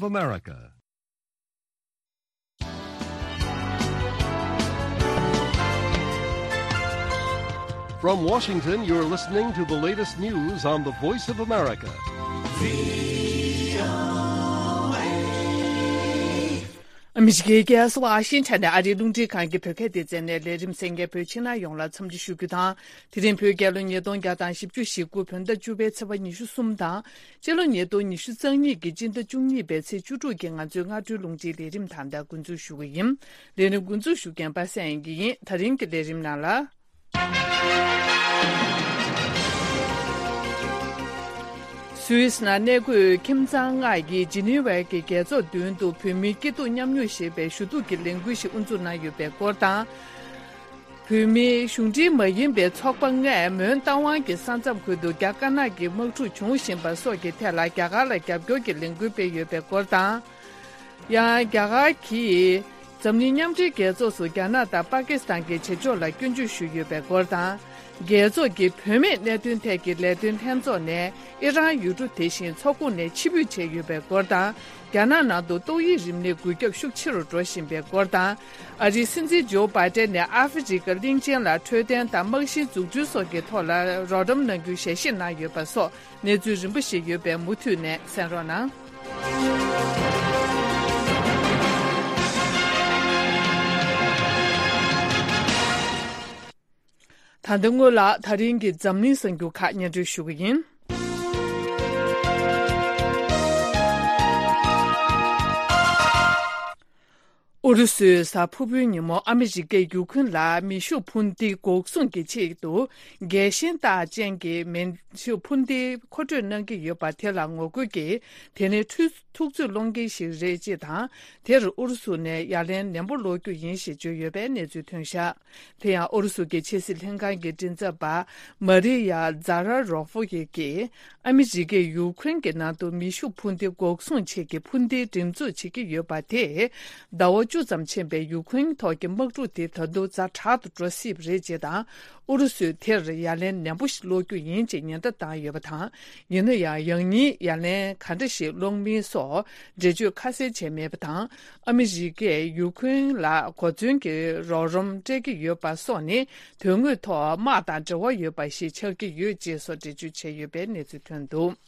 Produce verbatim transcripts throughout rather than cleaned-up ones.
America. From Washington, you're listening to the latest news on the Voice of America. ཨ་མི་རི་ཀའི་རྒྱལ་ས་ཝ་ཤིང་ཊོན་ནས་ཨ་རིའི་རླུང་འཕྲིན་ཁང་གི་བོད་སྐད་སྡེ་ཚན་ནས་ལས་རིམ་གསན་མཁན་བོད་ཕྱི་ནང་ཡོངས་ལ་འཚམས་འདྲི་ཞུ་རྒྱུ་དང་། དེ་རིང་བོད་རྒྱལ་ལོ་ཉིས་སྟོང་བརྒྱ་དང་བཞི་བཅུ་ཞེ་དགུ་བོད་ཟླ་བཅུ་པའི་ཚེས་པ་ཉི་ཤུ་གསུམ་དང་། སྤྱི་ལོ་ཉིས་སྟོང་ཉི་ཤུ་རྩ་གཉིས་ཀྱི་སྤྱི་ཟླ་བཅུ་གཉིས་པའི་ཚེས་བཅུ་དྲུག་གི་ང་ཚོའི་སྔ་དྲོའི་རླུང་འཕྲིན་ལས་རིམ་ད་ལྟ་འགོ་འཛུགས་ཞུ་གི་ཡིན། ལས་རིམ་འགོ་འཛུགས་ཞུ་མཁན་པ་སངས་དབྱངས་སྐྱིད་ཡིན། ད་རིང་གི་ལས་རིམ་ནང་ལ། སུད་སི་ནང་གནས་འཁོད་ཁྱིམ་ཚང་ལྔ་ཡིས་ཇི་ནི་ཝའི་གི་རྒྱལ་ཚོགས་མདུན་དུ་བོད་མིའི་སྐྱིད་སྡུག་མཉམ་མྱོང་ཞེས་པའི་ཞུ་གཏུག་གི་ལས་འགུལ་ཞིག་དབུ་འཛུགས་གནང་ཡོད་པའི་སྐོར་དང་། བོད་མིའི་གཞུང་འབྲེལ་མ་ཡིན་པའི་ཚོགས་པ་ལྔས་མོན་རྟ་དབང་གི་ས་མཚམས་ཁུལ་དུ་རྒྱ་དཀར་ནག་གི་དམག་འཁྲུག་བྱུང་བཞིན་པ་སོགས་ཀྱི་ཐད་ལ་རྒྱ་གར་ལ་རྒྱབ་སྐྱོར་གྱི་ལས་འགུལ་སྤེལ་ཡོད་པའི་སྐོར་དང་། ཡང་རྒྱ་གར་གྱིས་འཛམ་གླིང་མཉམ་འབྲེལ་རྒྱལ་ཚོགས་སུ་རྒྱ་ནག་དང་པ་ཀི་སི་ཐན་གྱི་བྱེད་ཕྱོགས་ལ་སྐྱོན་བརྗོད་ཞུས་ཡོད་པའི་སྐོར་དང་། རྒྱལ་ཚོགས་ཀྱི་བུད་མེད་གནད་དོན་ཐད་ཀྱི་ལས་དོན་ལྷན་ཚོགས་ནས་ཨི་རན་ཡུལ་གྲུ་དེ་བཞིན་ཚོགས་ཁོངས་ནས་ཕྱིར་འབུད་བྱས་ཡོད་པའི་སྐོར་དང་། རྒྱ་ནག་ནང་དུ་ཏོག་དབྱིབས་རིམས་ནད་འགོས་ཁྱབ་ཤུགས་ཆེ་རུ་འགྲོ་བཞིན་པའི་སྐོར་དང་། ཨ་རིའི་སྲིད་འཛིན་ཇོ་བྷའི་ཏན་ནས་ཨ་ཧྥེ་རི་ཀ་གླིང་ཆེན་ལ་འཕྲོད་བསྟེན་དང་རྨང་གཞིའི་འཛུགས་སྐྲུན་སོགས་ཀྱི་ཐོག་ལ་རོགས་རམ་གནང་རྒྱུའི་ཞལ་བཞེས་གནང་ཡོད་པ་སོགས་གནས་ཚུལ་རིམ་པ་ཞིག་ཡོད་པས་མུ་མཐུད་ནས་གསན་རོགས་གནང་། ད་ལྟ་སྔོན་ལ་ད་རིང་གི་འཛམ་གླིང་གསར་འགྱུར་ཁག་སྙན་སྒྲོན་ཞུ་གི་ཡིན། ཨུ་རུ་སུས་གཟའ་ཕུར་བུའི་ཉིན་མོ་ཨ་མི་རི་ཀས་ཡུ་ཁུན་ལ་མེ་ཤུགས་འཕུར་མདེལ་འགོག་སྲུང་གི་ཆེད་དུ་རྒྱལ་ཞེན་རྟགས་ཅན་གྱི་མེ་ཤུགས་འཕུར་མདེལ་མཁོ་སྤྲོད་གནང་གི་ཡོད་པ་དེ་ལ་ངོ་རྒོལ་གྱིས་དེ་ནས་ཐུགས་ཐུགས་ཚོད་སློང་མཁན་ཞིག་རེད་ཅེས་དང་། དེར་ཨུ་རུ་སུ་ནས་ཡ་ལན་ནན་པོ་སློག་རྒྱུ་ཡིན་ཞེས་བརྗོད་ཡོད་པའི་གནས་ཚུལ་ཐོན་བཞག་དེ་ཡང་ཨུ་རུ་སུ་གྱི་ཕྱི་སྲིད་ལྷན་ཁང་གི་མགྲིན་ཚབ་པ་མ་རི་ཡ་ཛ་ར་རོ་ཧྥོ་ཡེ་གིས་ཨ་མི་རི་ཀས་ཡུ་ཁུན་གྱི་ནང་དུ་མེ་ཤུགས་འཕུར་མདེལ་འགོག་སྲུང་ཆེད་ཀྱི་འཕུར་མདེལ་འགྲེམས་འཛུགས་བྱེད་ཀྱི་ཡོད་པ་དེས་ཟླ་བ་བཅུ་ཙམ་ཕྱིན་པའི་ཡུ་ཁུན་ཐོག་གི་དམག་འཁྲུག་དེ་ད་དུང་ཛ་དྲག་ཏུ་འགྲོ་སྲིད་པ་རེད་ཅེས་དང་། ཨུ་རུ་སུས་དེར་ཡ་ལན་ནན་པོ་ཞིག་སློག་རྒྱུ་ཡིན་ཅེས་ཉེན་བརྡ་བཏང་ཡོད་པ་དང་། ཡིན་ན་ཡང་ཡང་སྙིང་ཡ་ལན་ག་འདྲ་ཞིག་སློག་མིན་སོགས་འགྲེལ་བརྗོད་ཁ་གསལ་བྱས་མེད་པ་དང་། ཨ་མི་རི་ཀས་ཡུ་ཁུན་ལ་གོ་མཚོན་གྱི་རོགས་རམ་སྤྲད་ཀྱི་ཡོད་པ་སོགས་ནི་དོན་དངོས་ཐོག་དམག་དང་འབྲེལ་བ་ཡོད་པ་ཞིག་ཆགས་ཀྱི་ཡོད་ཅེས་སོགས་འགྲེལ་བརྗོད་བྱས་ཡོད་པའི་གནས་ཚུལ་ཐོན་འདུག་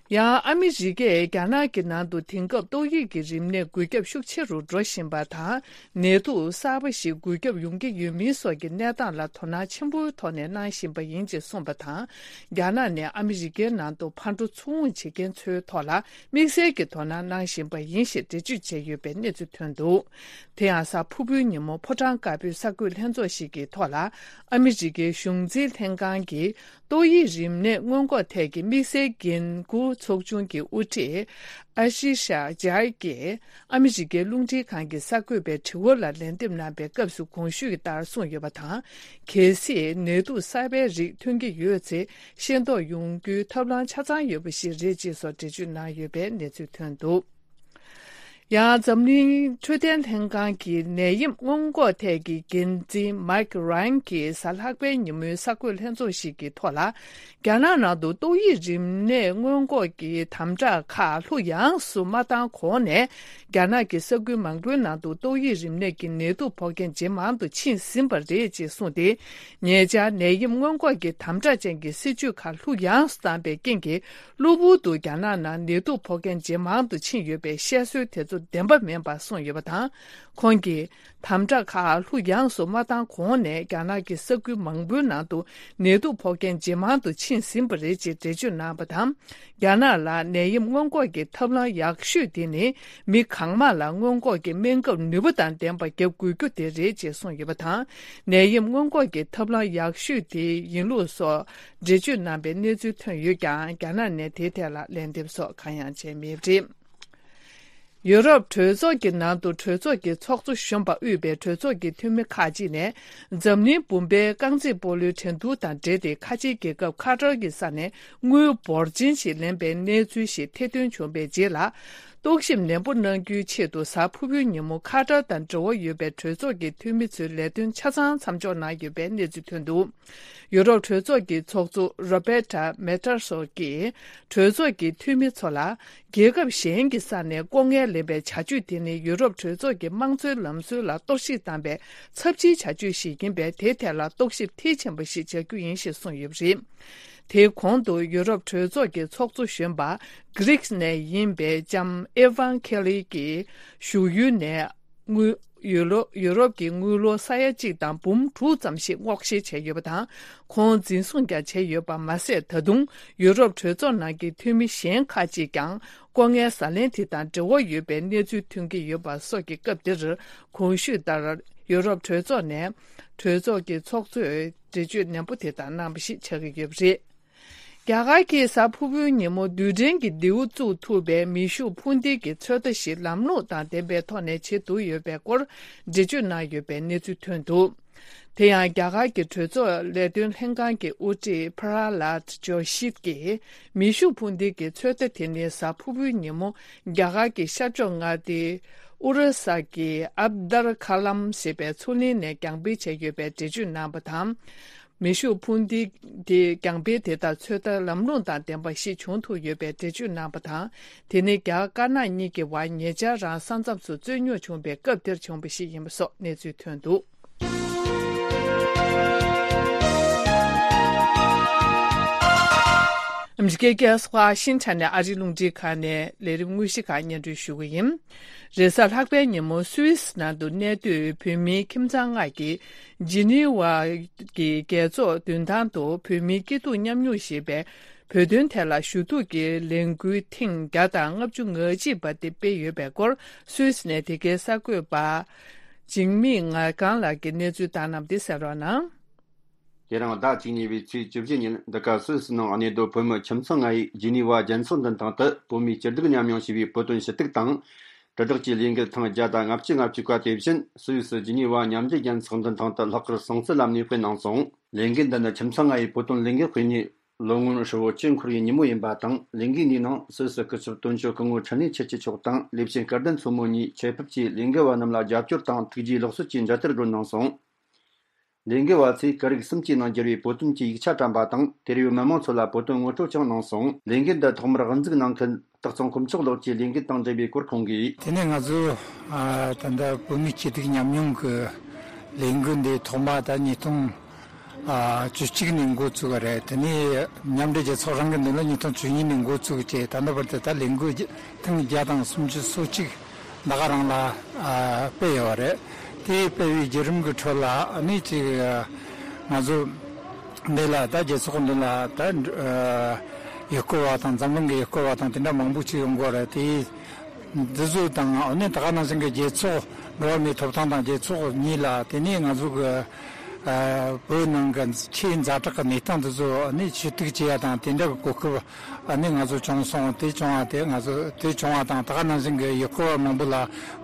ཡང་ཨ་མི་རི་ཀས་རྒྱ་ནག་གི་ནང་དུ་དེང་སྐབས་ཏོག་དབྱིབས་ཀྱི་རིམས་ནད་འགོས་ཁྱབ་ཤུགས་ཆེ་རུ་འགྲོ་བཞིན་པ་དང་། ནད་དུག་གསར་པ་ཞིག་འགོས་ཁྱབ་ཡོང་གི་ཡོད་མིན་སོགས་ཀྱི་གནས་སྟངས་ལ་དོ་སྣང་ཆེན་པོའི་ཐོག་ནས་གནང་བཞིན་པ་ཡིན་ཅེས་གསུངས་པ་དང་། རྒྱ་ནག་ནས་ཨ་མི་རི་ཀའི་ནང་དུ་ཕར་འགྲོ་ཚུར་འོང་བྱེད་མཁན་ཚོའི་ཐོག་ལ་དམིགས་བསལ་གྱི་དོ་སྣང་གནང་བཞིན་པ་ཡིན་ཞེས་འགྲེལ་བརྗོད་བྱས་ཡོད་པའི་གནས་ཚུལ་ཐོན་འདུག་དེ་ཡང་གཟའ་ཕུར་བུའི་ཉིན་མོ་ཕོ་བྲང་དཀར་པོའི་གསར་འགོད་ལྷན་ཚོགས་ཤིག་གི་ཐོག་ལ་ཨ་མི་རི་ཀའི་གཞུང་འཛིན་ལྷན་ཁང་གིས། ཏོག་དབྱིབས་རིམས་ནད་སྔོན་འགོག་ཐད་ཀྱི་དམིགས་བསལ་འགན་འཁུར་ཚོགས་ཆུང་གི་དབུ་ཁྲིད་ཨ་ཤི་ཤ་ཇཱ་གིས་ཨ་མི་རི་ཀའི་རླུང་འཕྲིན་ཁང་གི་གསར་འགོད་པའི་དྲི་བ་ལ་ལན་འདེབས་གནང་པའི་སྐབས་སུ་གོང་ཞུས་ཀྱི་ལྟར་གསུངས་ཡོད་པ་དང་། གལ་སྲིད་ནད་དུག་གསར་པའི་རིགས་ཐོན་གྱི་ཡོད་ཚེ་ཤེས་རྟོགས་ཡོང་རྒྱུའི་ཐབས་ལམ་ཆ་ཚང་ཡོད་པ་ཞིག་རེད་ཅེས་སོགས་འགྲེལ་བརྗོད་གནང་ཡོད་པའི་གནས་ཚུལ་ཐོན་འདུག་ཡང་འཛམ་གླིང་འཕྲོད་བསྟེན་ལྷན་ཁང་གི་ནད་ཡམས་སྔོན་འགོག་ཐད་ཀྱི་འགན་འཛིན་མཱིག་རཱན་གྱིས་གཟའ་ལྷག་པའི་ཉིན་མོའི་གསར་འགོད་ལྷན་ཚོགས་ཤིག་གི་ཐོག་ལ། རྒྱ་ནག་ནང་དུ་ཏོག་དབྱིབས་རིམས་ནད་སྔོན་འགོག་གི་དམ་དྲག་ཁག་ལྷུག་ཡངས་སུ་མ་བཏང་གོང་ནས། རྒྱ་ནག་གི་ས་ཁུལ་མང་པོའི་ནང་དུ་ཏོག་དབྱིབས་རིམས་ནད་ཀྱི་ནད་དུག་ཕོག་མཁན་ཇེ་མང་དུ་ཕྱིན་ཟིན་པ་རེད་ཅེས་གསུངས་ཏེ། ཉེ་ཆར་ནད་ཡམས་སྔོན་འགོག་གི་དམ་དྲག་ཅན་གྱི་སྲིད་ཇུས་ཁག་ལྷུག་ཡངས་སུ་བཏང་པའི་རྐྱེན་གྱིས། གློ་བུར་དུ་རྒྱ་ནག་ནང་ནད་དུག་ཕོག་མཁན་ཇེ་མང་དུ་ཕྱིན་ཡོད་པའི་བཤད་སྲོལ་དེ་ཚོ་བདེན་པ་མིན་པར་གསུངས་ཡོད་པ་དང་། ཁོང་གིས་དམ་དྲག་ཁག་ལྷུག་ཡངས་སུ་མ་བཏང་གོང་ནས་རྒྱ་ནག་གི་ས་ཁུལ་མང་པོའི་ནང་དུ་ནད་དུག་ཕོག་མཁན་ཇེ་མང་དུ་ཕྱིན་ཟིན་པ་རེད་ཅེས་འགྲེལ་བརྗོད་གནང་བ་དང་། རྒྱ་ནག་ལ་ནད་ཡམས་སྔོན་འགོག་གི་ཐབས་ལམ་ཡག་ཤོས་དེ་ནི་མི་གང་མང་ལ་སྔོན་འགོག་གི་སྨན་ཁབ་ནུས་པ་དང་ལྡན་པ་བརྒྱབ་དགོས་རྒྱུ་དེ་རེད་ཅེས་གསུངས་ཡོད་པ་དང་། ནད་ཡམས་སྔོན་འགོག་གི་ཐབས་ལམ་ཡག་ཤོས་དེ་ཡིན་ལུགས་སོགས། འགྲེལ་བརྗོད་གནང་པའི་གནས་ཚུལ་ཐོན་ཡོད་ཀྱང་། རྒྱ་ནག་ནས་དེའི་ཐད་ལ་ལན་འདེབས་སོགས་གང་ཡང་བྱས་མེད་པ་རེད། ཡུ་རོབ་གྲོས་ཚོགས་ཀྱི་ནང་དུ་གྲོས་ཚོགས་ཀྱི་ཚོགས་གཙོ་གཞོན་པ་དབུས་པའི་གྲོས་ཚོགས་ཀྱི་འཐུས་མི་ཁག་ཅིག་ནས། འཛམ་གླིང་བུམ་པའི་རྐང་རྩེད་སྤོ་ལོའི་འགྲན་བསྡུར་དང་འབྲེལ་ཏེ། ཁ་ཆེའི་རྒྱལ་ཁབ་ཁ་ཏར་གྱི་ས་ནས་དངུལ་འབོར་ཆེན་ཞིག་ལེན་པའི་གནས་ཚུལ་ཞིག་ཐེར་འདོན་བྱུང་བའི་རྗེས་ལ། རྟོག་ཞིབ་ནན་པོ་གནང་རྒྱུའི་ཆེད་དུ། གཟའ་ཕུར་བུའི་ཉིན་མོ་ཁ་བྲལ་དང་འབྲེལ་བ་ཡོད་པའི་གྲོས་ཚོགས་ཀྱི་འཐུས་མི་ཚོའི་ལས་དོན་ཆ་ཚང་མཚམས་འཇོག་གནང་ཡོད་པའི་གནས་ཚུལ་ཐོན་འདུག་ཡུ་རོབ་གྲོས་ཚོགས་ཀྱི་ཚོགས་གཙོ་Roberta Metsola་གྱིས་གྲོས་ཚོགས་ཀྱི་འཐུས་མི་ཚོ་ལ། རྒྱལ་ཁབ་གཞན་གྱི་ས་ནས་ལྐོག་རྔན་ལེན་པའི་བྱ་སྤྱོད་དེ་ནི་ཡུ་རོབ་གྲོས་ཚོགས་ཀྱི་དམངས་གཙོའི་ལམ་སྲོལ་ལ་གཏོར་བཤིག་བཏང་པའི་ཚབས་ཆེའི་བྱ་སྤྱོད་ཞིག་ཡིན་པས། དེའི་ཐད་ལ་རྟོག་ཞིབ་མཐིལ་ཕྱིན་པ་ཞིག་བྱ་རྒྱུ་ཡིན་ཞེས་གསུངས་ཡོད་པ་རེད། དེའི་གོང་དུ་ཡུ་རོབ་གྲོས་ཚོགས་ཀྱི་ཚོགས་གཙོ་གཞོན་པ་གྷི་རིག་ནས་ཡིན་པའི་ལྕམ་ཨེ་ཝན་ཁེ་ལི་གིས་བཞུགས་ཡུལ་ནས་དངུལ་ཡུ་རོ་ཡུ་རོབ་ཀྱི་དངུལ་ལོར་ས་ཡ་གཅིག་དང་འབུམ་དྲུག་ཙམ་ཞིག་སྔོག་བཤེར་བྱས་ཡོད་པ་དང་། ཁོང་འཛིན་བཟུང་ཀྱང་བྱས་ཡོད་པ་མ་ཟད། ད་དུང་ཡུ་རོབ་གྲོས་ཚོགས་ནང་གི་འཐུས་མི་གཞན་ཁག་ཅིག་ཀྱང་ལྐོག་རྔན་ཟ་ལེན་དེ་དང་འབྲེལ་བ་ཡོད་པའི་གནས་ཚུལ་ཐོན་གྱི་ཡོད་པ་སོགས་ཀྱི་སྐབས་འདིར། གོང་ཞུས་ལྟར་ཡུ་རོབ་གྲོས་ཚོགས་ནས་གྲོས་ཚོགས་ཀྱི་ཚོགས་གཙོས་འགྲེལ་བརྗོད་ནན་པོ་དེ་དག་གནང་བ་ཞིག་ཆགས་ཀྱི་ཡོད་པ་རེད། རྒྱ་གར་གྱིས་གཟའ་ཕུར་བུའི་ཉིན་མོ་རྡུལ་ཕྲན་གྱི་མདེའུ་བཙུགས་ཐུབ་པའི་མེ་ཤུགས་འཕུར་མདེལ་གྱི་ཚོད་ལྟ་ཞིག་ལམ་ལྷོང་དང་ལྡན་པའི་ཐོག་ནས་བྱེད་ཐུབ་ཡོད་པའི་སྐོར་འགྲེལ་བརྗོད་གནང་ཡོད་པའི་གནས་ཚུལ་ཐོན་འདུག་དེ་ཡང་རྒྱ་གར་གྱི་གྲོས་ཚོགས་ལས་དོན་ལྷན་ཁང་གི་དབུ་ཁྲིད་Prahlad Joshi་གྱིས་མེ་ཤུགས་འཕུར་མདེལ་གྱི་ཚོད་ལྟ་དེ་ནི་གཟའ་ཕུར་བུའི་ཉིན་མོ་རྒྱ་གར་གྱི་ཤར་ཕྱོགས་མངའ་སྡེ་ཨོ་རི་ས་གི་ཨབ་དར་ཁ་ལམ་ཞེས་པའི་མཚོ་གླིང་ནས་རྒྱང་འཕེལ་བྱས་ཡོད་པའི་འགྲེལ་བརྗོད་གནང་བ་དང་། མེ་ཤུགས་འཕུར་མདེལ་དེ་རྒྱང་འཕེལ་དེ་དག་ཚོད་ལྟ་ལམ་ལྷོང་དང་ལྡན་པ་ཞིག་བྱུང་ཐུབ་ཡོད་པའི་འགྲེལ་བརྗོད་གནང་བ་དང་། དེ་ནི་རྒྱ་དཀར་ནག་གཉིས་ཀྱི་བར་ཉེ་ཆར་རང་ས་མཚམས་སུ་རྩོད་རྙོག་བྱུང་བའི་སྐབས་དེར་བྱུང་བ་ཞིག་ཡིན་པ་སོགས་གནས་ཚུལ་ཐོན་འདུག་ཨ་མི་རི་ཀའི་རྒྱལ་ས་ཝ་ཤིང་ཊོན་ནས་ཨ་རིའི་རླུང་འཕྲིན་ཁང་ནས་ལས་རིམ་དངོས་གཞི་ཁག་སྙན་སྒྲོན་ཞུ་གི་ཡིན། རེས་གཟའ་ལྷག་པའི་ཉིན་མོ་སུད་སི་ནང་དུ་གནས་སྡོད་བོད་མིའི་ཁྱིམ་ཚང་ལྔ་གིས་ཇི་ནི་ཝ་གི་རྒྱལ་ཚོགས་མདུན་ཐང་དུ་བོད་མིའི་སྐྱིད་སྡུག་མཉམ་མྱོང་ཞེས་པའི་བོད་དོན་ཐད་ལ་ཞུ་གཏུག་གི་ལས་འགུལ་ཐེངས་བརྒྱ་དང་ལྔ་བཅུ་ང་གཅིག་པ་དེ་སྤེལ་ཡོད་པའི་སྐོར། སུད་སི་ནས་དེ་གའི་གསར་འགོད་པ་འཇིགས་མེད་ངག་དབང་ལགས་ཀྱིས་གནས་ཚུལ་བཏང་གནང་བ་དེ་གསན་རོགས་གནང་། དེ་རིང་ཟླ་བཅུ་གཉིས་པའི་ཚེས་བཅུ་བཞི་ཉིན་འདི་ག་སུད་སི་ནང་གནས་སྡོད་བོད་མི་ཁྱིམ་ཚང་ལྔ་ཡིས་ཇི་ནི་ཝ་རྒྱལ་ཚོགས་མདུན་ཐང་དུ་བོད་མིའི་སྐྱིད་སྡུག་མཉམ་མྱོང་ཞེས་པའི་བོད་དོན་ཞུ་གཏུག་དང་། དྲིལ་བསྒྲགས་ཀྱི་ལས་འགུལ་ཐེངས་བརྒྱ་དང་ལྔ་བཅུ་ང་བཅུ་པ་དེ་བཞིན་སུད་སི་ཇི་ནི་ཝ་མཉམ་འབྲེལ་རྒྱལ་ཚོགས་མདུན་ཐང་དུ་ལྷག་དཀར་སྲོང་བཙན་ལ་གནས་སྤོས་གནང་སོང་། ལས་འགུལ་འདི་ནི་ཁྱིམ་ཚང་ལྔ་ཡིས་བོད་དོན་ལས་འགུལ་སྤེལ་ནས་ལོ་ངོ་ཧྲིལ་བོ་བཅུ་འཁོར་བའི་ཉིན་མོ་ཡིན་པ་དང་། ལས་འགུལ་འདིའི་ནང་སུད་སི་སྐུ་ཚབ་དོན་གཅོད་སྐུ་ངོ་འཕྲིན་ལས་ཆོས་སྐྱིད་མཆོག་དང་ལས་བྱེད་སྐལ་ལྡན་མཚོ་མོ་གཉིས་ཆེད་ཕེབས་ཀྱིས་ལས་འགུལ་བ་རྣམས་ལ་རྒྱབ་སྐྱོར་དང་ཐུགས་རྗེའི་ལེགས་གསོལ་གྱི་མཇལ་དར་སྒྲོན་གནང་སོང་། ལས་འགུལ་བ་ཚོས་སྐད་རིགས་གསུམ་གྱི་ནང་བསྒྱུར་བའི་བོད་དོན་གྱི་ཡིག་ཆ་བཀྲམ་པ་དང་། དེར་ཡོད་མི་མང་ཚོ་ལ་བོད་དོན་ངོ་སྤྲོད་ཀྱང་གནང་སོང་། ལས་འགུལ་འདི་ཐོག་མར་དབུ་འཛུགས་གནང་མཁན་སྟག་ཚང་དཀོན་མཆོག་ལགས་ཀྱིས་ལས་འགུལ་དང་འབྲེལ་བའི་སྐོར་ཁོང་གིས། དེ་ནས་ང་ཚོ་ཨ་ད་ལྟ་བོད་མིའི་སྐྱིད་སྡུག་མཉམ་མྱོང་གི་ལས་འགུལ་འདི་ཐོག་མ་ད་ཉིས་སྟོང་ཨ་བཅུ་གཅིག་ནས་འགོ་བཙུགས་པ་རེད། དེ་ནས་མཉམ་འབྲེལ་རྒྱལ་ཚོགས་རང་གི་མདུན་ལ་ཉིས་སྟོང་བཅུ་གཉིས་ནས་འགོ་བཙུགས་བྱས། ད་ལྟ་བར་དུ་ད་ལས་འགུལ་ཐེངས་བརྒྱ་དང་སུམ་ཅུ་སོ་གཅིག་ད་ག་རང་ལ་ཨ་སྤེལ་ཡོད་རེད། དེ་སྤེལ་བའི་བརྒྱུད་རིམ་གྱི་ཁྲོད་ལ་ཨ་ནི་ཅིག་ང་ཚོ་འདི་ལ་ད་རྒྱལ་ཚོགས་འདི་ལ་ད་ཨ་ཡུལ་སྐོར་བ་དང་འཛམ་གླིང་གི་ཡུལ་སྐོར་བ་དང་དེ་འདྲ་མང་པོ་ཅིག་ཡོང་གི་ཡོད་རེད། དེ་འདི་ཚོ་དང་ཨ་ནི་ད་ག་ནང་བཞིན་གྱི་རྒྱལ་ཚོགས་འགྲོ་བ་མིའི་ཐོབ་ཐང་དང་རྒྱལ་ཚོགས་གཉིས་ལ་དེ་ནས་ང་ཚོ་གི་ཨ་བོད་ནང་གི་ཆེས་ཛ་དྲག་གི་གནས་སྟངས་འདི་ཚོ་ཨ་ནི་ཞུ་གཏུག་བྱེད་ཡ་དང་དེ་འདྲ་གི་གོ་སྐབས་ཨ་ནི་ང་ཚོ་བྱུང་སོང་། དེ་བྱུང་བ་དེ་ང་ཚོ་དེ་བྱུང་བ་དང་ད་ག་ནང་བཞིན་གྱི་ཡུལ་སྐོར་བ་མང་པོ་ལ་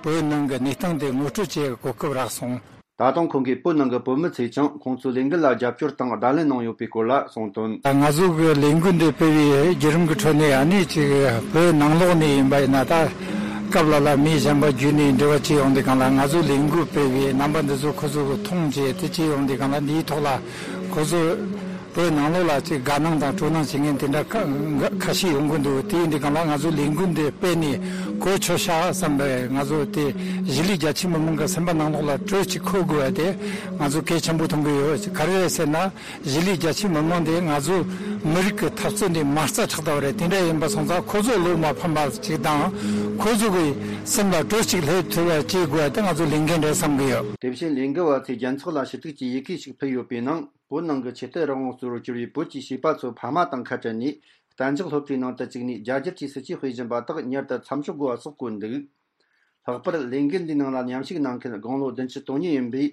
བོད་ནང་གི་གནས་སྟངས་དེ་ངོ་སྤྲོད་བྱེད་གོ་སྐབས་རག་སོང་། ད་དུང་ཁོང་གིས་བོད་ནང་གི་བོད་མི་ཚོས་ཀྱང་ཁོང་ཚོའི་ལས་འགུལ་ལ་རྒྱབ་སྐྱོར་དང་བརྡ་ལན་གནང་ཡོད་པའི་སྐོར་ལ་གསུངས་དོན། ད་ང་ཚོ་གི་ལས་འགུལ་འདི་སྤེལ་བའི་བརྒྱུད་རིམ་གྱི་ཁྲོད་ནས་ཨ་ནི་ཅིག་བོད་ནང་ལོགས་ནས་ཡིན་པ་ཡིན་ན། ད་སྐབས་ལ་ལ་མི་གཞན་པ་བརྒྱུད་ནས་འབྲེལ་བ་བྱེད་ཡོང་དུས་སྒང་ལ་ང་ཚོ་ལས་འགུལ་སྤེལ་བའི་རྣམ་པ་འདི་ཚོ་ཁོ་ཚོ་གིས་མཐོང་བྱས་དེ་བྱེད་ཡོང་དུས་སྒང་ལ་འདིའི་ཐོག་ལ་ཁོ་ཚོ་བོད་ནང་ལོགས་ལ་ཅིག་དགའ་སྣང་དང་སྤྲོ་སྣང་བྱེད་མཁན་དེ་འདྲ་ཁ་ཁ་ཤས་ཡོང་གི་འདུག་དེ་ཡིན་དུས་སྒང་ལ་ང་ཚོ་ལས་འགུལ་འདི་སྤེལ་ནས་གོ་ཆོད་ཤག་བསམ་པའི་ང་ཚོ་དེ་གཞིས་ལུས་རྒྱ་ཆེ་མི་མང་གི་སེམས་པ་ནང་ལོགས་ལ་དྲོད་ཅིག་འཁོལ་དགོས་པ་དེ་ང་ཚོ་གལ་ཆེན་པོ་མཐོང་གི་ཡོད། ག་རེ་རེད་ཟེར་ན། གཞིས་ལུས་རྒྱ་ཆེ་མི་མང་དེ་ང་ཚོ་མི་རིགས་ཀྱི་འཐབ་རྩོད་འདི་མ་རྩ་ཆགས་བསྡད་པ་རེད། དེ་འདྲ་ཡིན་པ་སོང་ཙང་ཁོ་ཚོ་བློ་མ་ཕམ་པ་ཅིག་དང་། ཁོ་ཚོ་གི་སེམས་ལ་དྲོད་ཅིག་སླེབས་ཐུབ་པ་བྱེད་དགོས་པ་དེ་ང་ཚོ་ལས་འགན་རེད་བསམ་གི་ཡོད། དེ་བཞིན་ལས་འགུལ་བ་ཚོས་རྒྱལ་ཚོགས་ལ་ཞུ་གཏུག་གི་ཡི་གེ་ཞིག་ཕུལ་ཡོད་པའི་ནང་། བོད་ནང་གི་ཆོས་དད་རང་དབང་གཙོ་བོར་གྱུར་བའི་བོད་ཀྱི་བྱིས་པ་ཚོ་ཕ་མ་དང་ཁ་བྲལ་ནས་གཏན་འཇགས་སློབ་གྲྭའི་ནང་དུ་བཅུག་ནས་རྒྱ་གར་གྱི་སྲིད་ཇུས་སྤེལ་བཞིན་པ་དག་མྱུར་དུ་མཚམས་འཇོག་དགོས་པ་སོགས་བཀོད་འདུག་ལྷག་པར་ལས་འགུལ་འདིའི་ནང་ལ་མཉམ་ཞུགས་གནང་མཁན་དགུང་ལོ་བདུན་ཅུ་དོན་གཉིས་ཡིན་པའི་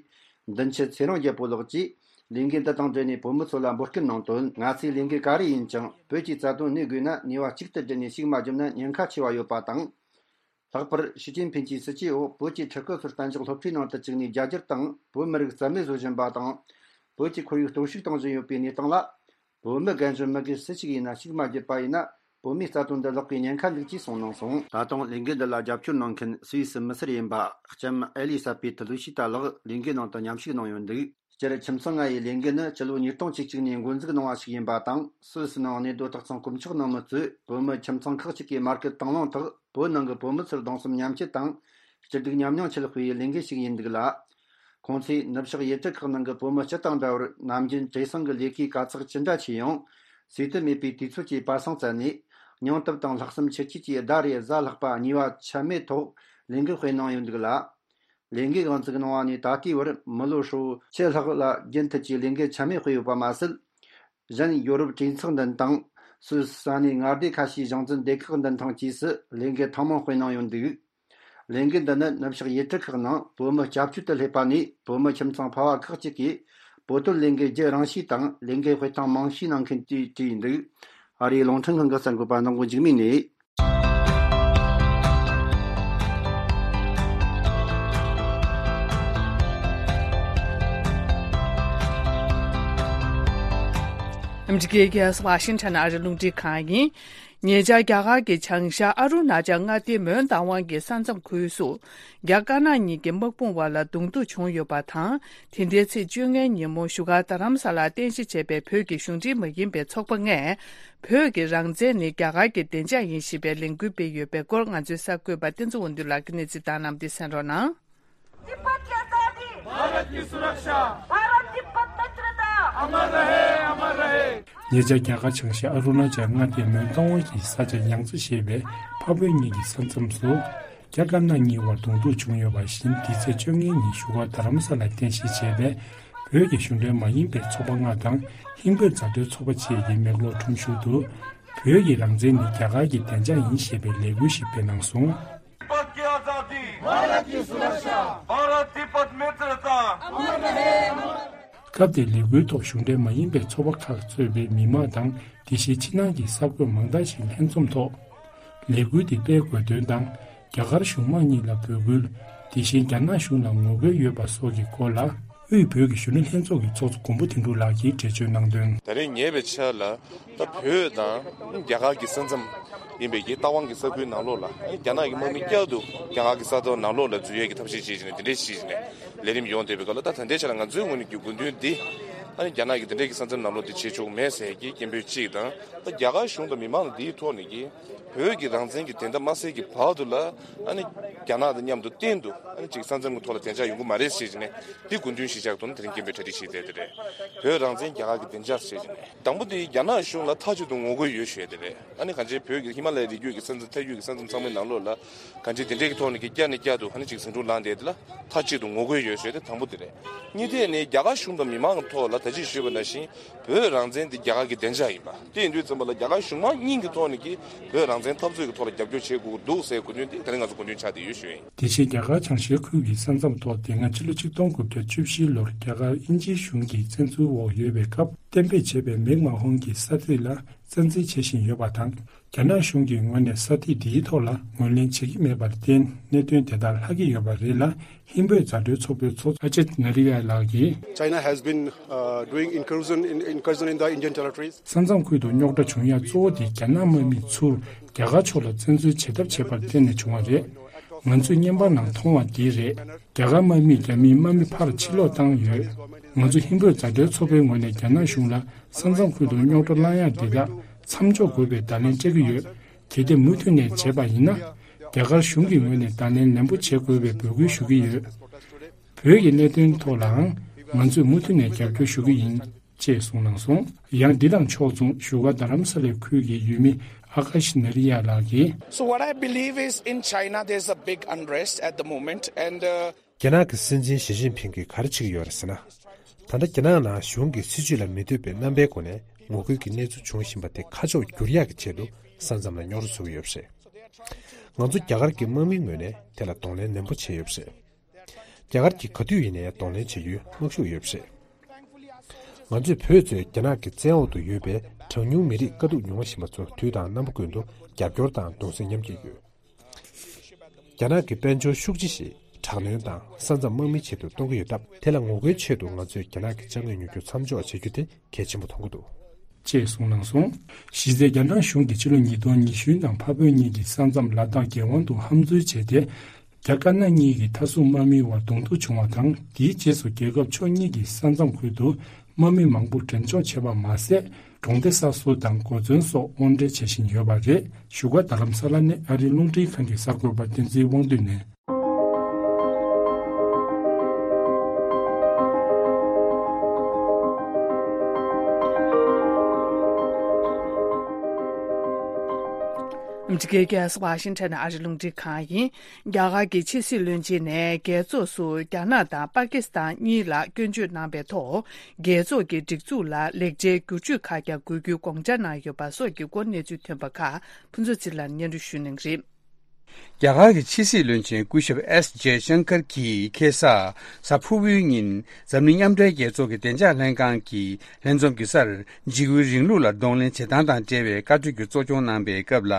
མདུན་ཆུ་ཚེ་རིང་རྒྱལ་པོ་ལགས་ཀྱིས་ལས་འགུལ་འདི་དང་འབྲེལ་ནས་བོད་མི་ཚོ་ལ་འབོད་སྐུལ་གནང་དོན། ང་ཚོས་ལས་འགུལ་ག་རེ་ཡིན་ཀྱང་བོད་ཀྱི་རྩ་དོན་གནས་དགོས་ན་ནུས་པ་གཅིག་ཏུ་བསྒྲིལ་ནས་ཤུགས་མ་བརྒྱབ་ན་ཉེན་ཁ་ཆེ་བ་ཡོད་པ་དང་། ལྷག་པར་ཞི་ཅིན་ཕིན་གྱིས་སྲིད་ཇུས་འོག་བོད་ཀྱི་ཕྲུ་གུ་ཚོར་གཏན་འཇགས་སློབ་གྲྭའི་ནང་དུ་བཅུག་ནས་རྒྱ་སྒྱུར་དང་བོད་མི་རིགས་རྩ་མེད་བཟོ་བཞིན་པ་དང་། བོད་ཀྱི་ཁོར་ཡུག་གཏོར་བཤིག་གཏོང་བཞིན་ཡོད་པའི་གནས་སྟངས་ལ། བོད་མི་རྒན་གཞོན་མི་སྒེར་སུ་ཞིག་ཡིན་ན་ཤུགས་མ་བརྒྱབ་པ་ཡིན་ན། བོད་མིའི་རྩ་དོན་འདི་ལེགས་པའི་ཉེན་ཁ་འདུག་ཅེས་གསུངས་གནང་སོང་། ད་དུང་ལས་འགུལ་འདི་ལ་རྒྱབ་སྐྱོར་གནང་མཁན་སུད་སི་མི་སེར་ཡིན་པ་ལྕམ་ཨེ་ལི་ས་པེ་ཐི་ལུ་ཤི་ཏཱ་ལགས་ལས་འགུལ་ནང་དུ་མཉམ་ཞུགས་གནང་ཡོད་འདུག་སྤྱིར་ཁྱིམ་ཚང་ལྔ་ཡི་ལས་འགུལ་ནི་ཕྱི་ལོ་ཉིས་སྟོང་བཅུ་གཅིག་ནས་འགོ་འཛུགས་གནང་བ་ཞིག་ཡིན་པ་དང་། སུད་སི་ནང་གནས་སྡོད་སྟག་ཚང་དཀོན་མཆོག་ནང་མི་གཙོས་བོད་མི་ཁྱིམ་ཚང་ཁག་ཅིག་གིས་མར་ཁུ་དང་བླངས་ཐོག་བོད་ནང་གི་བོད་མི་ཚོར་གདུང་སེམས་མཉམ་སྐྱེད་དང་སྐྱིད་སྡུག་མཉམ་མྱོང་ཆེད་སྤེལ་བའི་ལས་འགུལ་ཞིག་ཡིན་འདུག་ལ། ཁོང་ཚོས་ནུབ་ཕྱོགས་ཡུལ་གྲུ་ཁག་ནང་གི་བོད་མི་སྤྱི་དང་འདྲ་བར་ནམ་རྒྱུན་བྲེལ་ཟིང་གི་ལས་ཀའི་དཀའ་ཚེགས་ཅི་འདྲ་ཆེ་ཡང་། ཟས་དུས་མེད་པའི་དུས་ཚོད་ཀྱི་པར་སང་བཙལ་ནས། སྙིང་སྟོབས་དང་ལྷག་བསམ་ཆེ་བསྐྱེད་ཀྱིས་ཟླ་རེ་གཟའ་ལྷག་པ་གཉིས་པ་ཆད་མེད་ཐོག་ལས་འགུལ་སྤེལ་གནང་ཡོད་འདུག་ལ། ལས་འགུལ་འགོ་འཛུགས་གནང་བ་ནས་ད་ལྟའི་བར་མི་ལོ་ཧྲིལ་བོ་ཕྱེད་ལྷག་ལ་རྒྱུན་མཐུད་ཀྱིས་ལས་འགུལ་ཆད་མེད་སྤེལ་ཡོད་པ་མ་ཟད། གཞན་ཡོ་རོབ་གྲོས་ཚོགས་མདུན་ཐང་། སུད་སི་ས་གནས་མངའ་སྡེ་ཁ་ཤས་གཞུང་འཛིན་སྡེ་ཁག་མདུན་ཐང་བཅས་སུ་ལས་འགུལ་ཐེངས་མང་སྤེལ་གནང་ཡོད་འདུག་ལས་འགུལ་འདི་ནི་ནུབ་ཕྱོགས་ཡུལ་གྲུ་ཁག་ནང་བོད་མི་སྐྱབས་བཅོལ་དུ་སླེབས་པ་ནས་བོད་མི་ཁྱིམ་ཚང་ཕལ་བ་ཁག་ཅིག་གིས་བོད་དོན་ལས་འགུལ་བརྒྱུད་རིང་ཞུས་དང་ལས་འགུལ་སྤེལ་སྟངས་མང་ཤོས་གནང་མཁན་གྱིས་བྲིས་ཡོད་འདུག་ཨ་རིའི་རླུང་འཕྲིན་ཁང་གི་གསར་འགོད་པ་ནང་ཀུན་འཇིགས་མེད་ནས། ཨ་མི་རི་ཀའི་རྒྱལ་ས་ཝ་ཤིང་ཊོན་ཨ་རི་རླུང་འཕྲིན་ཁང་ཡིན། ཉེ་ཆར་རྒྱ་གར་གྱི་བྱང་ཤར་ཨ་རུ་ན་ཅལ་མངའ་སྡེའི་མོན་རྟ་དབང་གི་ས་མཚམས་ཁུལ་སུ། རྒྱ་དཀར་ནག་གཉིས་ཀྱི་དམག་དཔུང་བར་ལ་གདོང་ཐུག་བྱུང་ཡོད་པ་དང་། དེ་ལྟའི་ཚེས་བཅོ་ལྔའི་ཉིན་མོ་བཞུགས་སྒར་རྡ་རམ་ས་ལར་རྟེན་གཞི་བྱས་པའི་བོད་ཀྱི་གཞུང་འབྲེལ་མ་ཡིན་པའི་ཚོགས་པ་ལྔས། བོད་ཀྱི་རང་བཙན་ནི་རྒྱ་གར་གྱི་བདེ་འཇགས་ཡིན་ཞེས་པའི་ལས་འགུལ་སྤེལ་ཡོད་པའི་སྐོར་ང་ཚོའི་གསར་འགོད་པ་བསྟན་འཛིན་དབང་འདུས་ལགས་ཀྱིས་གནས་ཚུལ་བཏང་གནང་སྟེ་གསན་རོགས་གནང་། तिब्बत की आजादी, भारत की सुरक्षा, भारत तिब्बत मित्रता। अमर रहे, अमर रहे। ཉེ་ཆར་རྒྱ་གར་བྱང་ཤར་ཨ་རུ་ན་ཅལ་མངའ་སྡེའི་མོན་རྟ་དབང་གི་ས་ཆ་ཡང་རྩེ་ཞེས་པའི་འཕགས་བོད་གཉིས་ཀྱི་ས་མཚམས་སུ། རྒྱ་དཀར་ནག་གཉིས་བར་གདོང་ཐུག་བྱུང་ཡོད་པ་བཞིན། འདི་ཚེས་བཅོ་ལྔའི་ཉིན་བཞུགས་སྒར་རྡ་རམ་ས་ལར་རྟེན་གཞི་བྱས་པའི་བོད་ཀྱི་གཞུང་འབྲེལ་མ་ཡིན་པའི་ཚོགས་པ་ལྔ་དང་ཧིན་བོད་མཛའ་འབྲེལ་ཚོགས་པ་བཅས་ཀྱི་མེག་ལོར་ཁྲོམ་གཞུང་དུ། བོད་ཀྱི་རང་བཙན་ནི་རྒྱ་གར་གྱི་བདེ་འཇགས་ཡིན་ཞེས་པའི་ལས་འགུལ་ཞིག་སྤེལ་གནང་སོང་། तिब्बत की आजादी, भारत की सुरक्षा, भारत तिब्बत मित्रता। སྐབས་དེར་ལས་འགུལ་ཐོག་གཞུང་འབྲེལ་མ་ཡིན་པའི་ཚོགས་པ་ཁག་གཙོས་པའི་མི་མང་དང་། དེ་བཞིན་ཕྱི་ནང་གི་གསར་འགོད་མང་དག་ཞིག་ལྷན་འཛོམས་ཐོག་ལས་འགུལ་དེ་སྤེལ་དགོས་དོན་དང་། རྒྱ་གར་གཞུང་མང་གཉིས་ལ་འབོད་སྐུལ། དེ་བཞིན་རྒྱ་ནག་གཞུང་ལ་ངོ་རྒོལ་ཡོད་པ་སོགས་ཀྱི་སྐོར་ལ། དབུས་བོད་ཀྱི་གཞོན་ནུ་ལྷན་ཚོགས་ཀྱི་ཚོགས་གཙོ་མགོན་པོ་དོན་གྲུབ་ལགས་ཀྱིས་འགྲེལ་བརྗོད་གནང་དོན། ད་རེས་ཉེ་བའི་ཆར་ལ་ད་བོད་དང་རྒྱ་གར་གྱི་ས་མཚམས་ཡིན་པའི་གི་རྟ་དབང་གི་ས་ཁུལ་ནང་ལོགས་ལ། རྒྱ་ནག་གི་དམག་མི་བསྐྱར་དུ་རྒྱ་གར་གྱི་ས་ཐོག་ནང་ལོགས་ལ་འཛུལ་ཡས་ཀྱི་ཐབས་ཤེས་བྱེད་བཞིན་ནས་དེ་འདྲས་བྱེད་བཞིན་ནས་ལས་རིམ་ཡོང་བསྡད་པའི་སྐབས་ལ། ད་ད་ལྟའི་ཆར་ལ་ང་ཚོའི་ངོས་ནས་ཀྱི་དགོས་འདུན་འདི་ཨ་ནི་རྒྱ་ནག་གི་དེ་འདྲས་ཀྱི་ས་མཚམས་ནང་ལོགས་དེ་བྱེད་ཆོག་མེད་ཟེར་གྱི་སྐད་འབོད་གཅིག་དང་། ད་རྒྱ་གར་གཞུང་དང་མི་མང་ལ་འདིའི་ཐོག་ནས་ཀྱི་བོད་ཀྱི་རང་བཙན་གྱི་བདེན་མཐའ་མ་གསལ་གྱི་བར་དུ་ལ། ཨ་ནི་རྒྱ་ནག་དང་མཉམ་དུ་གཏན་དུ་ཨ་ནི་ཅིག་ས་མཚམས་ཀྱི་ཐོག་ལ་བདེ་འཇགས་ཡོང་གི་མ་རེད་ཟེར་བྱས་ནས། འདི་དགོས་འདུན་གཞི་བཞག་ཐོག་ནས་དེ་རིང་སྐད་འབོད་གྲ་སྒྲིག་བྱས་བསྡད་དེ་རེད། བོད་རང་བཙན་རྒྱ་གར་གྱི་བདེ་འཇགས་ཟེར་བྱས་ནས། དང་པོ་དེ་རྒྱ་ནག་གཞུང་ལ་མཐའ་གཅིག་ཏུ་ངོ་རྒོལ་ཡོད་ཞུ་ཡས་དེ་རེད། ཨ་ནི་གང་ཅི་བོད་ཀྱི་ཧི་མ་ལ་ཡའི་རི་རྒྱུད་ཀྱི་ས་མཚམས་མཐའ་རྒྱུད་ཀྱི་ས་མཚམས་ཚང་མའི་ནང་ལོགས་ལ་གང་ཅི་དེ་འདྲས་ཀྱི་ཐོག་ནས་ཀྱི་བསྐྱར་ནས་བསྐྱར་དུ་ཨ་ནི་ཅིག་ཟིང་འཁྲུག་ལངས་བསྡད་དེ་ལ་མཐའ་གཅིག་ཏུ་ངོ་རྒོལ་ཡོད་ཞུ་ཡས་དེ་དང་པོ་དེ་རེད། གཉིས་ཐད་ནས་རྒྱ་གར་གཞུང་དང་མི་མང་གི་ཐོག་ལ་ད་ཅི་ཞུས་པ་ནང་བཞིན། བོད་རང་བཙན་དེ་རྒྱ་གར་གྱི་བདེ་འཇགས་ཡིན་པ། དེ་ཡིན་དུས་ཙམ་པ་ལ་རྒྱ་གར་གཞུང་མང་གཉིས་ཀྱི་ཐོག་ནས་ཀྱི་བོད་རང་བཙན་འཐབ་རྩོད་ཀྱི་ཐོག་ལ་རྒྱབ་སྐྱོར་བྱེད་དགོས་ཀྱི་འདུག་ཟེར་དགོས་དོན་དེ་དེ་རིང་ང་ཚོ་དགོས་འདུན་ཆགས་བསྡད་ཡོད་ཞུ་ཡིན། དེ་བཞིན་རྒྱ་གར་བྱང་ཤར་ཁུལ་གྱི་ས་མཚམས་ཐོག་དེ་སྔ་ཕྱི་ལོ་ཆིག་སྟོང་དགུ་བརྒྱ་བཅུ་བཞི་ལོར་རྒྱ་གར་དབྱིན་ཇིའི་གཞུང་གི་བཙན་འཛུལ་འོག་ཡོད་པའི་སྐབས་གཏན་འབེབས་བྱས་པའི་མེག་མ་ཧོན་གྱི་ས་ཐིག་ལ་རྩ་འཛིན་བྱེད་བཞིན་ཡོད་པ་དང་། རྒྱ་ནག་གཞུང་གི་ངོས་ནས་ས་ཐིག་འདིའི་ཐོག་ལ་ངོས་ལེན་བྱེད་ཀྱི་མེད་པར་བརྟེན་གནད་དོན་དེ་དག་ལྷག་གི་ཡོད་པ་རེད་ལ། ཧིན་བོད་མཛའ་འབྲེལ་ཚོགས་པའི་ཚོགས་གཙོ་ཨ་ཅིད་ནཱ་རི་ཡ་ལགས་ཀྱིས། China has been, uh, doing incursion in, incursion in the Indian territories. ས་མཚམས་ཁུལ་དུ་རྙོག་དྲ་བྱུང་ཡ་གཙོ་བོ་དེ་རྒྱ་ནག་དམག་མིས་ཚུར་རྒྱ་གར་ཕྱོགས་ལ་བཙན་འཛུལ་བྱེད་ཐབས་བྱས་པར་བརྟེན་ནས་བྱུང་བ་རེད། ང་ཚོས་བརྙན་པར་ནང་མཐོང་བ་འདི་རེད། རྒྱ་གར་དམག་མིས་རྒྱ་མིའི་དམག་མི་ཕར་ཕྱིར་ལོག་བཏང་ཡོད། ང་ཚོ་ཧིན་བོད་མཛའ་འབྲེལ་ཚོགས་པའི་ངོས་ནས་རྒྱ་ནག་གཞུང་ལ་ས་མཚམས་ཁུལ་དུ་རྙོག་དྲ་བསླང་ཡ་འདི་དག་མཚམས་འཇོག་དགོས་པའི་བརྡ་ལན་སྤྲད་ཀྱི་ཡོད། གལ་ཏེ་མུ་མཐུད་ནས་བྱས་པ་ཡིན་ན། རྒྱ་གར་གཞུང་གི་ངོས་ནས་བརྡ་ལན་ནན་པོ་བྱེད་དགོས་པའི་འབོད་སྐུལ་ཞུ་གི་ཡོད། བོད་ཀྱི་གནད་དོན་ཐོག་ལའང་ང་ཚོས་མུ་མཐུད་ནས་རྒྱབ་སྐྱོར་ཞུ་གི་ཡིན། ཅེས་གསུངས་གནང་སོང་། ཡང་འདི་དང་ཕྱོགས་མཚུངས་བཞུགས་སྒར་རྡ་རམ་ས་ལའི་ཁུལ་གྱི་ཡུལ་མི་ཨ་ཀ་ཤི་ནཱ་རི་ཡ་ལགས་ཀྱིས། So what I believe is in China there's a big unrest at the moment and uh, རྒྱ་ནག་གི་སྲིད་འཛིན་ཞི་ཅིན་ཕིང་གིས་ག་རེ་བྱེད་ཀྱི་ཡོད་རེད་ཟེར་ན། ད་ལྟ་རྒྱ་ནག་ནང་གཞུང་གི་སྲིད་བྱུས་ལ་མི་འདོད་པའི་རྣམ་པའི་སྒོ་ནས་ངོ་རྒོལ་གྱི་གནས་ཚུལ་འབྱུང་བཞིན་པ་དེ་ཁ་ཕྱོགས་བསྒྱུར་ཡག་གི་ཆེད་དུ་ས་མཚམས་ལ་རྙོག་དྲ་བཟོ་གི་ཡོད་པ་རེད། ང་ཚོ་རྒྱ་གར་གྱི་དམག་མིའི་ངོས་ནས་དེ་ལ་གདོང་ལེན་ནན་པོ་བྱས་ཡོད་པ་རེད། རྒྱ་གར་གྱིས་ག་དུས་ཡིན་ནའི་གདོང་ལེན་བྱེད་རྒྱུའི་དམག་ཤུགས་ཡོད་པ་རེད། ང་ཚོས་བོད་གཙོས་རྒྱ་ནག་གི་བཙན་འོག་ཏུ་ཡོད་པའི་གྲངས་ཉུང་མི་རིགས་དཀའ་སྡུག་མྱོང་བཞིན་པ་ཚོ་དུས་དང་རྣམ་པ་ཀུན་ཏུ་རྒྱབ་སྐྱོར་དང་གདུང་སེམས་མཉམ་སྐྱེད་ཡོད། རྒྱ་ནག་གི་དཔལ་འབྱོར་ཤུགས་ཆེ་ཞིག་དྲག་གནོན་དང་ས་མཚམས་དམག་མིའི་ཆེད་དུ་གཏོང་གི་ཡོད་སྟབས། དེ་ལ་ངོ་རྒོལ་ཆེད་དུ་ང་ཚོས་རྒྱ་ནག་གི་ཅ་དངོས་ཉོ་རྒྱུ་མཚམས་འཇོག་བྱེད་རྒྱུ་དེ་གལ་ཆེན་པོ་མཐོང་གི་འདུག། ཅེས་གསུངས་གནང་སོང་། གཞི་རྩའི་རྒྱ་ནག་གཞུང་གིས་ཕྱི་ལོ་ཉིས་སྟོང་ཉི་ཤུ་དང་འཕགས་བོད་གཉིས་ཀྱི་ས་མཚམས་ལ་དྭགས་རྒྱལ་དབང་དུ་ཧམ་འཛུལ་བྱས་ཏེ། རྒྱ་དཀར་ནག་གཉིས་ཀྱི་མཐའ་སྲུང་དམག་མིའི་བར་གདོང་ཐུག་བྱུང་བ་དང་། དེའི་རྗེས་སུ་རྒྱལ་ཁབ་ཕྱོགས་གཉིས་ཀྱི་ས་མཚམས་ཁུལ་དུ་དམག་མི་མང་པོ་འགྲེམས་འཇོག་བྱས་པ་མ་ཟད། གྲོང་སྡེ་གསར་བཟོ་དང་སྒོ་བརྩོན་སོགས་དབོར་འདྲེན་བྱེད་བཞིན་ཡོད་པ་རེད། བཞུགས་སྒར་རྡ་རམ་ས་ལ་ནས་ཨ་རིའི་རླུང་འཕྲིན་ཁང་གི་གསར་འགོད་པ་བསྟན་འཛིན་དབང་འདུས་ནས། ཨ་མི་རི་ཀའི་རྒྱལ་ས་ཝ་ཤིང་ཊོན་ནས་ཨ་རིའི་རླུང་འཕྲིན་ཁང་ཡིན། རྒྱ་གར་གྱི་ཕྱི་སྲིད་བློན་ཆེན་ནས་རྒྱལ་ཚོགས་སུ་རྒྱ་ནག་དང་པ་ཀི་སི་ཐན་གཉིས་ལ་སྐྱོན་བརྗོད་གནང་པའི་ཐོག་རྒྱལ་ཚོགས་ཀྱི་སྒྲིག་འཛུགས་ལ་ལེགས་ཆའི་བསྒྱུར་བཅོས་ཁག་ཀྱང་དགོས་རྒྱུའི་དགོངས་འཆར་གནང་ཡོད་པ་སོགས་ཀྱི་སྐོར་གནས་ཚུལ་ཐོན་པ་ཁག་ཕུན་ཚོགས་ཚེ་རིང་ལགས་སྙན་སྒྲོན་ཞུ་གནང་གི་རེད། རྒྱ་གར་གྱི་ཕྱི་སྲིད་བློན་ཆེན་སྐུ་ཞབས་ཨེསི་ཇེ་ཤང་ཀར་གྱིས་ཁེ་ས་གཟའ་ཕུར་བུའི་ཉིན་འཛམ་གླིང་མཉམ་འབྲེལ་རྒྱལ་ཚོགས་ཀྱི་བདེ་འཇགས་ལྷན་ཁང་གི་ལྷན་འཛོམས་ཀྱི་སར་འཇིགས་སྐུལ་རིང་ལུགས་ལ་གདོང་ལེན་བྱེད་སྟངས་དང་འབྲེལ་བའི་བཀའ་འཁྲོལ་གྱི་གཙོ་སྐྱོང་གནང་པའི་སྐབས་ལ།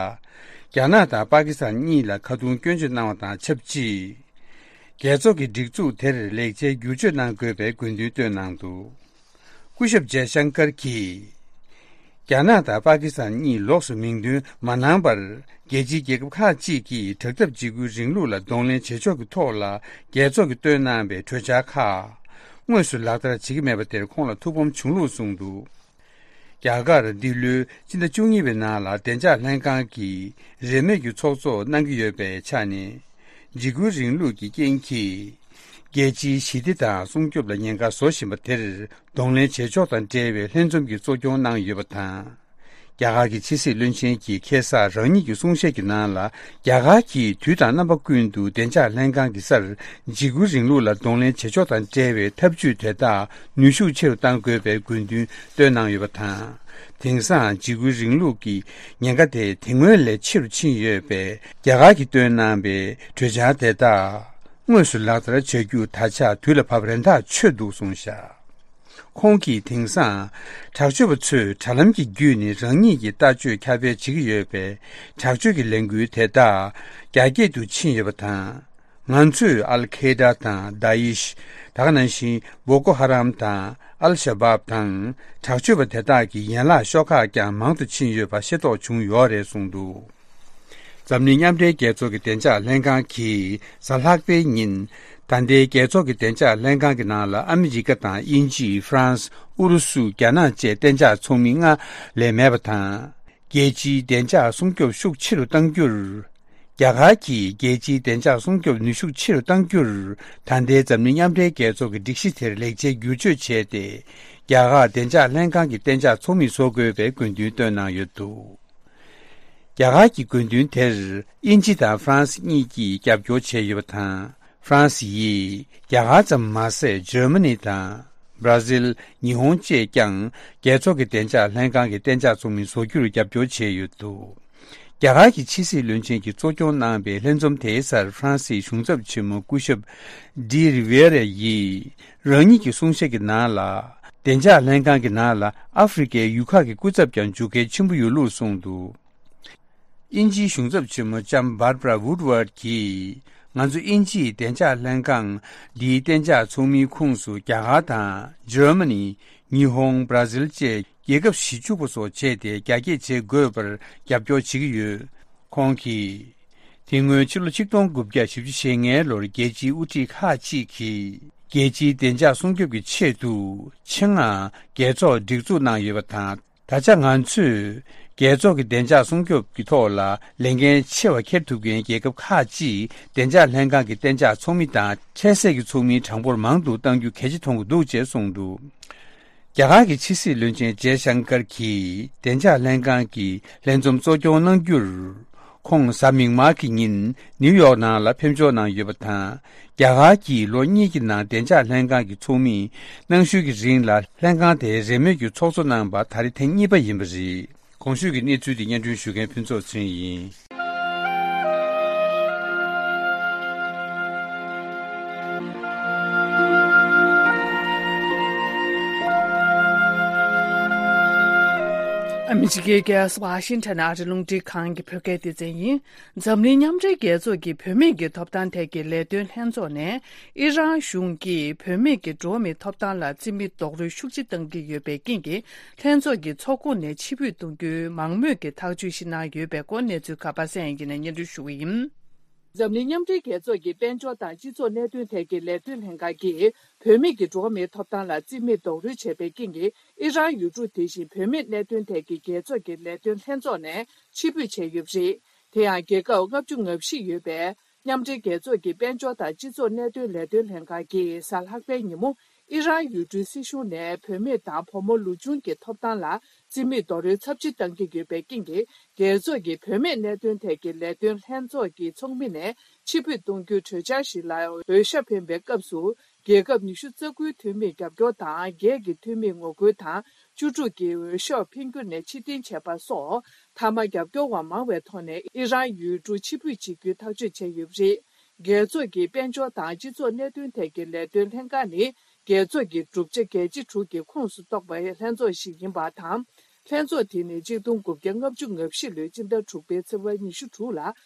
རྒྱ་ནག་དང་པ་ཀི་སི་ཐན་གཉིས་ལ་ཁ་རྡུང་སྐྱོན་བརྗོད་གནང་བ་དང་ཆབས་ཅིག་རྒྱལ་ཚོགས་ཀྱི་སྒྲིག་འཛུགས་དེར་ལེགས་ཆའི་བསྒྱུར་བཅོས་གནང་དགོས་པའི་དགོས་འདུན་བཏོན་གནང་འདུག་སྐུ་ཞབས་ཇེ་ཤང་ཀར་གྱིས། རྒྱ་ནག་དང་པ་ཀི་སི་ཐན་གཉིས་ལོགས་སུ་མིང་འདོན་མ་གནང་བར། རྒྱལ་སྤྱིའི་རྒྱལ་ཁབ་ཁག་ཅིག་གིས་དྲག་འཐབ་འཇིགས་སྐུལ་རིང་ལུགས་ལ་གདོང་ལེན་བྱེད་ཕྱོགས་ཀྱི་ཐོག་ལ་རྒྱལ་ཚོགས་ཀྱིས་བཏོན་གནང་བའི་གྲོས་འཆར་ཁག་དངོས་སུ་ལག་བསྟར་བྱེད་ཀྱི་མེད་པ་དེར་ཁོང་ལ་ཐུགས་ཕམ་བྱུང་ལུགས་གསུངས་འདུག་རྒྱ་གར་འདི་ལོའི་སྤྱི་ཟླ་བཅུ་གཉིས་པའི་ནང་ལ་བདེ་འཇགས་ལྷན་ཁང་གིས་རེས་མོས་ཀྱི་ཚོགས་གཙོ་གནང་གི་ཡོད་པའི་ཆ་ནས། འཇིགས་སྐུལ་རིང་ལུགས་ཀྱི་རྐྱེན་གྱིས། རྒྱལ་སྤྱིའི་ཞི་བདེ་དང་སྲུང་སྐྱོབ་ལ་ཉེན་ཁ་བཟོ་བཞིན་པ་དེར་གདོང་ལེན་བྱེད་ཕྱོགས་དང་འབྲེལ་བའི་ལྷན་འཛོམས་ཀྱི་གཙོ་སྐྱོང་གནང་ཡོད་པ་དང་། རྒྱ་གར་གྱི་ཕྱི་སྲིད་བློན་ཆེན་གྱིས་ཁ་སང་རང་ཉིད་ཀྱི་གསུང་བཤད་ཀྱི་ནང་ལ། རྒྱ་གར་གྱིས་དུས་དང་རྣམ་པ་ཀུན་ཏུ་བདེ་འཇགས་ལྷན་ཁང་གི་སར་འཇིགས་སྐུལ་རིང་ལུགས་ལ་གདོང་ལེན་བྱེད་ཕྱོགས་དང་འབྲེལ་བའི་ཐབས་ཇུས་དེ་དག་ནུས་ཤུགས་ཆེ་རུ་གཏང་དགོས་པའི་དགོས་འདུན་བཏོན་གནང་ཡོད་པ་དང་། དེང་སང་འཇིགས་སྐུལ་རིང་ལུགས་ཀྱི་ཉེན་ཁ་དེ་དེ་སྔོན་ལས་ཆེ་རུ་ཕྱིན་ཡོད་པས། རྒྱ་གར་གྱིས་བཏོན་གནང་པའི་གྲོས་འཆར་དེ་དག་དངོས་སུ་ལག་བསྟར་བྱ་རྒྱུ་ད་ཆ་དུས་ལ་བབ་རན་ཐག་ཆོད་འདུག་གསུངས་བཞག་ཁོང་གིས་དེང་སང་དྲག་སྤྱོད་པ་ཚོས་དྲ་ལམ་གྱི་བརྒྱུད་ནས་རང་ཉིད་ཀྱི་ལྟ་སྤྱོད་ཁྱབ་སྤེལ་བྱེད་ཀྱི་ཡོད་པས། དྲག་སྤྱོད་ཀྱི་ལས་འགུལ་དེ་དག་རྒྱ་སྐྱེད་དུ་ཕྱིན་ཡོད་པ་དང་། ང་ཚོས་ཨལ་ཁེ་ད་དང་དཱ་ཨིཤ། ད་ག་ནང་བཞིན་བོ་ཀོ་ཧ་རམ་དང་ཨལ་ཤ་བབ་དང་དྲག་སྤྱོད་པ་དེ་དག་གི་ཡན་ལག་ཤོག་ཁག་ཀྱང་མང་དུ་ཕྱིན་ཡོད་པ་ཤེས་རྟོགས་བྱུང་ཡོད་རེད་གསུངས་འདུག་འཛམ་གླིང་མཉམ་འབྲེལ་རྒྱལ་ཚོགས་ཀྱི་བདེ་འཇགས་ལྷན་ཁང་གིས་གཟའ་ལྷག་པའི་ཉིན། ད་ལྟའི་རྒྱལ་ཚོགས་ཀྱི་བདེ་འཇགས་ལྷན་ཁང་གི་ནང་ལ་ཨ་མི་རི་ཀ་དང་དབྱིན་ཇི། ཧྥ་རན་སི། ཨུ་རུ་སུ། རྒྱ་ནག་བཅས་གཏན་འཇགས་ཚོགས་མི་ལྔ་ལས་མེད་པ་དང་། རྒྱལ་སྤྱིའི་བདེ་འཇགས་སྲུང་སྐྱོབ་ཤུགས་ཆེ་རུ་གཏང་རྒྱུར། རྒྱ་གར་གྱིས་རྒྱལ་སྤྱིའི་བདེ་འཇགས་སྲུང་སྐྱོབ་ནུས་ཤུགས་ཆེ་རུ་གཏང་རྒྱུར། ད་ལྟའི་འཛམ་གླིང་མཉམ་འབྲེལ་རྒྱལ་ཚོགས་ཀྱི་སྒྲིག་གཞི་དེར་ལེགས་ཆའི་བསྒྱུར་བཅོས་བྱས་ཏེ། རྒྱ་གར་བདེ་འཇགས་ལྷན་ཁང་གི་གཏན་འཇགས་ཚོགས་མི་བཟོ་དགོས་པའི་དགོས་འདུན་བཏོན་གནང་ཡོད་འདུག་རྒྱ་གར་གྱི་དགོས་འདུན་དེར་དབྱིན་ཇི་དང་ཧྥ་རན་སི་གཉིས་ཀྱིས་རྒྱབ་སྐྱོར་བྱས་ཡོད་པ་དང་། ཧྥ་རན་སི་ཡིས་རྒྱ་གར་ཙམ་མ་ཟད། འཇར་མ་ནི་དང་། བྷ་ར་ཟིལ། ཉི་ཧོང་བཅས་ཀྱང་རྒྱལ་ཚོགས་ཀྱི་བདེ་འཇགས་ལྷན་ཁང་གི་གཏན་འཇགས་ཚོགས་མི་བཟོ་རྒྱུར་རྒྱབ་སྐྱོར་བྱས་ཡོད་འདུག་རྒྱ་གར་གྱི་ཕྱི་སྲིད་བློན་ཆེན་གྱིས་གཙོ་སྐྱོང་གནང་པའི་ལྷན་འཛོམས་དེའི་སར་ཧྥ་རན་སིའི་གཞུང་ཚབ་ཆེན་མོ་སྐུ་ཞབས་ཌི་རི་ཝེ་ར་ཡིས་རང་ཉིད་ཀྱི་གསུང་བཤད་ཀྱི་ནང་ལ། བདེ་འཇགས་ལྷན་ཁང་གི་ནང་ལ་ཨ་ཧྥེ་རི་ཁའི་ཡུལ་ཁག་གི་སྐུ་ཚབ་ཀྱང་འཇུག་གལ་ཆེན་པོ་ཡོད་ལུགས་གསུངས་འདུག་དབྱིན་ཇིའི་གཞུང་ཚབ་ཆེན་མོ་ལྕམ་Barbara Woodward་གྱིས། ང་ཚོ་དབྱིན་ཇིའི་བདེ་འཇགས་ལྷན་ཁང་འདིའི་གཏན་འཇགས་ཚོགས་མིའི་ཁོངས་སུ་རྒྱ་གར་དང་འཇར་མ་ནི། ཉི་ཧོང་། བྷ་ར་ཟིལ་བཅས་རྒྱལ་ཁབ་གཞི་བཅུ་པ་སོགས་བྱས་ཏེ་རྒྱ་སྐྱེད་བྱེད་དགོས་པར་རྒྱབ་སྐྱོར་བྱེད་ཀྱི་ཡོད། ཁོང་གིས། དེ་སྔོན་ཕྱི་ལོ་ཆིག་སྟོང་དགུ་བརྒྱ་བཞི་བཅུ་ཞེ་ལྔའི་ལོར་རྒྱལ་སྤྱིའི་དབུ་ཁྲིད་ཁག་ཅིག་གིས་རྒྱལ་སྤྱིའི་བདེ་འཇགས་སྲུང་སྐྱོབ་ཀྱི་ཆེད་དུ་ཆེད་མངགས་རྒྱལ་ཚོགས་སྒྲིག་འཛུགས་གནང་ཡོད་པ་དང་། ད་ཆ་ང་ཚོས་རྒྱལ་ཚོགས་ཀྱི་བདེ་འཇགས་སྲུང་སྐྱོབ་ཀྱི་ཐོག་ལ་ལས་འགན་ཆེ་བ་འཁྱེར་ཐུབ་མཁན་རྒྱལ་ཁབ་ཁག་ཅིག་བདེ་འཇགས་ལྷན་ཁང་གི་གཏན་འཇགས་ཚོགས་མི་དང་འཕྲལ་སེལ་གྱི་ཚོགས་མིའི་གྲངས་འབོར་མང་དུ་གཏང་རྒྱུ་གལ་ཆེ་མཐོང་གི་འདུག་ཅེས་གསུངས་འདུག་རྒྱ་གར་གྱི་ཕྱི་སྲིད་བློན་ཆེན་ཇེ་ཤང་ཀར་གྱིས་བདེ་འཇགས་ལྷན་ཁང་གི་ལྷན་འཛོམས་གཙོ་སྐྱོང་གནང་རྒྱུར། ཁོང་གཟའ་མིག་དམར་གྱི་ཉིན་ནིའུ་ཡོག་ནང་ལ་ཕེབས་འབྱོར་གནང་ཡོད་པ་དང་། རྒྱ་གར་གྱིས་ལོ་གཉིས་ཀྱི་ནང་བདེ་འཇགས་ལྷན་ཁང་གི་ཚོགས་མིས་གནང་ཤུལ་གྱི་རིང་ལ་ལྷན་ཁང་དེའི་རེས་མོས་ཀྱི་ཚོགས་གཙོ་གནང་པ་ད་རེས་ཐེངས་གཉིས་པ་ཡིན་པ་རེད། གོང་ཞུས་ཀྱི་གནས་ཚུལ་དེ་སྙན་སྒྲོན་ཞུ་མཁན་ཕུན་ཚོགས་ཚེ་རིང་ཡིན། ཨ་མི་རི་ཀའི་རྒྱལ་ས་ཝ་ཤིང་ཊོན་ཨ་རི་རླུང་འཕྲིན་ཁང་གི་བོད་སྐད་སྡེ་ཚན་ཡིན། འཛམ་གླིང་མཉམ་འབྲེལ་རྒྱལ་ཚོགས་ཀྱི་བུད་མེད་ཀྱི་ཐོབ་ཐང་ཐད་ཀྱི་ལས་དོན་ལྷན་ཚོགས་ནས། ཨི་རན་གཞུང་གིས་བུད་མེད་ཀྱི་འགྲོ་བ་མིའི་ཐོབ་ཐང་ལ་རྩིས་མེད་རྡོག་རོལ་ཤུགས་ཆེ་བཏང་གི་ཡོད་པའི་རྐྱེན་གྱིས། ལྷན་ཚོགས་ཀྱི་ཚོགས་ཁོངས་ནས་ཕྱིར་འབུད་གཏོང་རྒྱུའི་མང་མོས་ཀྱི་ཐག་གཅོད་ཞིག་གནང་ཡོད་པའི་སྐོར་གནས་ཚུལ་ཁག་པ་སངས་དབྱངས་སྐྱིད་ནས་སྙན་སྒྲོན་ཞུ་གི་ཡིན། འཛམ་གླིང་མཉམ་འབྲེལ་རྒྱལ་ཚོགས་ཀྱི་དཔལ་འབྱོར་དང་སྤྱི་ཚོགས་གནད་དོན་ཐད་ཀྱི་ལས་དོན་ལྷན་ཁང་གིས། བུད་མེད་ཀྱི་འགྲོ་བ་མིའི་ཐོབ་ཐང་ལ་རྩིས་མེད་རྡོག་རོལ་བྱས་པའི་རྐྱེན་གྱིས། ཨི་རན་ཡུལ་གྲུ་དེ་བཞིན་བུད་མེད་གནད་དོན་ཐད་ཀྱི་རྒྱལ་ཚོགས་ཀྱི་ལས་དོན་ལྷན་ཚོགས་ནས་ཕྱིར་འབུད་བྱས་ཡོད་པ་རེད། དེ་ཡང་རྒྱལ་ཁབ་ལྔ་བཅུ་ང་བཞི་ཡོད་པའི་མཉམ་འབྲེལ་རྒྱལ་ཚོགས་ཀྱི་དཔལ་འབྱོར་དང་སྤྱི་ཚོགས་གནད་དོན་ལས་དོན་ལྷན་ཁང་གིས་གཟའ་ལྷག་པའི་ཉིན་མོ། ཨི་རན་ཡུལ་གྲུའི་སྲིད་གཞུང་ནས་བུད་མེད་དང་བུ་མོ་ལོ་ཆུང་གི་ཐོབ་ཐང་ལ་རྩིས་མེད་རྡོག་རོལ་ཚབས་ཆེ་བཏང་གི་ཡོད་པའི་རྐྱེན་གྱིས། རྒྱལ་ཚོགས་ཀྱི་བུད་མེད་གནད་དོན་ཐད་ཀྱི་ལས་དོན་ལྷན་ཚོགས་ཀྱི་ཚོགས་མི་ནས་ཕྱིར་འབུད་གཏོང་རྒྱུའི་གྲོས་འཆར་ཞིག་ལ་འོས་ཤོག་འཕེན་པའི་སྐབས་སུ། རྒྱལ་ཁབ་ཉི་ཤུ་རྩ་དགུའི་འཐུས་མིས་རྒྱབ་སྐྱོར་དང་། བརྒྱད་ཀྱི་འཐུས་མིས་ངོ་རྒོལ་དང་། བཅུ་དྲུག་གིས་འོས་ཤོག་འཕེན་རྒྱུ་ནས་ཕྱིར་འཐེན་བྱས་པ་སོགས། མཐའ་མ་རྒྱབ་སྐྱོར་བ་མང་བའི་ཐོག་ནས་ཨི་རན་ཡུལ་གྲུ་ཕྱིར་འབུད་བྱེད་རྒྱུའི་ཐག་གཅོད་བྱས་ཡོད་པ་རེད། རྒྱལ་ཚོགས་ཀྱི་དཔལ་འབྱོར་དང་སྤྱི་ཚོགས་གནད་དོན་ཐད་ཀྱི་ལས་དོན་ལྷན་ཁང་ནི། རྒྱལ་ཚོགས་ཀྱི་གྲུབ་ཆ་རྒྱལ་སྤྱི་དྲུག་གི་ཁོངས་སུ་གཏོགས་པའི་ལྷན་ཚོགས་ཤིག་ཡིན་པ་དང་། ལྷན་ཚོགས་དེ་ནི་ཆིག་སྟོང་དགུ་བརྒྱ་ལྔ་བཅུ་ང་བཞི་ལོའི་སྤྱི་ཟླ་དྲུག་པའི་ཚེས་པ་ཉི་ཤུ་དྲུག་ལ་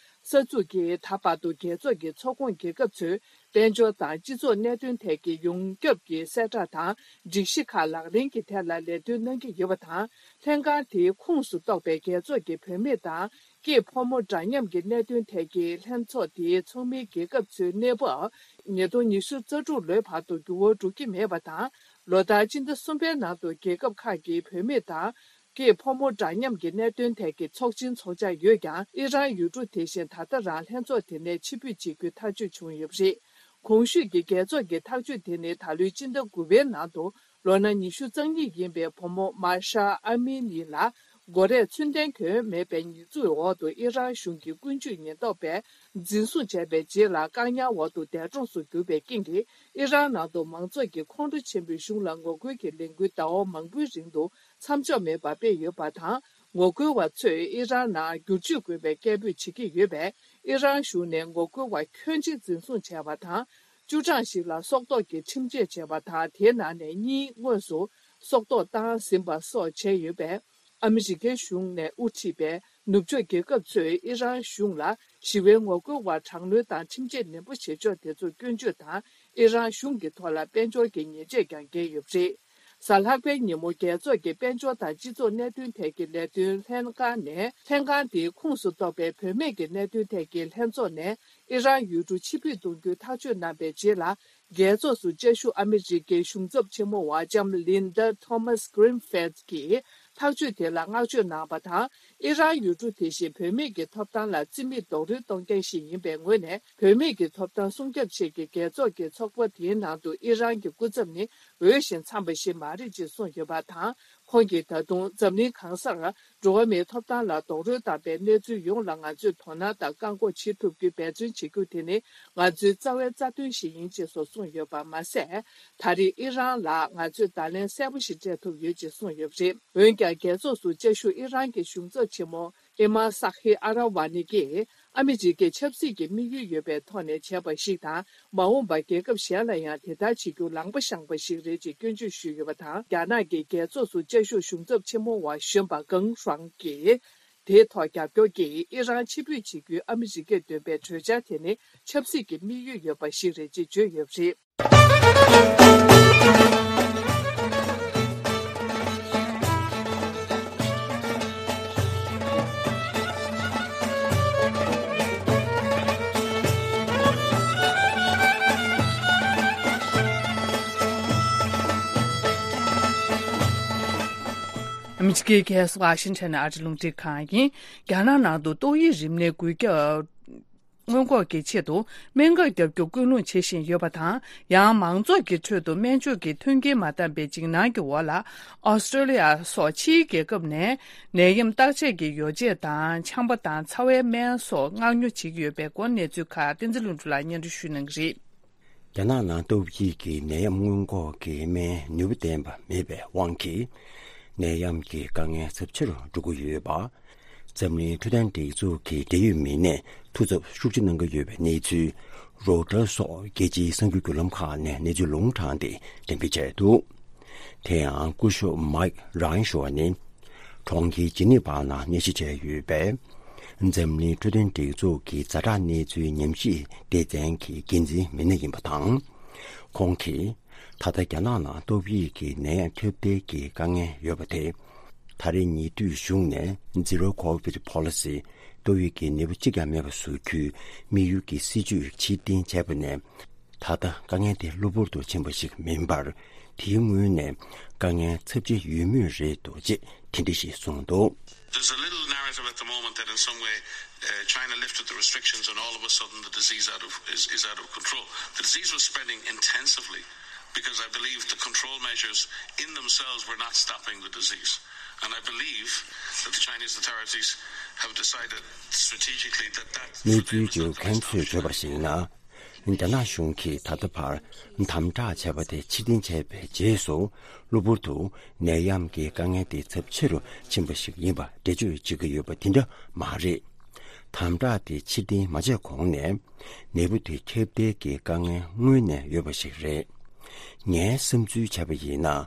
གསར་འཛུགས་ཀྱིས། ད་བར་དུ་རྒྱལ་ཚོགས་ཀྱི་ཚོགས་ཁོངས་རྒྱལ་ཁབ་ཚོས་དཔལ་འབྱོར་དང་སྤྱི་ཚོགས་གནད་དོན་ཐད་ཀྱི་ཡོངས་ཁྱབ་ཀྱི་གསལ་བསྒྲགས་དང་སྒྲིག་གཞི་ཁག་ལག་ལེན་གྱི་ཐད་ལ་ལས་དོན་གནང་གི་ཡོད་པ་དང་། ལྷན་ཁང་དེའི་ཁོངས་སུ་གཏོགས་པའི་རྒྱལ་ཚོགས་ཀྱི་བུད་མེད་དང་སྐྱེས་ཕོ་མོ་འདྲ་མཉམ་གྱི་གནད་དོན་ཐད་ཀྱི་ལྷན་ཚོགས་དེའི་ཚོགས་མིའི་རྒྱལ་ཁབ་ཚོའི་གནས་བབ་ཉིས་སྟོང་ཉི་ཤུ་རྩ་དྲུག་ལོའི་བར་དུ་འགྱུར་བ་འགྲོ་གི་མེད་པ་དང་། ལོ་ལྟར་སྤྱི་ཟླ་གསུམ་པའི་ནང་དུ་རྒྱལ་ཁབ་ཁག་གི་བུད་མེད་དང་། སྐྱེས་ཕོ་མོ་འདྲ་མཉམ་གྱི་གནད་དོན་ཐད་ཀྱི་ཚོགས་ཆེན་འཚོགས་འཆར་ཡོད་ཀྱང་། ཨི་རན་ཡུལ་གྲུ་དེ་བཞིན་ད་ལྟ་རང་ལྷན་ཚོགས་དེ་ནས་ཕྱིར་འབུད་བྱེད་རྒྱུའི་ཐག་གཅོད་བྱུང་ཡོད་པ་རེད། གོང་ཞུས་ཀྱི་རྒྱལ་ཚོགས་ཀྱི་ཐག་གཅོད་དེ་ནི། ད་ལོའི་སྤྱི་ཟླ་དགུ་པའི་ནང་དུ་ལོ་ན་ཉི་ཤུ་རྩ་གཉིས་ཡིན་པའི་བུ་མོ་མཱ་ཤཱ་ཨ་མི་ནི་ལ་མགོ་རས་ཚུན་ལྡན་གྱོན་མེད་པའི་ཉེས་འཛུགས་འོག་ཏུ་ཨི་རན་གཞུང་གི་ཀུན་སྤྱོད་ཉེན་རྟོག་པས་འཛིན་བཟུང་བྱས་པའི་རྗེས་ལ། བཀག་ཉར་འོག་ཏུ་འདས་གྲོངས་སུ་གྱུར་པའི་རྐྱེན་གྱིས། ཨི་རན་ནང་དུ་མང་ཚོགས་ཀྱིས་ཁོང་ཁྲོ་ཆེན་པོས་གཞུང་ལ་ངོ་རྒོལ་གྱི་ལས་འགུལ་ཟླ་བ་མང་པོའི་རིང་དུ་མཚམས་འཇོག་མེད་པར་སྤེལ་ཡོད་པ་དང་། ངོ་རྒོལ་བ་ཚོས་ཨི་རན་ནང་བསྒྱུར་བཅོས་དགོས་པའི་སྐད་འབོད་བྱེད་ཀྱི་ཡོད་པས། ཨི་རན་གཞུང་ནས་ངོ་རྒོལ་བ་ཁྱོན་ཆེ་འཛིན་བཟུང་བྱས་པ་དང་། བཅུ་གྲངས་ཤིག་ལ་སྲོག་ཐོག་གི་ཁྲིམས་ཆད་བྱས་པ་དང་། དེའི་ནང་ནས་གཉིས་དངོས་སུ་སྲོག་ཐོག་བཏང་ཟིན་པ་སོགས་བྱས་ཡོད་པས། ཨ་མི་རི་ཀའི་གཞུང་ནས་དབུ་ཁྲིད་པའི་ནུབ་ཕྱོགས་རྒྱལ་ཁབ་ཚོས་ཨི་རན་གཞུང་ལ་ཞི་བའི་ངོ་རྒོལ་བར་དྲག་གནོན་དང་ཁྲིམས་ཆད་ནན་པོ་བྱེད་ཕྱོགས་དེ་ཚོར་སྐྱོན་བརྗོད་དང་། ཨི་རན་གཞུང་གི་ཐོག་ལ་དཔལ་འབྱོར་གྱི་ཉེས་ཆད་ཀྱང་འགེལ་ཡོད་པ་རེད། གཟའ་ལྷག་པའི་ཉིན་མོ། རྒྱལ་ཚོགས་ཀྱི་དཔལ་འབྱོར་དང་སྤྱི་ཚོགས་གནད་དོན་ཐད་ཀྱི་ལས་དོན་ལྷན་ཁང་ནས། ལྷན་ཁང་དེའི་ཁོངས་སུ་གཏོགས་པའི་བུད་མེད་ཀྱི་གནད་དོན་ཐད་ཀྱི་ལྷན་ཚོགས་ནས་ཨི་རན་ཡུལ་གྲུ་ཕྱིར་འབུད་གཏོང་རྒྱུའི་ཐག་གཅོད་གནང་པའི་རྗེས་ལ། རྒྱལ་ཚོགས་སུ་བཅའ་བཞུགས་ཨ་མི་རི་ཀའི་གཞུང་ཚབ་ཆེན་མོ་བ་ལྕམ་ལིན་ཌ་ཐོ་མཱས་གྷི་རིན་ཕིལྡ་གིས་ཐག་གཅོད་དེ་ལ་བསྔགས་བརྗོད་གནང་བ་དང་། ཨི་རན་ཡུལ་གྲུ་དེ་བཞིན་བུད་མེད་ཀྱི་ཐོབ་ཐང་ལ་རྩིས་མེད་རྡོག་རོལ་གཏོང་མཁན་ཞིག་ཡིན་པའི་ངོས་ནས། བུད་མེད་ཀྱི་ཐོབ་ཐང་སྲུང་སྐྱོབ་ཆེད་ཀྱི་རྒྱལ་ཚོགས་ཀྱི་ཚོགས་པ་དེའི་ནང་དུ་ཨི་རན་གྱི་སྐུ་ཚབ་ནི་འོས་ཤིང་འཚམས་པ་ཞིག་མ་རེད་ཅེས་གསུངས་ཡོད་པ་དང་། ཁོང་གིས་ད་དུང་འཛམ་གླིང་གང་སར་འགྲོ་བ་མིའི་ཐོབ་ཐང་ལ་རྡོག་རོལ་བཏང་པའི་གནས་ཚུལ་ཡོངས་ལ་ང་ཚོས་དོ་སྣང་དང་བཀག་འགོག་བྱེད་ཐུབ་རྒྱུའི་འབད་བརྩོན་བྱེད་རྒྱུ་དེ་ནི་ང་ཚོའི་རྩ་བའི་རྩ་དོན་ཞིག་ཡིན་ཅེས་སོགས་གསུངས་ཡོད་པ་མ་ཟད། ད་རེས་ཨི་རན་ལ་ང་ཚོས་བརྡ་ལན་གསལ་པོ་ཞིག་སྤྲད་ཐུབ་ཡོད་ཅེས་གསུངས་ཡོད་པ་རེད། འོན་ཀྱང་། རྒྱལ་ཚོགས་སུ་བཅའ་བཞུགས་ཨི་རན་གྱི་གཞུང་ཚབ་ཆེན་མོ་ཨི་མ་སཱ་ཧི་ཨ་ར་ཝ་ནི་གིས། ཨ་མི་རི་ཀས་ཆབ་སྲིད་ཀྱི་དམིགས་ཡུལ་ཡོད་པའི་ཐོག་ནས་བྱས་པ་ཞིག་དང་། མ་འོངས་པར་རྒྱལ་ཁབ་གཞན་ལ་ཡང་དེ་ལྟར་བྱེད་རྒྱུ་ལངས་པ་བཞེངས་པ་ཞིག་རེད་ཅེས་སྐྱོན་བརྗོད་ཞུས་ཡོད་པ་དང་། རྒྱ་ནག་གི་རྒྱལ་ཚོགས་སུ་བཅའ་བཞུགས་གཞུང་ཚབ་ཆེན་མོ་བ་གཞོན་པ་ཀང་ཧྲང་གིས། དེའི་ཐོག་རྒྱབ་སྐྱོར་གྱིས་ཨི་རན་ཕྱིར་འབུད་བྱེད་རྒྱུའི་ཨ་མི་རི་ཀས་འདོན་པའི་གྲོས་འཆར་དེ་ནི་ཆབ་སྲིད་ཀྱི་དམིགས་ཡུལ་ཡོད་པ་ཞིག་རེད་ཅེས་བརྗོད་ཡོད་པ་རེད། ཨ་མི་རི་ཀའི་རྒྱལ་ས་ཝ་ཤིང་ཊོན་ཨ་རི་རླུང་འཕྲིན་ཁང་ཡིན། རྒྱ་ནག་ནང་དུ་ཏོག་དབྱིབས་རིམས་ནད་འགོས་ཁྱབ་སྔོན་འགོག་གི་ཆེད་དུ་སྨན་ཁབ་བརྒྱབ་རྒྱུ་སྐུལ་སློང་བྱེད་བཞིན་ཡོད་པ་དང་། ཡང་མང་ཚོགས་ཀྱི་ཁྲོད་དུ་སྨན་བཅོས་ཀྱི་མཐུན་རྐྱེན་མ་འདང་པའི་འཇིགས་སྣང་གི་འོག་ལ། ཨོ་སི་ཀྲོ་ལི་ཡ་སོགས་ཕྱིའི་རྒྱལ་ཁབ་ནས་ནད་ཡམས་བརྟག་དཔྱད་ཀྱི་ཡོ་བྱད་དང་། ཆམ་པ་དང་ཚ་བའི་སྨན་སོགས་མངགས་ཉོ་བྱེད་ཀྱི་ཡོད་པའི་སྐོར་གནས་ཚུལ་ཁག་བསྟན་འཛིན་ལྷུན་གྲུབ་ལགས་སྙན་སྒྲོན་ཞུ་གནང་གི་རེད། རྒྱ་ནག་ནང་ཏོག་དབྱིབས་ཀྱི་ནད་ཡམས་སྔོན་འགོག་གི་སྨན་ནུས་པ་ལྡན་པ་མེད་པའི་དབང་གིས། ནད་ཡམས་ཀྱི་དཀའ་ངལ་ཚབས་ཆེ་རུ་འགྲོ་གི་ཡོད་པ། འཛམ་གླིང་འཕྲོད་བསྟེན་སྒྲིག་འཛུགས་ཀྱི་འབྲེལ་ཡོད་མི་སྣས་ཐུགས་འཚབ་ཤུགས་ཆེ་གནང་གི་ཡོད་པའི་གནས་ཚུལ། རོའི་ཊར་སོགས་རྒྱལ་སྤྱིའི་གསར་འགྱུར་བརྒྱུད་ལམ་ཁག་ནས་གནས་ཚུལ་ལུང་དྲངས་ཏེ་འགྲེམས་སྤེལ་བྱས་འདུག། དེ་ཡང་སྐུ་ཞབས་མཱིག་རང་ཞུ་བ་ནི། གྲོང་ཁྱེར་ཇི་ནི་ཝ་ནང་གནས་གཞི་བྱས་ཡོད་པའི་འཛམ་གླིང་འཕྲོད་བསྟེན་སྒྲིག་འཛུགས་ཀྱི་ཛ་དྲག་གནས་ཚུལ་ཉམས་ཞིབ་སྡེ་ཚན་གྱི་འགན་འཛིན་མི་སྣ་ཡིན་པ་དང་། ཁོང་གིས་ད་ལྟ་རྒྱ་ནག་ནང་ཏོག་དབྱིབས་ཀྱི་ནད་ཡམས་ཁྱབ་གདལ་གྱི་དཀའ་ངལ་ཡོད་པ་དེ། ད་རེས་ཉེ་དུས་གཞུང་ནས་Zero Covid Policy། ཏོག་དབྱིབས་ཀྱི་ནད་འབུ་གཅིག་ཀྱང་མེད་པ་བཟོ་རྒྱུའི་དམིགས་ཡུལ་གྱི་སྲིད་ཇུས་ཕྱིར་འཐེན་བྱས་པ་ནས། ད་ལྟ་དཀའ་ངལ་དེ་གློ་བུར་དུ་ཕྱིན་པ་ཞིག་མིན་པར། དེའི་སྔོན་ནས་དཀའ་ངལ་ཚབས་ཆེ་ཡོད་མུས་རེད་འདུག་ཅེས་དེ་འདྲ་ཞིག་གསུངས་འདུག། There's a little narrative at the moment that in some way, uh, China lifted the restrictions and all of a sudden the disease out of, is, is out of control. The disease was spreading intensively because I believe the control measures in themselves were not stopping the disease. And I believe that the Chinese authorities have decided strategically that that གནས་ཚུལ་བརྗོད་མཁན་ཚོས་བརྗོད་པར་གཞིགས་ན། རྒྱ་ནག་གཞུང་གིས་ད་ལྟ་བར་དམ་དྲག་བྱས་པ་དེ་ཕྱིར་འཐེན་བྱས་པའི་རྗེས་སུ། གློ་བུར་དུ་ནད་ཡམས་ཀྱི་དཀའ་ངལ་དེ་ཚབས་ཆེ་རུ་ཕྱིན་པ་ཞིག་ཡིན་པ་འགྲེལ་བརྗོད་བྱེད་ཀྱི་ཡོད་པ་དེ་འདྲ་མ་རེད། དམ་དྲག་དེ་ཕྱིར་འཐེན་མ་བྱས་གོང་ནས། ནད་འབུ་དེ་ཁྱབ་གདལ་གྱི་དཀའ་ངལ་སྔོན་ནས་ཡོད་པ་ཞིག་རེད། ངའི་བསམ་ཚུལ་བྱས་པ་ཡིན་ན།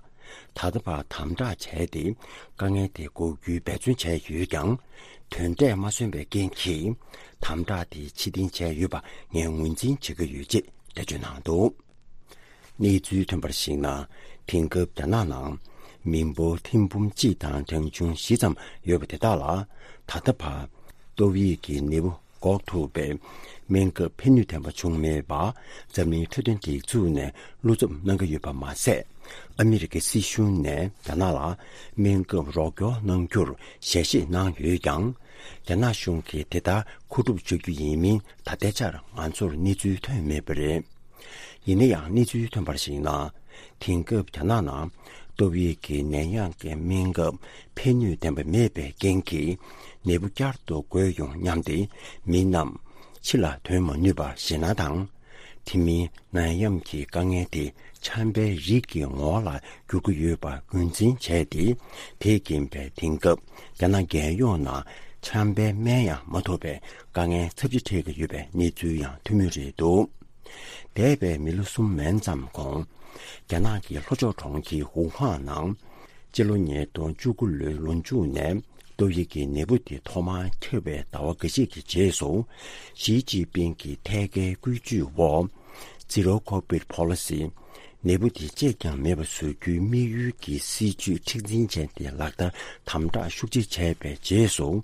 ད་ལྟ་བར་དམ་དྲག་བྱས་ཏེ་དཀའ་ངལ་དེ་འགོག་རྒྱུའི་འབད་བརྩོན་བྱས་ཡོད་ཀྱང་། དོན་འབྲས་མ་སོན་པའི་རྐྱེན་གྱིས། དམ་དྲག་དེ་ཕྱིར་འཐེན་བྱས་ཡོད་པ་ངས་ངོས་འཛིན་བྱེད་ཀྱི་ཡོད་ཅེས་འགྲེལ་བརྗོད་གནང་འདུག། གནས་ཚུལ་ཐོན་པར་གཞིགས་ན། དེང་སྐབས་རྒྱ་ནག་ནང་མི་འབོར་ཐེར་འབུམ་གཅིག་དང་གྲངས་ཆུང་བཞི་ཙམ་ཡོད་པ་དེ་དག་ལ། ད་ལྟ་བར་ཏོག་དབྱིབས་ཀྱི་ནད་འབུ་འགོག་ཐུབ་པའི་སྨན་ཁབ་ཕན་ནུས་ལྡན་པ་བྱུང་མེད་པ། འཛམ་གླིང་འཕྲོད་བསྟེན་སྒྲིག་འཛུགས་ནས་བློ་འཚབ་གནང་གི་ཡོད་པ་མ་ཟད། ཨ་མི་རི་ཀའི་སྲིད་གཞུང་ནས་རྒྱ་ནག་ལ་སྨན་ཁབ་རོགས་སྐྱོར་གནང་རྒྱུར་ཞལ་བཞེས་གནང་ཡོད་ཀྱང་། རྒྱ་ནག་གཞུང་གིས་དེ་ལྟར་མཁོ་སྒྲུབ་བྱ་རྒྱུ་ཡིན་མིན་ད་ལྟའི་ཆར་ང་ཚོར་གནས་ཚུལ་ཐོན་མེད་པ་རེད། ཡིན་ན་ཡང་གནས་ཚུལ་ཐོན་པར་གཞིགས་ན། དེང་སྐབས་རྒྱ་ནག་ནང་ཏོག་དབྱིབས་ཀྱི་ནད་ཡམས་ཀྱི་སྨན་ཁབ་ཕན་ནུས་ལྡན་པ་མེད་པའི་རྐྱེན་གྱིས། ནད་འབུ་བསྐྱར་དུ་འགོས་ཡོང་སྙམ་སྟེ། མི་རྣམས་ཕྱི་ལ་ཐོན་མ་ནུས་པར་ཞེད་སྣང་དང་། དེ་མིན་ནད་ཡམས་ཀྱི་དཀའ་ངལ་དེ་ཆམ་པའི་རིགས་ཀྱི་ངོ་བོ་ལ་འགྱུར་གྱི་ཡོད་པར་རྒྱུན་འཛིན་བྱས་ཏེ། དེས་རྐྱེན་པས་དེང་སྐབས་རྒྱ་ནག་རྒྱལ་ཡོངས་ནང་ཆམ་པའི་སྨན་ཡང་མ་ཐོབ་པའི་དཀའ་ངལ་ཚབས་ཆེ་འཕྲད་ཀྱི་ཡོད་པའི་གནས་ཚུལ་ཡང་ཐོན་མུས་རེད་འདུག། འདས་པའི་མི་ལོ་གསུམ་མན་ཙམ་གོང་། རྒྱ་ནག་གི་ལྷོ་ཕྱོགས་གྲོང་ཁྱེར་ཝུ་ཧན་ནང་། སྤྱི་ལོ་ཉིས་སྟོང་བཅུ་དགུ་ལོའི་ལོ་མཇུག་ནས། ཏོག་དབྱིབས་ཀྱི་ནད་འབུ་དེ་ཐོག་མར་ཁྱབ་པའི་ཟླ་བ་འགའ་ཤས་ཀྱི་རྗེས་སུ། ཞི་ཅིན་ཕིང་གི་ཐད་ཀའི་བཀོད་ཇུས་འོག། Zero Covid Policy། ནད་འབུ་དེ་གཅིག་ཀྱང་མེད་པ་བཟོ་རྒྱུའི་དམིགས་ཡུལ་གྱི་སྲིད་ཇུས་མཁྲེགས་འཛིན་ཅན་དེ་ལག་བསྟར་དམ་དྲག་ཤུགས་ཆེ་བྱས་པའི་རྗེས་སུ།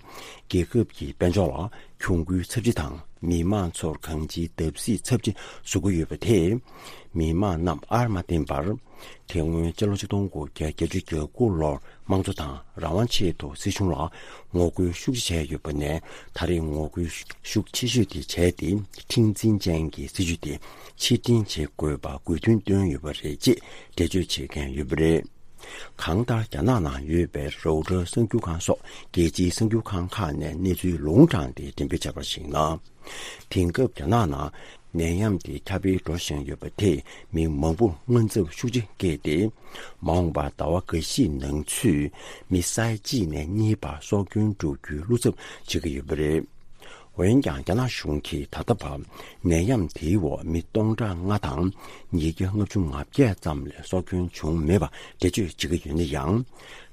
རྒྱལ་ཁབ་ཀྱི་དཔལ་འབྱོར་ལ་གྱོང་གུན་ཚབས་ཆེ་དང་མི་མང་ཚོར་གང་ཅིའི་བརྡབ་གསིག་ཚབས་ཆེ་བཟོ་གི་ཡོད་པ་དེས། མི་མང་རྣམས་ཨར་མ་བརྟེན་པར། དེ་སྔོན་སྤྱི་ལོ་ཆིག་སྟོང་དགུ་བརྒྱ་བརྒྱད་ཅུ་གྱ་དགུ་ལོར་དམངས་གཙོ་དང་རང་དབང་ཆེད་དུ་སྲིད་གཞུང་ལ་ངོ་རྒོལ་ཤུགས་ཆེ་བྱས་ཡོད་པ་ནས། ད་རེས་ངོ་རྒོལ་ཤུགས་ཆེ་ཤོས་དེ་བྱས་ཏེ། མཁྲེགས་འཛིན་ཅན་གྱི་སྲིད་ཇུས་དེ་ཕྱིར་འཐེན་བྱེད་དགོས་པ་དགོས་འདུན་བཏོན་ཡོད་པ་རེད་ཅེས་འགྲེལ་བརྗོད་བྱེད་མཁན་ཡོད་པ་རེད། གང་ལྟར། རྒྱ་ནག་ནང་ཡོད་པའི་རོའུ་ཊར་གསར་འགྱུར་ཁང་སོགས་རྒྱལ་སྤྱིའི་གསར་འགྱུར་ཁང་ཁག་ནས་གནས་ཚུལ་ལུང་དྲངས་ཏེ་འགྲེམས་སྤེལ་བྱས་པར་གཞིགས་ན། དེང་སྐབས་རྒྱ་ནག་ནང་ནད་ཡམས་དེ་ཁྱབ་སྤེལ་འགྲོ་བཞིན་ཡོད་པ་དེས་མི་མང་པོར་དངངས་འཚབ་ཤུགས་ཆེ་སྐྱེས་ཏེ། མ་འོངས་པར་ཟླ་བ་འགའ་ཤས་ནང་ཚུད་མི་ས་ཡ་གཅིག་ནས་གཉིས་བར་སྲོག་སྐྱོན་འགྲོ་རྒྱུའི་བློ་འཚབ་བྱེད་ཀྱི་ཡོད་པ་རེད། འོན་ཀྱང་། རྒྱ་ནག་གཞུང་གིས་ད་ལྟ་བར་ནད་ཡམས་དེའི་འོག་མི་སྟོང་ཕྲག་ལྔ་དང་ཉིས་བརྒྱ་ལྔ་བཅུ་ང་བརྒྱད་ཙམ་ལས་སྲོག་སྐྱོན་བྱུང་མེད་པ་འགྲེལ་བརྗོད་བྱེད་ཀྱི་ཡོད་ན་ཡང་།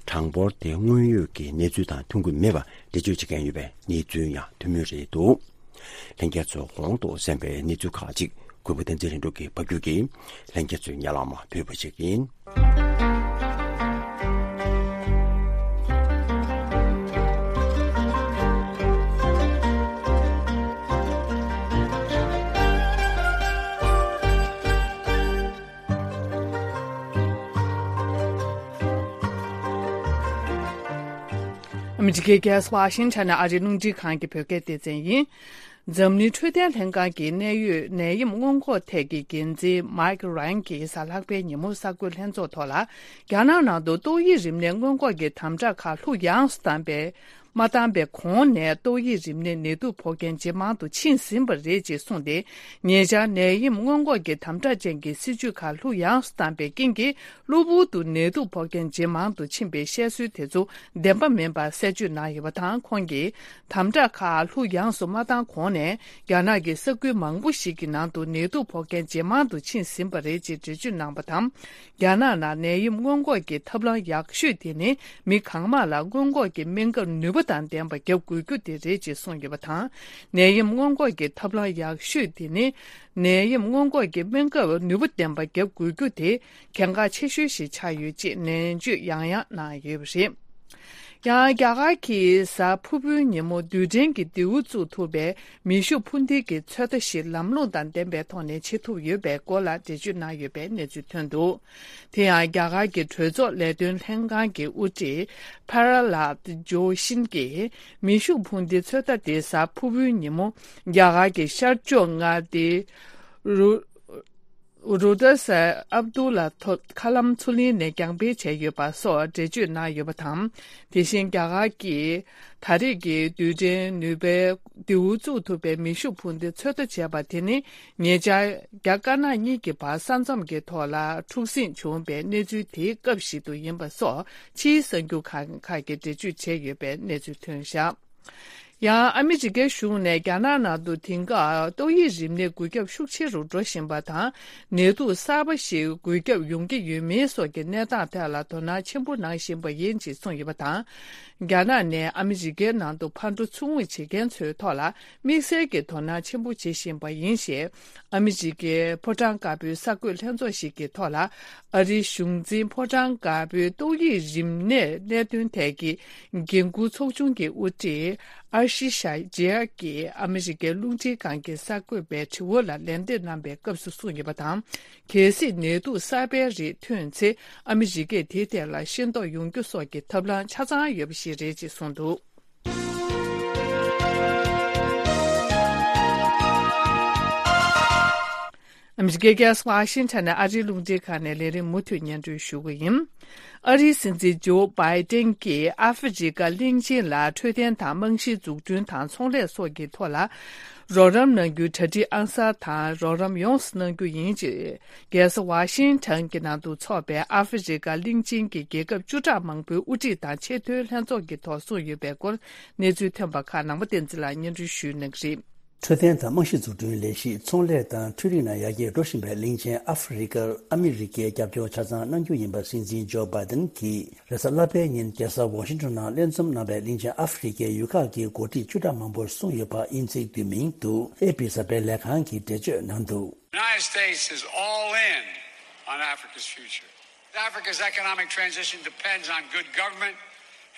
གྲངས་འབོར་དེ་དངོས་ཡོད་ཀྱི་གནས་ཚུལ་དང་མཐུན་གྱི་མེད་པ་འགྲེལ་བརྗོད་བྱེད་མཁན་ཡོད་པའི་གནས་ཚུལ་ཡང་ཐོན་མུས་རེད་འདུག། ལྷན་རྒྱས་ཚོས་གོང་དུ་གསན་པའི་གནས་ཚུལ་ཁག་ཅིག་གུས་པ་བསྟན་འཛིན་ལྷུན་གྲུབ་ཀྱིས་ཕབ་སྒྱུར་གྱིས་ལྷན་རྒྱས་ཚོའི་སྙན་ལམ་ཕུལ་བ་ཞིག་ཡིན། ཨ་མི་རི་ཀའི་རྒྱལ་ས་ཝ་ཤིང་ཊོན་ནས་ཨ་རིའི་རླུང་འཕྲིན་ཁང་གི་བོད་སྐད་སྡེ་ཚན་ཡིན། འཛམ་གླིང་འཕྲོད་བསྟེན་ལྷན་ཁང་གི་གནད་ཡོད་ནད་ཡམས་སྔོན་འགོག་ཐད་ཀྱི་འགན་འཛིན་མཱིག་རན་གྱིས་གཟའ་ལྷག་པའི་ཉིན་མོ་གསར་འགོད་ལྷན་ཚོགས་ཐོག་ལ། རྒྱ་ནག་ནང་དུ་ཏོག་དབྱིབས་རིམས་ནད་སྔོན་འགོག་གི་དམ་དྲག་ཁག་ལྷུག་ཡངས་སུ་བཏང་པའི་ མ་བཏང་པའི་གོང་ནས་ཏོག་དབྱིབས་རིམས་ནད་ནད་དུག་ཕོག་མཁན་ཇེ་མང་དུ་ཕྱིན་ཟིན་པ་རེད་ཅེས་གསུངས་ཏེ། ཉེ་ཆར་ནད་ཡམས་སྔོན་འགོག་གི་དམ་དྲག་ཅན་གྱི་སྲིད་ཇུས་ཁག་ལྷུག་ཡངས་སུ་བཏང་པའི་རྐྱེན་གྱིས། གློ་བུར་དུ་ནད་དུག་ཕོག་མཁན་ཇེ་མང་དུ་ཕྱིན་པའི་བཤད་སྲོལ་དེ་ཚོ་བདེན་པ་མིན་པར་གསལ་བརྗོད་གནང་ཡོད་པ་དང་། ཁོང་གིས་དམ་དྲག་ཁག་ལྷུག་ཡངས་སུ་མ་བཏང་གོང་ནས། རྒྱ་ནག་གི་ས་ཁུལ་མང་པོ་ཞིག་གི་ནང་དུ་ནད་དུག་ཕོག་མཁན་ཇེ་མང་དུ་ཕྱིན་ཟིན་པ་རེད་ཅེས་འགྲེལ་བརྗོད་གནང་བ་དང་། རྒྱ་ནག་ནང་ནད་ཡམས་སྔོན་འགོག་གི་ཐབས་ལམ་ཡག་ཤོས་དེ་ནི། མི་གང་མང་ལ་སྔོན་འགོག་གི་སྨན་ཁབ་ནུས་པ་དང་ལྡན་པ་བརྒྱབ་དགོས་རྒྱུ་དེ་རེད་ཅེས་གསུངས་ཡོད་པ་དང་། ནད་ཡམས་སྔོན་འགོག་གི་ཐབས་ལམ་ཡག་ཤོས་དེ་ནི། ནད་ཡམས་སྔོན་འགོག་གི་སྨན་ཁབ་ནུས་པ་ལྡན་པ་བརྒྱབ་དགོས་རྒྱུ་དེ་གལ་འགངས་ཆེ་ཤོས་ཤིག་ཆགས་ཡོད་ཅེས་ནན་བརྗོད་ཡང་ཡང་གནང་ཡོད་པ་རེད། ཡང་རྒྱ་གར་གྱིས་གཟའ་ཕུར་བུའི་ཉིན་མོ་རྡུལ་ཕྲན་གྱི་མདེའུ་བཙུགས་ཐུབ་པའི་མེ་ཤུགས་འཕུར་མདེལ་གྱི་ཚོད་ལྟ་ཞིག་ལམ་ལྷོང་དང་ལྡན་པའི་ཐོག་ནས་བྱེད་ཐུབ་ཡོད་པའི་སྐོར་ལ་འགྲེལ་བརྗོད་གནང་ཡོད་པའི་གནས་ཚུལ་ཐོན་འདུག་དེ་ཡང་རྒྱ་གར་གྱི་གྲོས་ཚོགས་ལས་དོན་ལྷན་ཁང་གི་དབུ་ཁྲིད་པ་ར་ལད་ཇོ་ཤིན་གྱིས་མེ་ཤུགས་འཕུར་མདེལ་ཚོད་ལྟ་དེ་གཟའ་ཕུར་བུའི་ཉིན་མོ་རྒྱ་གར་གྱི་ཤར་ཕྱོགས་མངའ་སྡེ་རུ། རུ་ཏ་སའི་ཨབ་དུ་ལ་ཐོ་ཁ་ལམ་མཚོ་གླིང་ནས་རྒྱང་འཕེན་བྱས་ཡོད་པ་སོགས་འགྲེལ་བརྗོད་གནང་ཡོད་པ་དང་། དེ་བཞིན་རྒྱ་གར་གྱིས་ད་རེས་ཀྱི་རྡུལ་ཕྲན་ནུས་པའི་མདེའུ་བཙུགས་ཐུབ་པའི་མེ་ཤུགས་འཕུར་མདེལ་ཚོད་ལྟ་བྱས་པ་དེ་ནི། ཉེ་ཆར་རྒྱ་དཀར་ནག་གཉིས་ཀྱི་བར་ས་མཚམས་ཀྱི་ཐོག་ལ་འཁྲུག་ཟིང་བྱུང་བའི་གནས་ཚུལ་དེའི་སྐབས་ཤིག་ཏུ་ཡིན་པ་སོགས་ཕྱིའི་གསར་འགྱུར་ཁག་ཁག་གིས་འགྲེལ་བརྗོད་བྱས་ཡོད་པའི་གནས་ཚུལ་ཐོན་བཞག་ཡང་ཨ་མི་རི་ཀའི་གཞུང་ནས་རྒྱ་ནག་ནང་དུ་དེང་སྐབས་ཏོག་དབྱིབས་རིམས་ནད་འགོས་ཁྱབ་ཤུགས་ཆེ་རུ་འགྲོ་བཞིན་པ་དང་། ནད་དུག་གསར་པ་ཞིག་འགོས་ཁྱབ་ཡོང་གི་ཡོད་མེད་སོགས་ཀྱི་གནས་སྟངས་ཐད་ལ་དོ་སྣང་ཆེན་པོ་གནང་བཞིན་པ་ཡིན་ཅེས་གསུངས་ཡོད་པ་དང་། རྒྱ་ནག་ནས་ཨ་མི་རི་ཀའི་ནང་དུ་ཕར་འགྲོ་ཚུར་འོང་བྱེད་མཁན་ཚོའི་ཐོག་ལ་དམིགས་བསལ་གྱི་དོ་སྣང་ཆེན་པོ་བྱེད་བཞིན་པ་ཡིན་ཞེས། ཨ་མི་རི་ཀའི་ཕོ་བྲང་དཀར་པོའི་གསར་འགོད་ལྷན་ཚོགས་ཤིག་གི་ཐོག་ལ། ཨ་རིའི་གཞུང་འཛིན་ཕོ་བྲང་དཀར་པོའི་ཏོག་དབྱིབས་རིམས་ནད་གནད་དོན་ཐད་ཀྱི་འགན་འཁུར་ཚོགས་ཆུང་གི་དབུ་ཁྲིད་ཨར་ཤི་ཤ་ཇེ་ཡ་གིས་ཨ་མི་རི་ཀའི་རླུང་འཕྲིན་ཁང་གི་གསར་འགོད་པའི་དྲི་བ་ལ་ལན་འདེབས་གནང་བའི་སྐབས་སུ་གསུངས་ཡོད་པ་དང་། གལ་སྲིད་ནད་དུག་གསར་པའི་རིགས་ཐོན་ཚེ། ཨ་མི་རི་ཀས་དེའི་ཐད་ལ་ཤེས་རྟོགས་ཡོང་རྒྱུ་སོགས་ཀྱི་ཐབས་ལམ་ཆ་ཚང་ཡོད་པ་ཞིག་རེད་ཅེས་གསུངས་འདུག་ཨ་མི་རི་ཀའི་རྒྱལ་ས་ཝ་ཤིང་ཊོན་ནས་ཨ་རིའི་རླུང་འཕྲིན་ཁང་ནས་ལས་རིམ་མུ་མཐུད་སྙན་སྒྲོན་ཞུ་གི་ཡིན། ཨ་རིའི་སྲིད་འཛིན་ཇོ་བྷའི་ཏན་གྱིས་ཨ་ཧྥེ་རི་ཀ་གླིང་ཆེན་ལ་འཕྲོད་བསྟེན་དང་རྨང་གཞིའི་འཛུགས་སྐྲུན་དང་ཚོང་ལས་སོགས་ཀྱི་ཐོག་ལ་རོགས་རམ་གནང་རྒྱུའི་གྲ་སྒྲིག་ཨང་གསར་དང་རོགས་རམ་ཡོངས་སུ་གནང་རྒྱུ་ཡིན་ཅེས། རྒྱལ་ས་ཝ་ཤིང་ཊོན་གྱི་ནང་དུ་འཚོགས་པའི་ཨ་ཧྥེ་རི་ཀ་གླིང་ཆེན་གྱི་རྒྱལ་ཁབ་བཅུ་ཕྲག་མང་པོའི་དབུ་ཁྲིད་དང་ཆེས་མཐོའི་ལྷན་ཚོགས་ཀྱི་ཐོག་གསུངས་ཡོད་པའི་སྐོར་གནས་ཚུལ་ཐོན་པ་ཁག་ནང་པ་བསྟན་འཛིན་ལགས་སྙན་སྒྲོན་ཞུ་གནང་གི་རེད། འཕྲོད་བསྟེན་དང་རྨང་གཞི་འཛུགས་སྐྲུན་ལས་གཞི་ཚོང་ལས་དང་འཕྲུལ་རིག་ནང་ཡར་རྒྱས་འགྲོ་བཞིན་པའི་གླིང་ཆེན་ཨ་ཧྥེ་རི་ཀར་ཨ་མི་རི་ཀའི་རྒྱབ་སྐྱོར་ཆ་ཚང་གནང་རྒྱུ་ཡིན་པ་སྲིད་འཛིན་ཇོ་བྷའི་ཏན་གྱིས་རེས་གཟའ་ལྷག་པའི་ཉིན་རྒྱལ་ས་ཝ་ཤིང་ཊོན་ནང་ལྷན་འཛོམས་གནང་བའི་གླིང་ཆེན་ཨ་ཧྥེ་རི་ཀའི་ཡུལ་ཁག་གི་འགོ་ཁྲིད་བཅུ་ཕྲག་མང་པོར་གསུངས་ཡོད་པ་དབྱིན་ཚིག་བསྡུས་མིང་དུ་ཨེ་པི་གསར་སྤེལ་ལས་ཁང་གིས་འགྲེལ་བརྗོད་གནང་འདུག The United States is all in on Africa's future. Africa's economic transition depends on good government,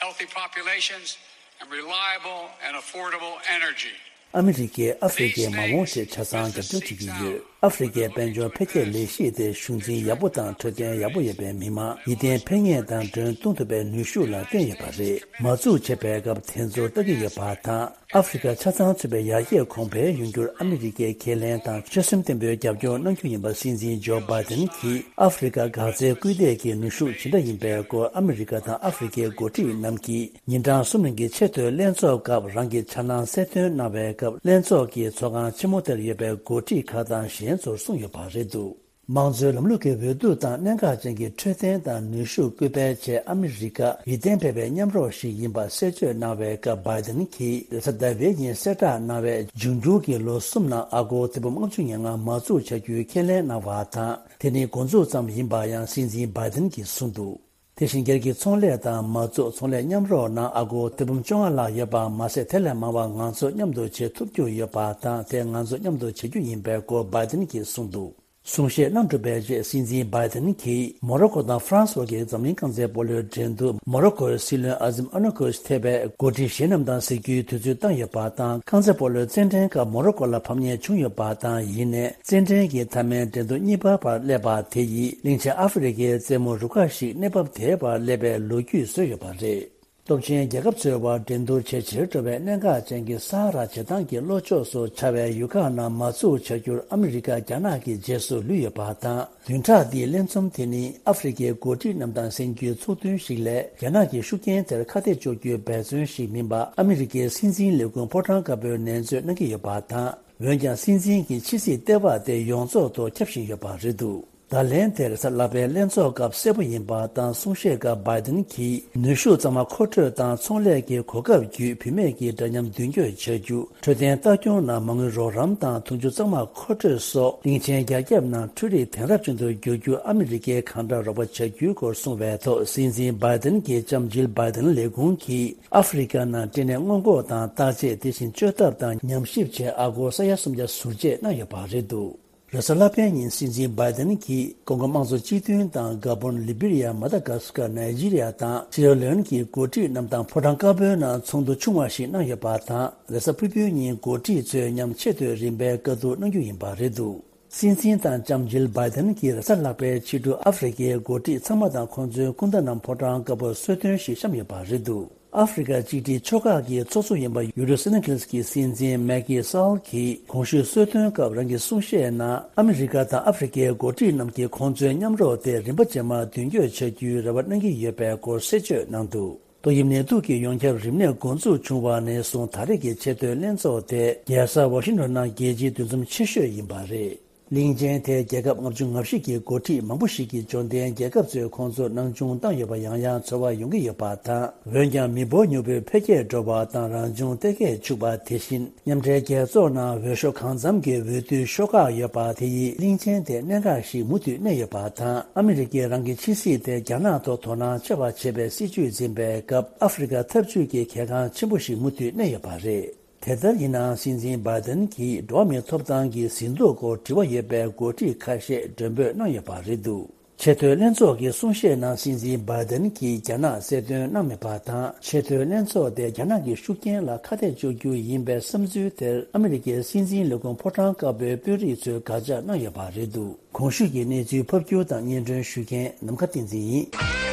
healthy populations, and reliable and affordable energy. ཨ་མི་རི་ཀས་ཨ་ཧྥེ་རི་ཀའི་མ་འོངས་ཆེད་ཆ་ཚང་རྒྱབ་སྐྱོར་བྱེད་ཀྱི་ཡོད། ཨ་ཧྥེ་རི་ཀའི་དཔལ་འབྱོར་འཕེལ་རྒྱས་ལས་གཞི་དེ་གཞུང་འཛིན་ཡག་པོ་དང་འཕྲོད་བསྟེན་ཡག་པོ་ཡོད་པའི་མི་མང་ཡིད་བརྟན་ཕན་ངེས་དང་མགྲོན་གཏོང་ཐུབ་པའི་ནུས་ཤུགས་ལ་བརྟེན་ཡོད་པ་རེད། མ་འཛུགས་བྱེད་པའི་སྐབས་དེ་ཚོར་ལྟ་གི་ཡོད་པ་དང་། ཨ་ཧྥེ་རི་ཀ་ཆ་ཚང་ཚུད་པའི་ཡར་རྒྱས་གོང་འཕེལ་ཡོང་རྒྱུར་ཨ་མི་རི་ཀས་ཁས་ལེན་དང་ཆོད་སེམས་བརྟན་པོས་རྒྱབ་སྐྱོར་གནང་རྒྱུ་ཡིན་པ་སྲིད་འཛིན་ཇོ་བྷའི་ཏན་གྱིས་ཨ་ཧྥེ་རི་ཀ་འགག་རྩའི་སྐུལ་འདེད་ཀྱི་ནུས་ཤུགས་ཇི་འདྲ་ཡིན་པའི་སྐོར་ཨ་མི་རི་ཀ་དང་ཨ་ཧྥེ་རི་ཀའི་འགོ་ཁྲིད་རྣམས་ཀྱིས་ཉིན་གྲངས་གསུམ་རིང་གི་ཆེས་མཐོའི་ལྷན་ཚོགས་སྐབས་རང་གི་འཆར་སྣང་གསལ་སྟོན་གནང་བའི་སྐབས། ལྷན་ཚོགས་ཀྱི་ཚོགས་ཁང་ཆེན་མོ་དེར་ཡོད་པའི་འགོ་ཁྲིད་ཁག་དང་གཞན་ཚོར་གསུངས་ཡོད་པ་རེད་འདུག་དམངས་གཙོའི་ལམ་ལུགས་ཀྱི་འོས་བསྡུ་དང་གནད་འགག་ཅན་གྱི་འཕྲོད་བསྟེན་དང་ནུས་ཤུགས་སྐུལ་སྤེལ་ཆེད་ཨ་མི་རི་ཀ་ཡིད་བརྟན་འཕེར་བའི་མཉམ་རོགས་ཤིག་ཡིན་པ་གསལ་བརྗོད་གནང་བའི་སྐབས། བྷའི་ཏན་གྱིས་རེས་གཟའ་ཟླ་བའི་ཉིན་གསལ་བསྒྲགས་གནང་བའི་འབྱུང་འགྱུར་གྱི་ལོ་གསུམ་ནང་ཨ་སྒོར་ཐེར་འབུམ་ལྔ་བཅུ་ང་ལྔ་མ་འཛུགས་བྱ་རྒྱུའི་ཁས་ལེན་གནང་བ་དང་། དེ་ནི་འགོ་འཛུགས་ཙམ་ཡིན་པ་ཡང་སྲིད་འཛིན་བྷའི་ཏན་གྱིས་གསུངས་འདུག་དེ་བཞིན་སྒེར་གྱི་ཚོང་ལས་དང་མ་འཛུགས་ཚོང་ལས་མཉམ་རོགས་ནང་ཨ་སྒོར་ཐེར་འབུམ་བཅོ་ལྔ་ལྷག་ཡོད་པ་མ་ཟད། དེ་ལས་མང་བ་ང་ཚོ་མཉམ་དུ་བྱེད་ཐུབ་རྒྱུ་ཡོད་པ་དང་། དེ་ང་ཚོ་མཉམ་དུ་བྱེད་རྒྱུ་ཡིན་པའི་སྐོར་བྷའི་ཏན་གྱིས་གསུངས་འདུག་གསུང་བཤད་གནང་གྲུབ་པའི་རྗེས་སྲིད་འཛིན་བྷའི་ཏན་གྱིས་མོ་རོ་ཀོ་དང་ཧྥ་རན་སི་བར་གྱི་འཛམ་གླིང་རྐང་རྩེད་སྤོ་ལོའི་འགྲན་བསྡུར། མོ་རོ་ཀོའི་སྲིད་བློན་ཨ་ཛིམ་ཨ་ནོ་ཀོས་ཐེ་བའི་འགོ་ཁྲིད་གཞན་རྣམས་དང་གཟིགས་རྒྱུའི་དུས་ཚོད་བཏང་ཡོད་པ་དང་། རྐང་རྩེད་སྤོ་ལོའི་རྩེད་འགྲན་ཁག་མོ་རོ་ཀོ་ལ་ཕབ་མཁན་བྱུང་ཡོད་པ་དང་། ཡིན་ནའི་རྩེད་འགྲན་གྱི་མཐའ་མའི་འགྲན་བསྡུར་གཉིས་པ་བར་སླེབས་པ་དེ་ཡིས་གླིང་ཆེན་ཨ་ཧྥེ་རི་ཁའི་རྩེད་མོ་རུ་ཁག་ཞིག་གནས་བབ་དེའི་བར་སླེབས་པའི་ལོ་རྒྱུས་བཟོས་ཡོད་པ་རེད། སྟོབས་ཆེན་རྒྱལ་ཁབ་ཚོའི་དབར་འགྲན་བསྡུར་ཇེ་ཆེར་འགྲོ་བའི་གནད་འགག་ཅན་གྱི་ས་ཧ་ར་བྱེ་ཐང་གི་ལྷོ་ཕྱོགས་སུ་ཆགས་པའི་ཡུལ་ཁག་ནང་མ་འཛུགས་བྱ་རྒྱུར་ཨ་མི་རི་ཀ་རྒྱ་ནག་གི་རྗེས་སུ་ལུས་ཡོད་པ་དང་། བདུན་ཕྲག་འདིའི་ལས་རྩོམ་དེ་ནི་ཨ་ཧྥེ་རི་ཁའི་འགོ་ཁྲིད་རྣམས་དང་གཟེངས་རྒྱུའི་ཚོགས་ཐུན་ཞིག་ལས། རྒྱ་ནག་གི་ཤུགས་རྐྱེན་དེར་ཁ་གཏད་གཅོག་རྒྱུའི་འབད་བརྩོན་ཞིག་མིན་པ། ཨ་མི་རི་ཀའི་སྲིད་འཛིན་ལས་ཁུངས་ཕོ་བྲང་དཀར་པོས་ནན་བརྗོད་གནང་གི་ཡོད་པ་དང་། འོན་ཀྱང་སྲིད་འཛིན་གྱི་ཕྱི་སྲིད་ལྟེ་བ་དེ་ཡོངས་རྫོགས་སུ་ཁྱབ་བཞིན་ཡོད་པ་རེད་འདུག་ད་ལན་དེར་གཟའ་ལྷག་པའི་ལྷན་ཚོགས་སྐབས་གསལ་པོ་ཡིན་པ་དང་། གསུང་བཤད་སྐབས་བྷའི་ཏིན་གྱིས་ནུས་ཤུགས་གཙང་མ་མཁོ་སྤྲོད་དང་། ཚོང་ལས་ཀྱི་གོ་སྐབས་བརྒྱུད་བུད་མེད་ཀྱི་འདྲ་མཉམ་མདུན་སྐྱོད་བྱ་རྒྱུ། འཕྲོད་བསྟེན་ལྟ་སྐྱོང་ནང་མ་དངུལ་རོགས་རམ་དང་། འཐུང་ཆུ་གཙང་མ་མཁོ་སྤྲོད་སོགས་གླིང་ཆེན་རྒྱ་ཁྱབ་ནང་འཕྲུལ་རིག་དེང་རབས་ཅན་དུ་བསྒྱུར་རྒྱུར་ཨ་མི་རི་ཀས་གང་འདྲ་རོགས་པ་བྱ་རྒྱུའི་སྐོར་གསུངས་པའི་ཐོག་སྲིད་འཛིན་བྷའི་ཏིན་གྱི་ལྕམ་ཇིལ་བྷའི་ཏིན་ལས་ཁུངས་ཀྱིས་ཨ་ཧྥེ་རི་ཁ་ནང་སྐྲན་ནད་སྔོན་འགོག་དང་བརྟག་དཔྱད། དེ་བཞིན་བཅོས་ཐབས་དང་ཉམས་ཞིབ་ཆེད་ཨ་སྒོར་ས་ཡ་སུམ་བརྒྱ་ཟུར་བཅད་གནང་ཡོད་པ་རེད་འདུག་རེས་གཟའ་ལྷག་པའི་ཉིན་སྲིད་འཛིན་བྷའི་ཏིན་གྱིས་ཀོང་གོ་དམངས་གཙོ་སྤྱི་མཐུན་དང་། གཱ་བོན། ལི་བི་རི་ཡ། མ་ད་གཱ་སི་ཀར། ནཱི་ཇི་རི་ཡ་དང་སི་ཡེ་ར་ལེ་ཨོན་གྱི་འགོ་ཁྲིད་རྣམས་དང་ཕོ་བྲང་དཀར་པོའི་ནང་ཚོགས་འདུ་ཆུང་བ་ཞིག་གནང་ཡོད་པ་དང་། རེས་གཟའ་ཕུར་བུའི་ཉིན་འགོ་ཁྲིད་ཚོའི་མཉམ་ཆེས་དུས་རིམ་པའི་བཀའ་བསྡུར་གནང་རྒྱུ་ཡིན་པ་རེད་འདུག་སྲིད་འཛིན་དང་ལྕམ་ཇིལ་བྷའི་ཏིན་གྱིས་རེས་གཟའ་ལྷག་པའི་ཕྱི་དྲོ་ཨ་ཧྥེ་རི་ཁའི་འགོ་ཁྲིད་ཚང་མ་དང་ཁོང་ཚོའི་སྐུ་ཟླ་རྣམས་ཕོ་བྲང་དཀར་པོར་གསོལ་སྟོན་ཞིག་བཤམས་ཡོད་པ་རེད་འདུག་ཨ་ཧྥེ་རི་ཁ་གཅིག་སྒྲིལ་ཕྱོགས་ཁག་གི་ཚོགས་གཙོ་ཡིན་པ་ཡུ་རོབ་སེ་ནེ་གལ་གྱི་སྲིད་འཛིན་མེ་ཀི་སཱལ་གྱིས་གོང་ཞུས་གསོལ་སྟོན་སྐབས་རང་གི་གསུང་བཤད་ནང་ཨ་མི་རི་ཀ་དང་ཨ་ཧྥེ་རི་ཁའི་འགོ་ཁྲིད་རྣམས་ཀྱིས་ཁོང་ཚོའི་མཉམ་རོགས་དེ་རིམ་པ་རྗེས་མར་མདུན་སྐྱོད་བྱ་རྒྱུའི་རེ་བ་གནང་གི་ཡོད་པའི་སྐོར་གསལ་བརྗོད་གནང་འདུག་ཏོག་དབྱིབས་ནད་དུག་གི་ཡོངས་ཁྱབ་རིམས་ནད་འགོ་འཛུགས་བྱུང་བ་ནས་བཟུང་ད་རེས་ཀྱི་ཆེས་མཐོའི་ལྷན་ཚོགས་དེ་རྒྱལ་ས་ཝ་ཤིང་ཏོན་ནང་རྒྱལ་སྤྱིའི་འདུ་འཛོམས་ཆེ་ཤོས་ཡིན་པ་རེད། གླིང་ཆེན་དེར་རྒྱལ་ཁབ་ལྔ་བཅུ་ང་བཞི་གི་འགོ་ཁྲིད་མང་པོ་ཞིག་གིས་འབྱོར་ལྡན་རྒྱལ་ཁབ་ཚོས་ཁོང་ཚོར་སྣང་ཆུང་བཏང་ཡོད་པ་ཡང་ཡང་ཚོར་བ་ཡོང་གི་ཡོད་པ་དང་། འོན་ཀྱང་མི་འབོར་ཉུང་པོའི་འཕེལ་རྒྱས་འགྲོ་བ་དང་རང་བྱུང་གཏེར་ཁའི་ཕྱུག་པ། དེ་བཞིན་མཉམ་འབྲེལ་རྒྱལ་ཚོགས་ནང་འོས་ཤོག་གང་འཚམ་གྱི་འོས་བསྡུའི་ཤོག་ཁག་ཡོད་པ་དེ་ཡིས་གླིང་ཆེན་དེར་གནད་འགག་ཞིག་མུ་མཐུད་གནས་ཡོད་པ་དང་། ཨ་མི་རི་ཀས་རང་གི་ཕྱི་སྲིད་དེ་རྒྱ་ནག་ཐོག་དོ་སྣང་ཆེ་བ་བྱེད་པའི་སྲིད་ཇུས་འཛིན་པའི་སྐབས་ཨ་ཧྥེ་རི་ཁ་འཐབ་ཇུས་ཀྱི་གལ་འགངས་ཆེན་པོ་ཞིག་མུ་མཐུད་གནས་ཡོད་པ་རེད། དེ་ལྟར་ཡིན་ནའང་སྲིད་འཛིན་བྷའི་ཏིན་གྱིས་འགྲོ་བ་མིའི་ཐོབ་ཐང་གི་ཟིན་ཐོ་སྐོར་དྲི་བ་ཡོད་པའི་འགོ་ཁྲིད་ཁ་ཤས་མགྲོན་འབོད་གནང་ཡོད་པ་རེད་འདུག་ཆེས་མཐོའི་ལྷན་ཚོགས་ཀྱི་གསུང་བཤད་ནང་སྲིད་འཛིན་བྷའི་ཏིན་གྱིས་རྒྱ་ནག་གསལ་སྟོན་གནང་མེད་པ་དང་། ཆེས་མཐོའི་ལྷན་ཚོགས་དེ་རྒྱ་ནག་གི་ཤུགས་རྐྱེན་ལ་ཁ་གཏད་གཅོག་རྒྱུ་ཡིན་པའི་བསམ་ཚུལ་དེར་ཨ་མི་རི་ཀའི་སྲིད་འཛིན་ལས་ཁུངས་ཕོ་བྲང་དཀར་པོའི་དཔོན་རིགས་ཚོས་དགག་བྱ་གནང་ཡོད་པ་རེད་འདུག་གོང་ཞུས་ཀྱི་གནས་ཚུལ་ཕབ་སྒྱུར་དང་སྙན་སྒྲོན་ཞུ་མཁན་ནམ་མཁའ་བསྟན་འཛིན་ཡིན།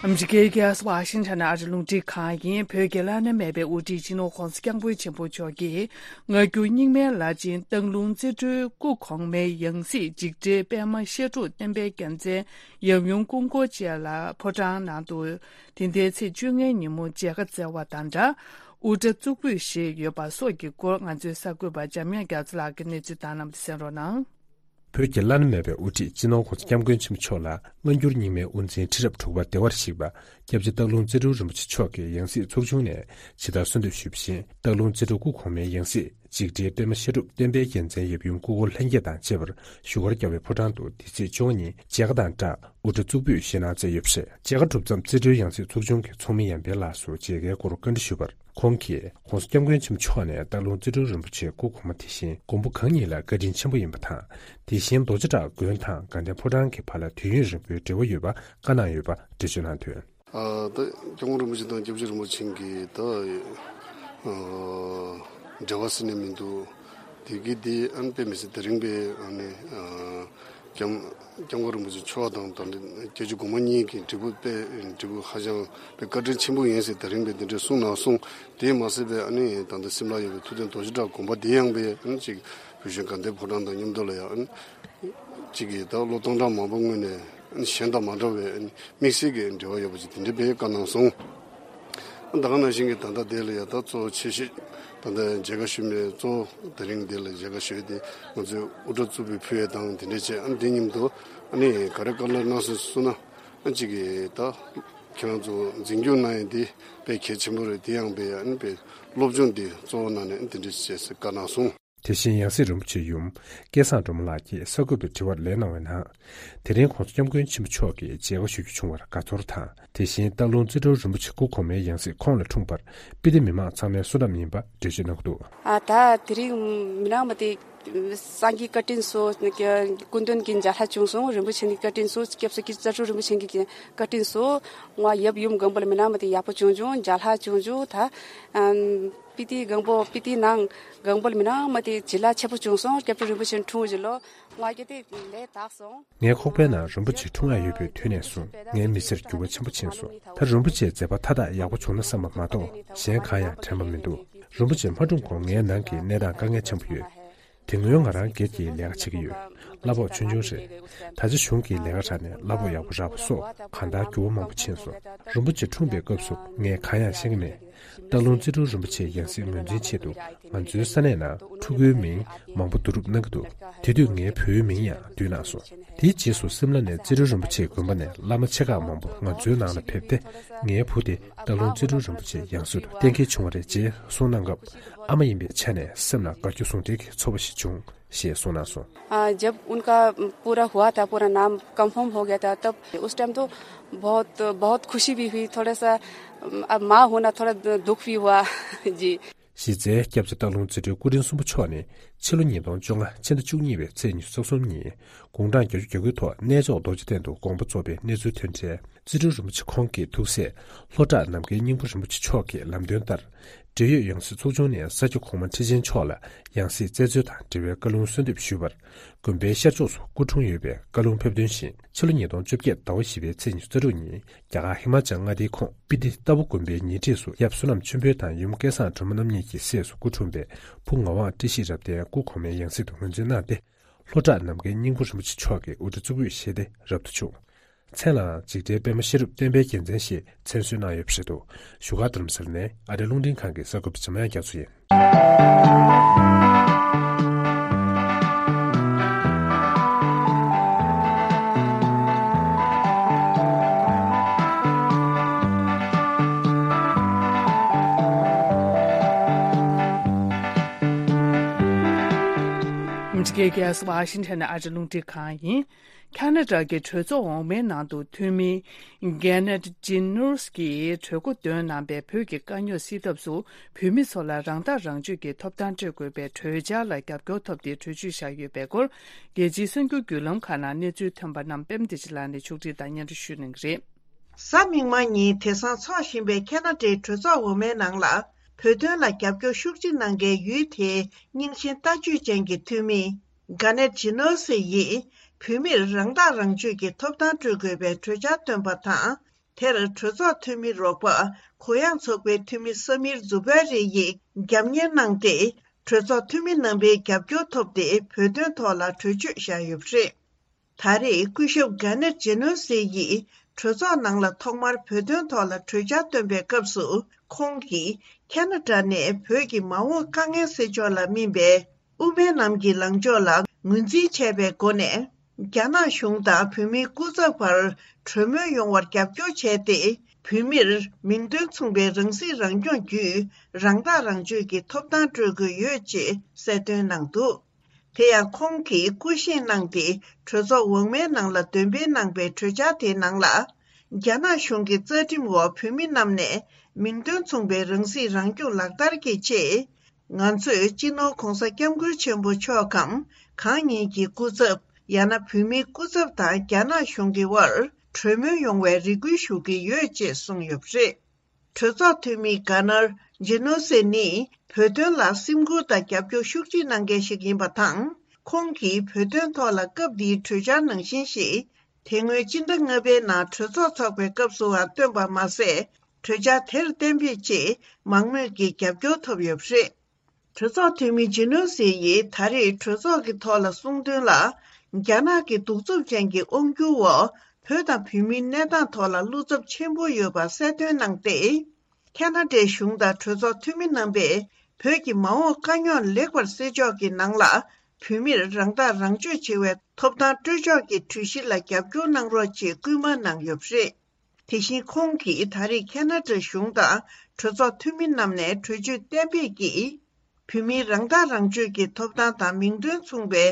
ཨ་མི་རི་ཀའི་རྒྱལ་ས་ཝ་ཤིང་ཊོན་ཨ་རི་རླུང་འཕྲིན་ཁང་ཡིན། བོད་ཀྱི་བླ་ན་མེད་པའི་དབུ་ཁྲིད་སྤྱི་ནོར་༸གོང་ས་༸སྐྱབས་མགོན་ཆེན་པོ་མཆོག་གིས། སྔ་འགྱུར་རྙིང་མའི་བླ་ཆེན་སྟག་ལུང་རྩེ་སྤྲུལ་སྐུ་གོང་མའི་ཡང་སྲིད་འཇིགས་བྲལ་པད་མ་བཤད་སྒྲུབ་བསྟན་པའི་རྒྱལ་མཚན་ཡབ་ཡུམ་སྐུ་འཁོར་བཅས་ལ་ཕོ་བྲང་ནང་དུ་དེ་ཟླའི་ཚེས་བཅོ་ལྔའི་ཉིན་མོ་མཇལ་ཁ་བསྩལ་བ་དང་སྦྲགས། དབུ་སྐྲ་བཙུགས་འབུད་བཞེས་ཡོད་པ་སོགས་ཀྱི་སྐོར་ང་ཚོའི་གསར་འགོད་པ་འཇམ་དབྱངས་རྒྱ་མཚོ་ལགས་ཀྱིས་གནས་ཚུལ་བཏང་གནང་བ་གསན་རོགས་གནང་། བོད་ཀྱི་བླ་ན་མེད་པའི་དབུ་ཁྲིད་སྤྱི་ནོར་༸གོང་ས་༸སྐྱབས་མགོན་ཆེན་པོ་མཆོག་ལ་སྔ་འགྱུར་རྙིང་མའི་དབུ་འཛིན་ཁྲི་རབས་དྲུག་པ་བདེ་བར་གཤེགས་པ་སྐྱབས་རྗེ་སྟག་ལུང་རྩེ་སྤྲུལ་རིན་པོ་ཆེ་མཆོག་གིས་ཡང་སྲིད་ཚོགས་ཆུང་ནས་ཇི་ལྟར་གསོལ་འདེབས་ཞུས་པ་བཞིན། སྟག་ལུང་རྩེ་སྤྲུལ་སྐུ་གོང་མའི་ཡང་སྲིད་འཇིགས་བྲལ་པད་མ་བཤད་སྒྲུབ་བསྟན་པའི་རྒྱལ་མཚན་ཡབ་ཡུམ་སྐུ་འཁོར་ལྷན་རྒྱས་དང་བཅས་པར་བཞུགས་སྒར་རྒྱལ་བའི་ཕོ་བྲང་དུ་འདི་ཚེས་བཅོ་ལྔ་ཉིན་མཇལ་ཁ་དང་སྦྲགས་དབུ་སྐྲ་བཙུགས་འབུད་བཞེས་གནང་མཛད་ཡོད་པ་རེད། མཇལ་ཁ་གྲུབ་མཚམས་རྩེ་སྤྲུལ་ཡང་སྲིད་ཚོགས་ཆུང་གི་ཚོགས་མི་ཡར་འཕེལ་ལགས་སུ་མཇལ་ཁའི་སྐོར་བཀའ་འདྲི་ཞུས་པར། ཁོང་གིས་༸གོང་ས་༸སྐྱབས་མགོན་ཆེན་པོ་མཆོག་ནས་སྟག་ལུང་རྩེ་སྤྲུལ་རིན་པོ་ཆེ་སྐུ་གོང་མ་དེ་བཞིན་མགོན་པོ་གང་ཉིད་ལ་བཀའ་དྲིན་ཆེན་པོ་ཡིན་པ་དང་། དེ་བཞིན་རྡོ་རྗེ་བྲག་དགོན་དང་དགའ་ལྡན་ཕོ་བྲང་གི་བར་ལ་དུས་ཡུན་རིང་པོའི་འབྲེལ་བ་ཡོད་པ་བཀའ་གནང་ཡོད་པ་འགྲེལ་བརྗོད་གནང་དོན། ཨ་ད་སྐྱབས་མགོན་རིན་པོ་ཆེ་དང་སྐྱབས་རྗེ་རིན་པོ་ཆེ་གི་ད་ཨ་འབྲེལ་བ་ཟེར་ནས་མི་འདུག་དེ་གི་དེ་ཨ་ནི་དཔེ་མི་སྲིད་དེ་རིང་པའི་ཨ་ནི་ཨ་སྐྱབས་སྐྱབས་མགོན་རིན་པོ་ཆེ་མཆོག་དང་ད་ལྟ་སྐྱབས་རྗེ་གོང་མ་གཉིས་ཀྱི་འབྲས་བུ་དཔེ་འབྲས་བུ་ཧ་ཅང་དཔེ་བཀའ་དྲིན་ཆེན་པོ་ཡིན་ཟེར་དེ་རིང་པའི་དེ་འདྲའི་གསུང་གནང་སོང་། དེས་མ་ཟད་པའི་ཨ་ནི་ད་ལྟ་སིམ་ལ་ཡོད་པའི་ཐུབ་བསྟན་རྡོ་རྗེ་བྲག་དགོན་པ་དེ་ཡང་པའི་ཨ་ནི་ཅིག་བོད་གཞུང་དགའ་ལྡན་ཕོ་བྲང་དང་མཉམ་དུ་ལ་ཡང་ཨ་ནི་ཅིག་གིས་ད་ལོ་སྟོང་ཕྲག་མང་པོ་སྔོན་ནས་ཨ་ནི་གཞན་དང་མ་འདྲ་བའི་ཨ་ནི་དམིགས་བསལ་གྱི་འབྲེལ་བ་ཡོད་པ་ཅིག་དེ་འདྲའི་དཔེ་བཀའ་གནང་སོང་། ད་ག་ནང་བཞིན་གྱི་ད་ལྟ་དེ་ལ་ཡ་ད་གཙོ་བོ་ཆེ་ཤོས་ད་ལྟ་མཇལ་ཁ་ཞུ་མི་གཙོ་བོ་དེ་རིང་འདི་ལ་མཇལ་ཁ་ཞུ་ཡས་དེ་ང་ཚོས་དབུ་སྐྲ་བཙུགས་པའི་ཕུལ་ཡས་དང་དེ་འདྲས་བྱས། ཨ་ནི་དེ་མཉམ་དུ་ཨ་ནི་ག་རེ་བཀའ་སློབ་གནང་སོང་གསུངས་ན། ཨ་ནི་གཅིག་གིས་ད་ཁྱེད་རང་ཚོ་འཛིན་སྐྱོང་གནང་ཡས་འདི་དཔེ་གལ་ཆེན་པོ་རེད། དེ་ཡང་དཔེ་ཨ་ནི་དཔེ་སློབ་སྦྱོང་འདི་གཙོ་བོ་གནང་ནས་ཨ་ནི་དེ་འདྲས་བྱས་ཟེར་བཀའ་གནང་སོང་། དེ་བཞིན་ཡང་སྲིད་རིན་པོ་ཆེའི་ཡུམ་སྐལ་བཟང་སྒྲོལ་མ་ལགས་ཀྱིས་གསར་འགོད་པའི་དྲི་བར་ལན་གནང་བའི་ནང་། དེ་རིང་༸གོང་ས་༸སྐྱབས་མགོན་ཆེན་པོ་མཆོག་གིས་མཇལ་ཁ་ཞུ་རྒྱུ་བྱུང་བར་དགའ་ཚོར་དང་། དེ་བཞིན་སྟག་ལུང་རྩེ་སྤྲུལ་རིན་པོ་ཆེ་སྐུ་གོང་མའི་ཡང་སྲིད་ཁོང་ལ་འཁྲུངས་པར་སྤི་ཏི་མི་མང་ཚང་མའི་བསོད་ནམས་ཡིན་པ་འགྲེལ་བརྗོད་གནང་གི་འདུག་ཨ་ད་དེ་རིང་མི་ནག་མ་དེ་ སངས་རྒྱས་བཀའ་དྲིན་གསོ། སྐུ་མདུན་གྱི་མཇལ་ལྷ་བྱུང་སོང་། རིན་པོ་ཆེ་ནི་བཀའ་དྲིན་གསོ། སྐྱབས་སུ་མགོན་པོ་ཙ་ཀྲུ་རིན་པོ་ཆེ་གི་བཀའ་དྲིན་གསོ། ང་ཡབ་ཡུམ་སྒམ་པོ་ལ་མིན་ན་མ་དེ་ཡག་པོ་བྱུང་བྱུང་། མཇལ་ལྷ་བྱུང་བྱུང་། ད་ཨམ་སྤི་ཏི་སྒང་པོ་སྤི་ཏི་ནང་སྒང་པོ་ལ་མིན་ན་མ་དེ་བྱི་ལ་ཆེ་པོ་བྱུང་སོང་། སྐྱབས་ཀྱི་རིན་པོ་ཆེ་འཁྲུངས་བཞིན་ལོ། ང་གི་དེ་ལས་དག་སོང་། ངའི་ཁོག་པའི་ནང་རིན་པོ་ཆེ་འཁྲུངས་ཡ་ཡོད་པའི་དུས་ནས་བཟུང་ངའི་མི་ཚེར་འགྱུར་བ་ཆེན་པོ་ཕྱིན་སོང་། ད་རིན་པོ་ཆེའི་མཛད་པ་མཐའ་དག་ཡག་པོ་བྱུང་ན་བསམ་པ་མ་གཏོགས་གཞན་གང་ཡང་དྲན་པ་མི་འདུག་རིན་པོ་ཆེ་མ་འཁྲུངས་གོང་ངའི་ནང་གི་གནས་སྟངས་དཀའ་ངལ་ཆེན་པོ་ཡོད། དེ་སྔོན་ང་རང་སྒེར་གྱི་ལས་ཀ་བྱེད་ཀྱི་ཡོད། གླ་ཕོགས་ཆུང་ཆུང་རེད། ད་ཆ་གཞུང་གི་ལས་ཀ་རག་ནས་གླ་ཕོགས་ཡག་པོ་རག་པ་སོགས་གང་ལྟར་འགྱུར་བ་མང་པོ་ཕྱིན་སོང་། རིན་པོ་ཆེ་འཁྲུངས་པའི་སྐབས་སུ་ངས་གང་ཡང་ཤེས་ཀྱི་མེད། སྟག་ལུང་ཙི་ཀྲུའུ་རིན་པོ་ཆེའི་ཡང་སྲིད་ངོས་འཛིན་ཆེད་དུ་ང་ཚོའི་ས་གནས་ནང་ཕྲུ་གུའི་མིང་མང་པོ་བསྡུ་རུབ་གནང་གི་འདུག་དེ་དུས་ངའི་བུའི་མིང་ཡང་བསྡུས་གནང་སོང་། དེའི་རྗེས་སུ་སིམ་ལ་ནས་ཙི་ཀྲུའུ་རིན་པོ་ཆེའི་དགོན་པ་ནས་བླ་མ་ཆེ་ཁག་མང་པོ་ང་ཚོའི་ནང་ལ་ཕེབས་ཏེ་ངའི་བུ་དེ་སྟག་ལུང་ཙི་ཀྲུའུ་རིན་པོ་ཆེའི་ཡང་སྲིད་དུ་གཏན་འཁེལ་བྱུང་བ་རེད་ཅེས་གསུངས་གནང་སྐབས་ཨ་མ་ཡིན་པའི་ཆ་ནས་སེམས་ལ་དགའ་སྐྱོ་ཟུང་འབྲེལ་གྱི་ཚོར་བ་ཞིག་བྱུང་ཞེས་གསུངས་གནང་སོང་། हाँ, जब उनका पूरा हुआ था, पूरा नाम कंफर्म हो गया था, तब उस टाइम तो बहुत, बहुत खुशी भी हुई, थोड़ा सा, अब माँ होना थोड़ा दुख भी हुआ। जी। གཞི་རྩའི་སྐྱབས་རྗེ་སྟག་ལུང་རྩེ་སྤྲུལ་སྐུ་ཕྲེང་གསུམ་པ་མཆོག་ནི་ཕྱི་ལོ་ཉིས་སྟོང་བཅོ་ལྔ་ཕྱི་ཟླ་བཅུ་གཉིས་པའི་ཚེས་ཉི་ཤུ་རྩ་གསུམ་ཉིན་དགུང་གྲངས་བརྒྱད་ཅུ་གྱ་དགུའི་ཐོག་གནས་མཆོག་རྡོ་རྗེ་གདན་དུ་དགོངས་པ་རྫོགས་པའི་གནས་ཚུལ་ཐོན་འཕྲལ་རྩེ་སྤྲུལ་རིན་པོ་ཆེ་ཁོང་གི་ཐུགས་སྲས་ལྷོ་བྲག་ནམ་མཁའི་སྙིང་པོ་རིན་པོ་ཆེ་མཆོག་གི་ལམ་སྟོན་ལྟར། འབྲེལ་ཡོད་ཡང་སྲིད་ཚོགས་ཆུང་ནས་ས་སྐྱ་གོང་མ་ཁྲི་ཆེན་མཆོག་ལ་ཡང་སྲིད་བཙན་འཛུལ་དང་འབྲེལ་བའི་བཀའ་ལུང་གསོལ་འདེབས་ཞུས་པར། དགོན་པའི་ཤར་ཕྱོགས་སུ་སྐུ་འཁྲུངས་ཡོད་པའི་བཀའ་ལུང་ཕེབས་དོན་བཞིན་ཕྱི་ལོ་ཉིས་སྟོང་བཅོ་བརྒྱད་ཟླ་བ་བཞི་པའི་ཚེས་ཉི་ཤུ་རྩ་དྲུག་ཉིན་རྒྱ་གར་ཧི་མ་ཅལ་མངའ་སྡེའི་ཁོངས་སྤི་ཏི་ཏཱ་བུ་དགོན་པའི་ཉེ་འཁྲིས་སུ་ཡབ་བསོད་ནམས་ཆོས་འཕེལ་དང་ཡུམ་སྐལ་བཟང་སྒྲོལ་མ་རྣམ་གཉིས་ཀྱི་སྲས་སུ་སྐུ་འཁྲུངས་པའི་བུ་ངག་དབང་བཀྲ་ཤིས་རབ་བརྟན་སྐུ་གོང་མའི་ཡང་སྲིད་དུ་ངོས་འཛིན་གནང་སྟེ། ལྷོ་བྲག་ནམ་མཁའི་སྙིང་པོ་རིན་པོ་ཆེ་མཆོག་གི་དབུ་སྐྲ་གཙུག་ཕུད་བཞེས་ཏེ་རབ་ཏུ་བྱུང་། མཚན་ལའང་འཇིགས་བྲལ་པདྨ་ཤེས་རབ་བསྟན་པའི་རྒྱལ་མཚན་ཞེས་མཚན་གསོལ་གནང་ཡོད་པ་རེད་འདུག་བཞུགས་སྒར་རྡ་རམ་ས་ལ་ནས་ཨ་རིའི་རླུང་འཕྲིན་ཁང་གི་གསར་འགོད་པ་འཇམ་དབྱངས་རྒྱ་མཚོ་ཡིན། ཨ་མི་རི་ཀའི་རྒྱལ་ས་ཝ་ཤིང་ཊོན་ནས་ཨ་རིའི་རླུང་འཕྲིན་ཁང་ཡིན། ཁ་ན་ཌ་གི་གྲོས་ཚོགས་འོག་མའི་ནང་དུ་འཐུས་མི་གྷེ་ནེད་ཇི་ནོ་སི་ཀྱིས་གྲོས་འགོ་འདོན་གནང་པའི་བོད་ཀྱི་དཀའ་རྙོག་སེལ་ཐབས་སུ་བོད་མི་ཚོ་ལ་རང་ཐག་རང་གཅོད་ཀྱི་ཐོབ་ཐང་སྤྲོད་དགོས་པའི་གྲོས་འཆར་ལ་རྒྱབ་སྐྱོར་ཐོབ་སྟེ་གྲོས་ཆོད་བཞག་ཡོད་པའི་སྐོར། རྒྱལ་སྤྱིའི་གསར་འགྱུར་བརྒྱུད་ལམ་ཁག་ནང་གནས་ཚུལ་ཐོན་པ་རྣམས་པད་མ་བདེ་ཆེན་ལགས་ནས་ཕྱོགས་སྒྲིག་དང་སྙན་སྒྲོན་ཞུ་གནང་གི་རེད། གཟའ་མིག་དམར་ཉིན་དེང་སང་འཚོགས་བཞིན་པའི་ཁ་ན་ཌའི་གྲོས་ཚོགས་འོག་མའི་ནང་ལ་བོད་དོན་ལ་རྒྱབ་སྐྱོར་ཤུགས་ཆེ་གནང་མཁན་ཡུལ་དེའི་རྙིང་ཞེན་ལྟ་སྤྱོད་ཅན་གྱི་འཐུས་མི། གྷ་ནེད་ཇི་ནོ་སི་ཡིས་བོད་མིར་རང་ཐག་རང་གཅོད་ཀྱི་ཐོབ་ཐང་སྤྲོད་དགོས་པའི་གྲོས་འཆར་བཏོན་པ་དང་། དེར་གྲོས་ཚོགས་འཐུས་མི་རོགས་པ་གུ་ཡངས་ཚོགས་པའི་འཐུས་མི་ས་མིར་ཛུ་བེ་རི་ཡིས་རྒྱབ་གཉེར་གནང་སྟེ། གྲོས་ཚོགས་འཐུས་མི་རྣམ་པའི་རྒྱབ་སྐྱོར་ཐོབ་སྟེ་བོད་དོན་ཐོག་ལ་གྲོས་ཆོད་བཞག་ཡོད་པ་རེད། ད་རེས་སྐུ་ཞབས་གྷ་ནེད་ཇི་ནོ་སི་ཡིས་གྲོས་ཚོགས་ནང་ལ་ཐོག་མར་བོད་དོན་ཐོག་ལ་གྲོས་འཆར་བཏོན་པའི་སྐབས་སུ། ཁོང་གིས་ཁ་ན་ཌ་ནས་བོད་ཀྱི་མ་འོངས་དཀའ་ངལ་སེལ་ཕྱོགས་ལ་སྨིན་པའི་དབུ་མའི་ལམ་གྱི་ལངས་ཕྱོགས་ལ་ངོས་འཛིན་བྱས་པའི་སྒོ་ནས། རྒྱ་ནག་གཞུང་དང་བོད་མིའི་སྐུ་ཚབ་བར་གྲོས་མོལ་ཡོང་བར་རྒྱབ་སྐྱོར་བྱས་ཏེ། བོད་མིར་མིང་དོན་མཚུངས་པའི་རང་སྲིད་རང་སྐྱོང་བརྒྱུད་རང་ཐག་རང་གཅོད་ཀྱི་ཐོབ་ཐང་སྤྲོད་དགོས་ཡོད་ཅེས་གསལ་སྟོན་གནང་འདུག་དེ་ཡང་ཁོང་གིས་སྐུ་བཞེངས་གནང་སྟེ་གྲོས་ཚོགས་འོག་མའི་ནང་ལ་འདོན་སྤེལ་གནང་པའི་གྲོས་འཆར་དེའི་ནང་ལ། རྒྱ་ནག་གཞུང་གི་རྩ་ཁྲིམས་འོག་བོད་མི་རྣམས་ནས་མིང་དོན་མཚུངས་པའི་རང་སྲིད་རང་སྐྱོང་ལག་བསྟར་གྱི་ཆེད། ང་ཚོས་སྤྱི་ནོར་གོང་ས་སྐྱབས་མགོན་ཆེན་པོ་མཆོག་གམ་གང་ཉིད་ཀྱི་སྐུ་ཚབ་ཡང་ན་བོད་མིའི་སྐུ་ཚབ་དང་རྒྱ་ནག་གཞུང་གི་དབར་གྲོས་མོལ་ཡོང་བའི་རེ་སྐུལ་ཞུ་གི་ཡོད་ཅེས་གསུངས་ཡོད་པ་རེད། གྲོས་ཚོགས་འཐུས་མི་གྷ་ནར་ཇི་ནོ་སེ་ནི་བོད་དོན་ལ་སེམས་ཁུར་དང་རྒྱབ་སྐྱོར་ཤུགས་ཆེ་གནང་མཁན་ཞིག་ཡིན་པ་དང་། ཁོང་གིས་བོད་དོན་ཐོག་ལ་སྐབས་འདིའི་གྲོས་འཆར་ནང་བཞིན་ཞིག་དེ་སྔོན་སྤྱི་ཟླ་ལྔ་པའི་ནང་གྲོས་ཚོགས་འཚོགས་པའི་སྐབས་སུའང་བཏོན་པ་མ་ཟད། གྲོས་འཆར་དེར་གཏན་འབེབས་ཆེད་མང་མོས་ཀྱི་རྒྱབ་སྐྱོར་ཐོབ་ཡོད་པ་རེད། གྲོས་ཚོགས་འཐུས་མི་ཇི་ནོ་སི་ཡིས་ད་རེས་གྲོས་ཚོགས་ཀྱི་ཐོག་ལ་གསུངས་དོན་ལ། རྒྱ་ནག་གི་གདུག་རྩུབ་ཅན་གྱི་དབང་སྒྱུར་འོག་བོད་དང་བོད་མིའི་གནས་སྟངས་ཐོག་ལ་བློ་འཚབ་ཆེན་པོ་ཡོད་པ་གསལ་སྟོན་གནང་སྟེ། ཁ་ན་ཌའི་གཞུང་དང་གྲོས་ཚོགས་འཐུས་མི་རྣམ་པས་བོད་ཀྱི་མ་འོངས་དཀའ་རྙོག་ལེགས་པར་སེལ་ཕྱོགས་ཀྱི་ནང་ལ་བོད་མིར་རང་ཐག་རང་གཅོད་བྱེད་པའི་ཐོབ་ཐང་སྤྲོད་ཕྱོགས་ཀྱི་གྲོས་གཞི་ལ་རྒྱབ་སྐྱོར་གནང་རོགས་ཅེས་སྐུལ་མ་གནང་ཡོད་པ་རེད། དེ་བཞིན་ཁོང་གིས་ད་རེས་ཁ་ན་ཌ་གཞུང་དང་གྲོས་ཚོགས་འཐུས་མི་རྣམས་ནས་གྲོས་ཆོད་གཏན་འབེབས་ཀྱིས། བོད་མིའི་རང་ཐག་རང་གཅོད་ཀྱི་ཐོབ་ཐང་དང་མིང་དོན་མཚུངས་པའི་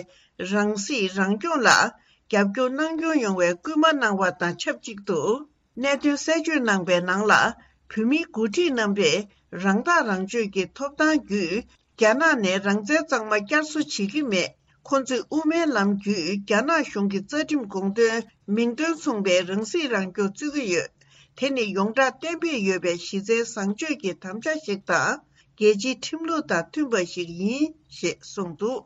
རང་སྲིད་རང་སྐྱོང་ལ་རྒྱབ་སྐྱོར་གནང་སྐྱོང་ཡོང་བའི་སྐུལ་མ་གནང་བ་དང་ཆབས་ཅིག་ཏུ། གནད་དོན་གསལ་བརྗོད་གནང་པའི་ནང་ལ། བོད་མིའི་འགོ་ཁྲིད་རྣམ་པས་རང་ཐག་རང་གཅོད་ཀྱི་ཐོབ་ཐང་བརྒྱུད། རྒྱ་ནག་ནས་རང་བཙན་གཙང་མ་བསྐྱར་གསོ་བྱེད་ཀྱི་མེད། ཁོ་ཚོས་དབུ་མའི་ལམ་བརྒྱུད་རྒྱ་ནག་གཞུང་གི་རྩ་ཁྲིམས་དགོངས་དོན་མིང་དོན་མཚུངས་པའི་རང་སྲིད་རང་སྐྱོང་རྩོད་ཀྱི་ཡོད། དེ་ནི་ཡོངས་གྲགས་གཏན་འབེབས་ཡོད་པའི་གཞི་རྩའི་བཟང་སྤྱོད་ཀྱི་དམ་བཅའ་ཞིག་དང་། རྒྱལ་སྤྱིའི་ཁྲིམས་ལུགས་དང་མཐུན་པ་ཞིག་ཡིན་ཞེས་གསུངས་འདུག་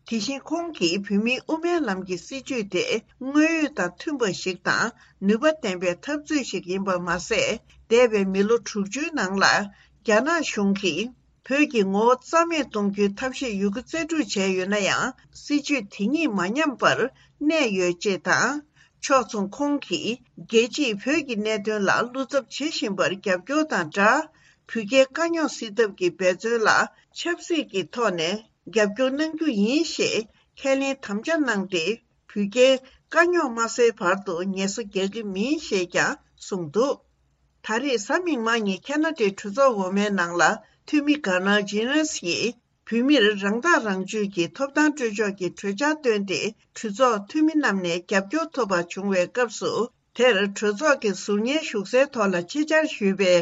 དེ་བཞིན་ཁོང་གིས་བོད་མིའི་དབུ་མའི་ལམ་གྱི་སྲིད་བྱུས་དེ་དངོས་ཡོད་དང་མཐུན་པ་ཞིག་དང་ནུས་པ་ལྡན་པའི་འཐབ་རྩོད་ཞིག་ཡིན་པ་མ་ཟད། འདས་པའི་མི་ལོ་དྲུག་ཅུའི་ནང་ལ་རྒྱ་ནག་གཞུང་གིས་བོད་ཀྱི་ངོ་བོ་རྩ་མེད་གཏོང་རྒྱུའི་ཐབས་ཤེས་ཡོད་རྒུ་རྩལ་སྤྲུགས་བྱས་ཡོད་ན་ཡང་། སྲིད་བྱུས་དེ་གཉིས་མ་ཉམས་པར་གནས་ཡོད་ཅེས་དང་། ཕྱོགས་མཚུངས་ཁོང་གིས་རྒྱལ་སྤྱིས་བོད་ཀྱི་གནད་དོན་ལ་བློ་འཚབ་བྱེད་བཞིན་པར་རྒྱབ་སྐྱོར་དང་སྦྲགས། བོད་རྒྱའི་དཀའ་རྙོག་སེལ་ཐབས་ཀྱི་འབད་བརྩོན་ལ་ཆབ་སྲིད་ཀྱི་ཐོག་ནས་རྒྱབ་སྐྱོར་གནང་རྒྱུ་ཡིན་ཞེས་ཁས་ལེན་དམ་བཅའ་གནང་སྟེ། བོད་རྒྱའི་དཀའ་རྙོག་མ་སེལ་བར་དུ་ངལ་གསོ་རྒྱག་གི་མིན་ཞེས་ཀྱང་གསུངས་འདུག་ད་རེས་གཟའ་མིག་དམར་ཉིན་ཁེ་ན་ཌའི་གྲོས་ཚོགས་འོག་མའི་ནང་ལ་འཐུས་མི་གྷ་ནར་ཇི་ནས་ཡིས་བོད་མིར་རང་ཐག་རང་གཅོད་ཀྱི་ཐོབ་ཐང་སྤྲོད་ཕྱོགས་ཀྱི་གྲོས་འཆར་བཏོན་ཏེ། གྲོས་ཚོགས་འཐུས་མི་རྣམས་ནས་རྒྱབ་སྐྱོར་ཐོབ་པ་བྱུང་བའི་སྐབས་སུ། དེར་གྲོས་ཚོགས་ཀྱི་ཟུར་ཉན་ཞུགས་སའི་ཐོག་ལ་ཆེད་བཅར་ཞུས་པའི་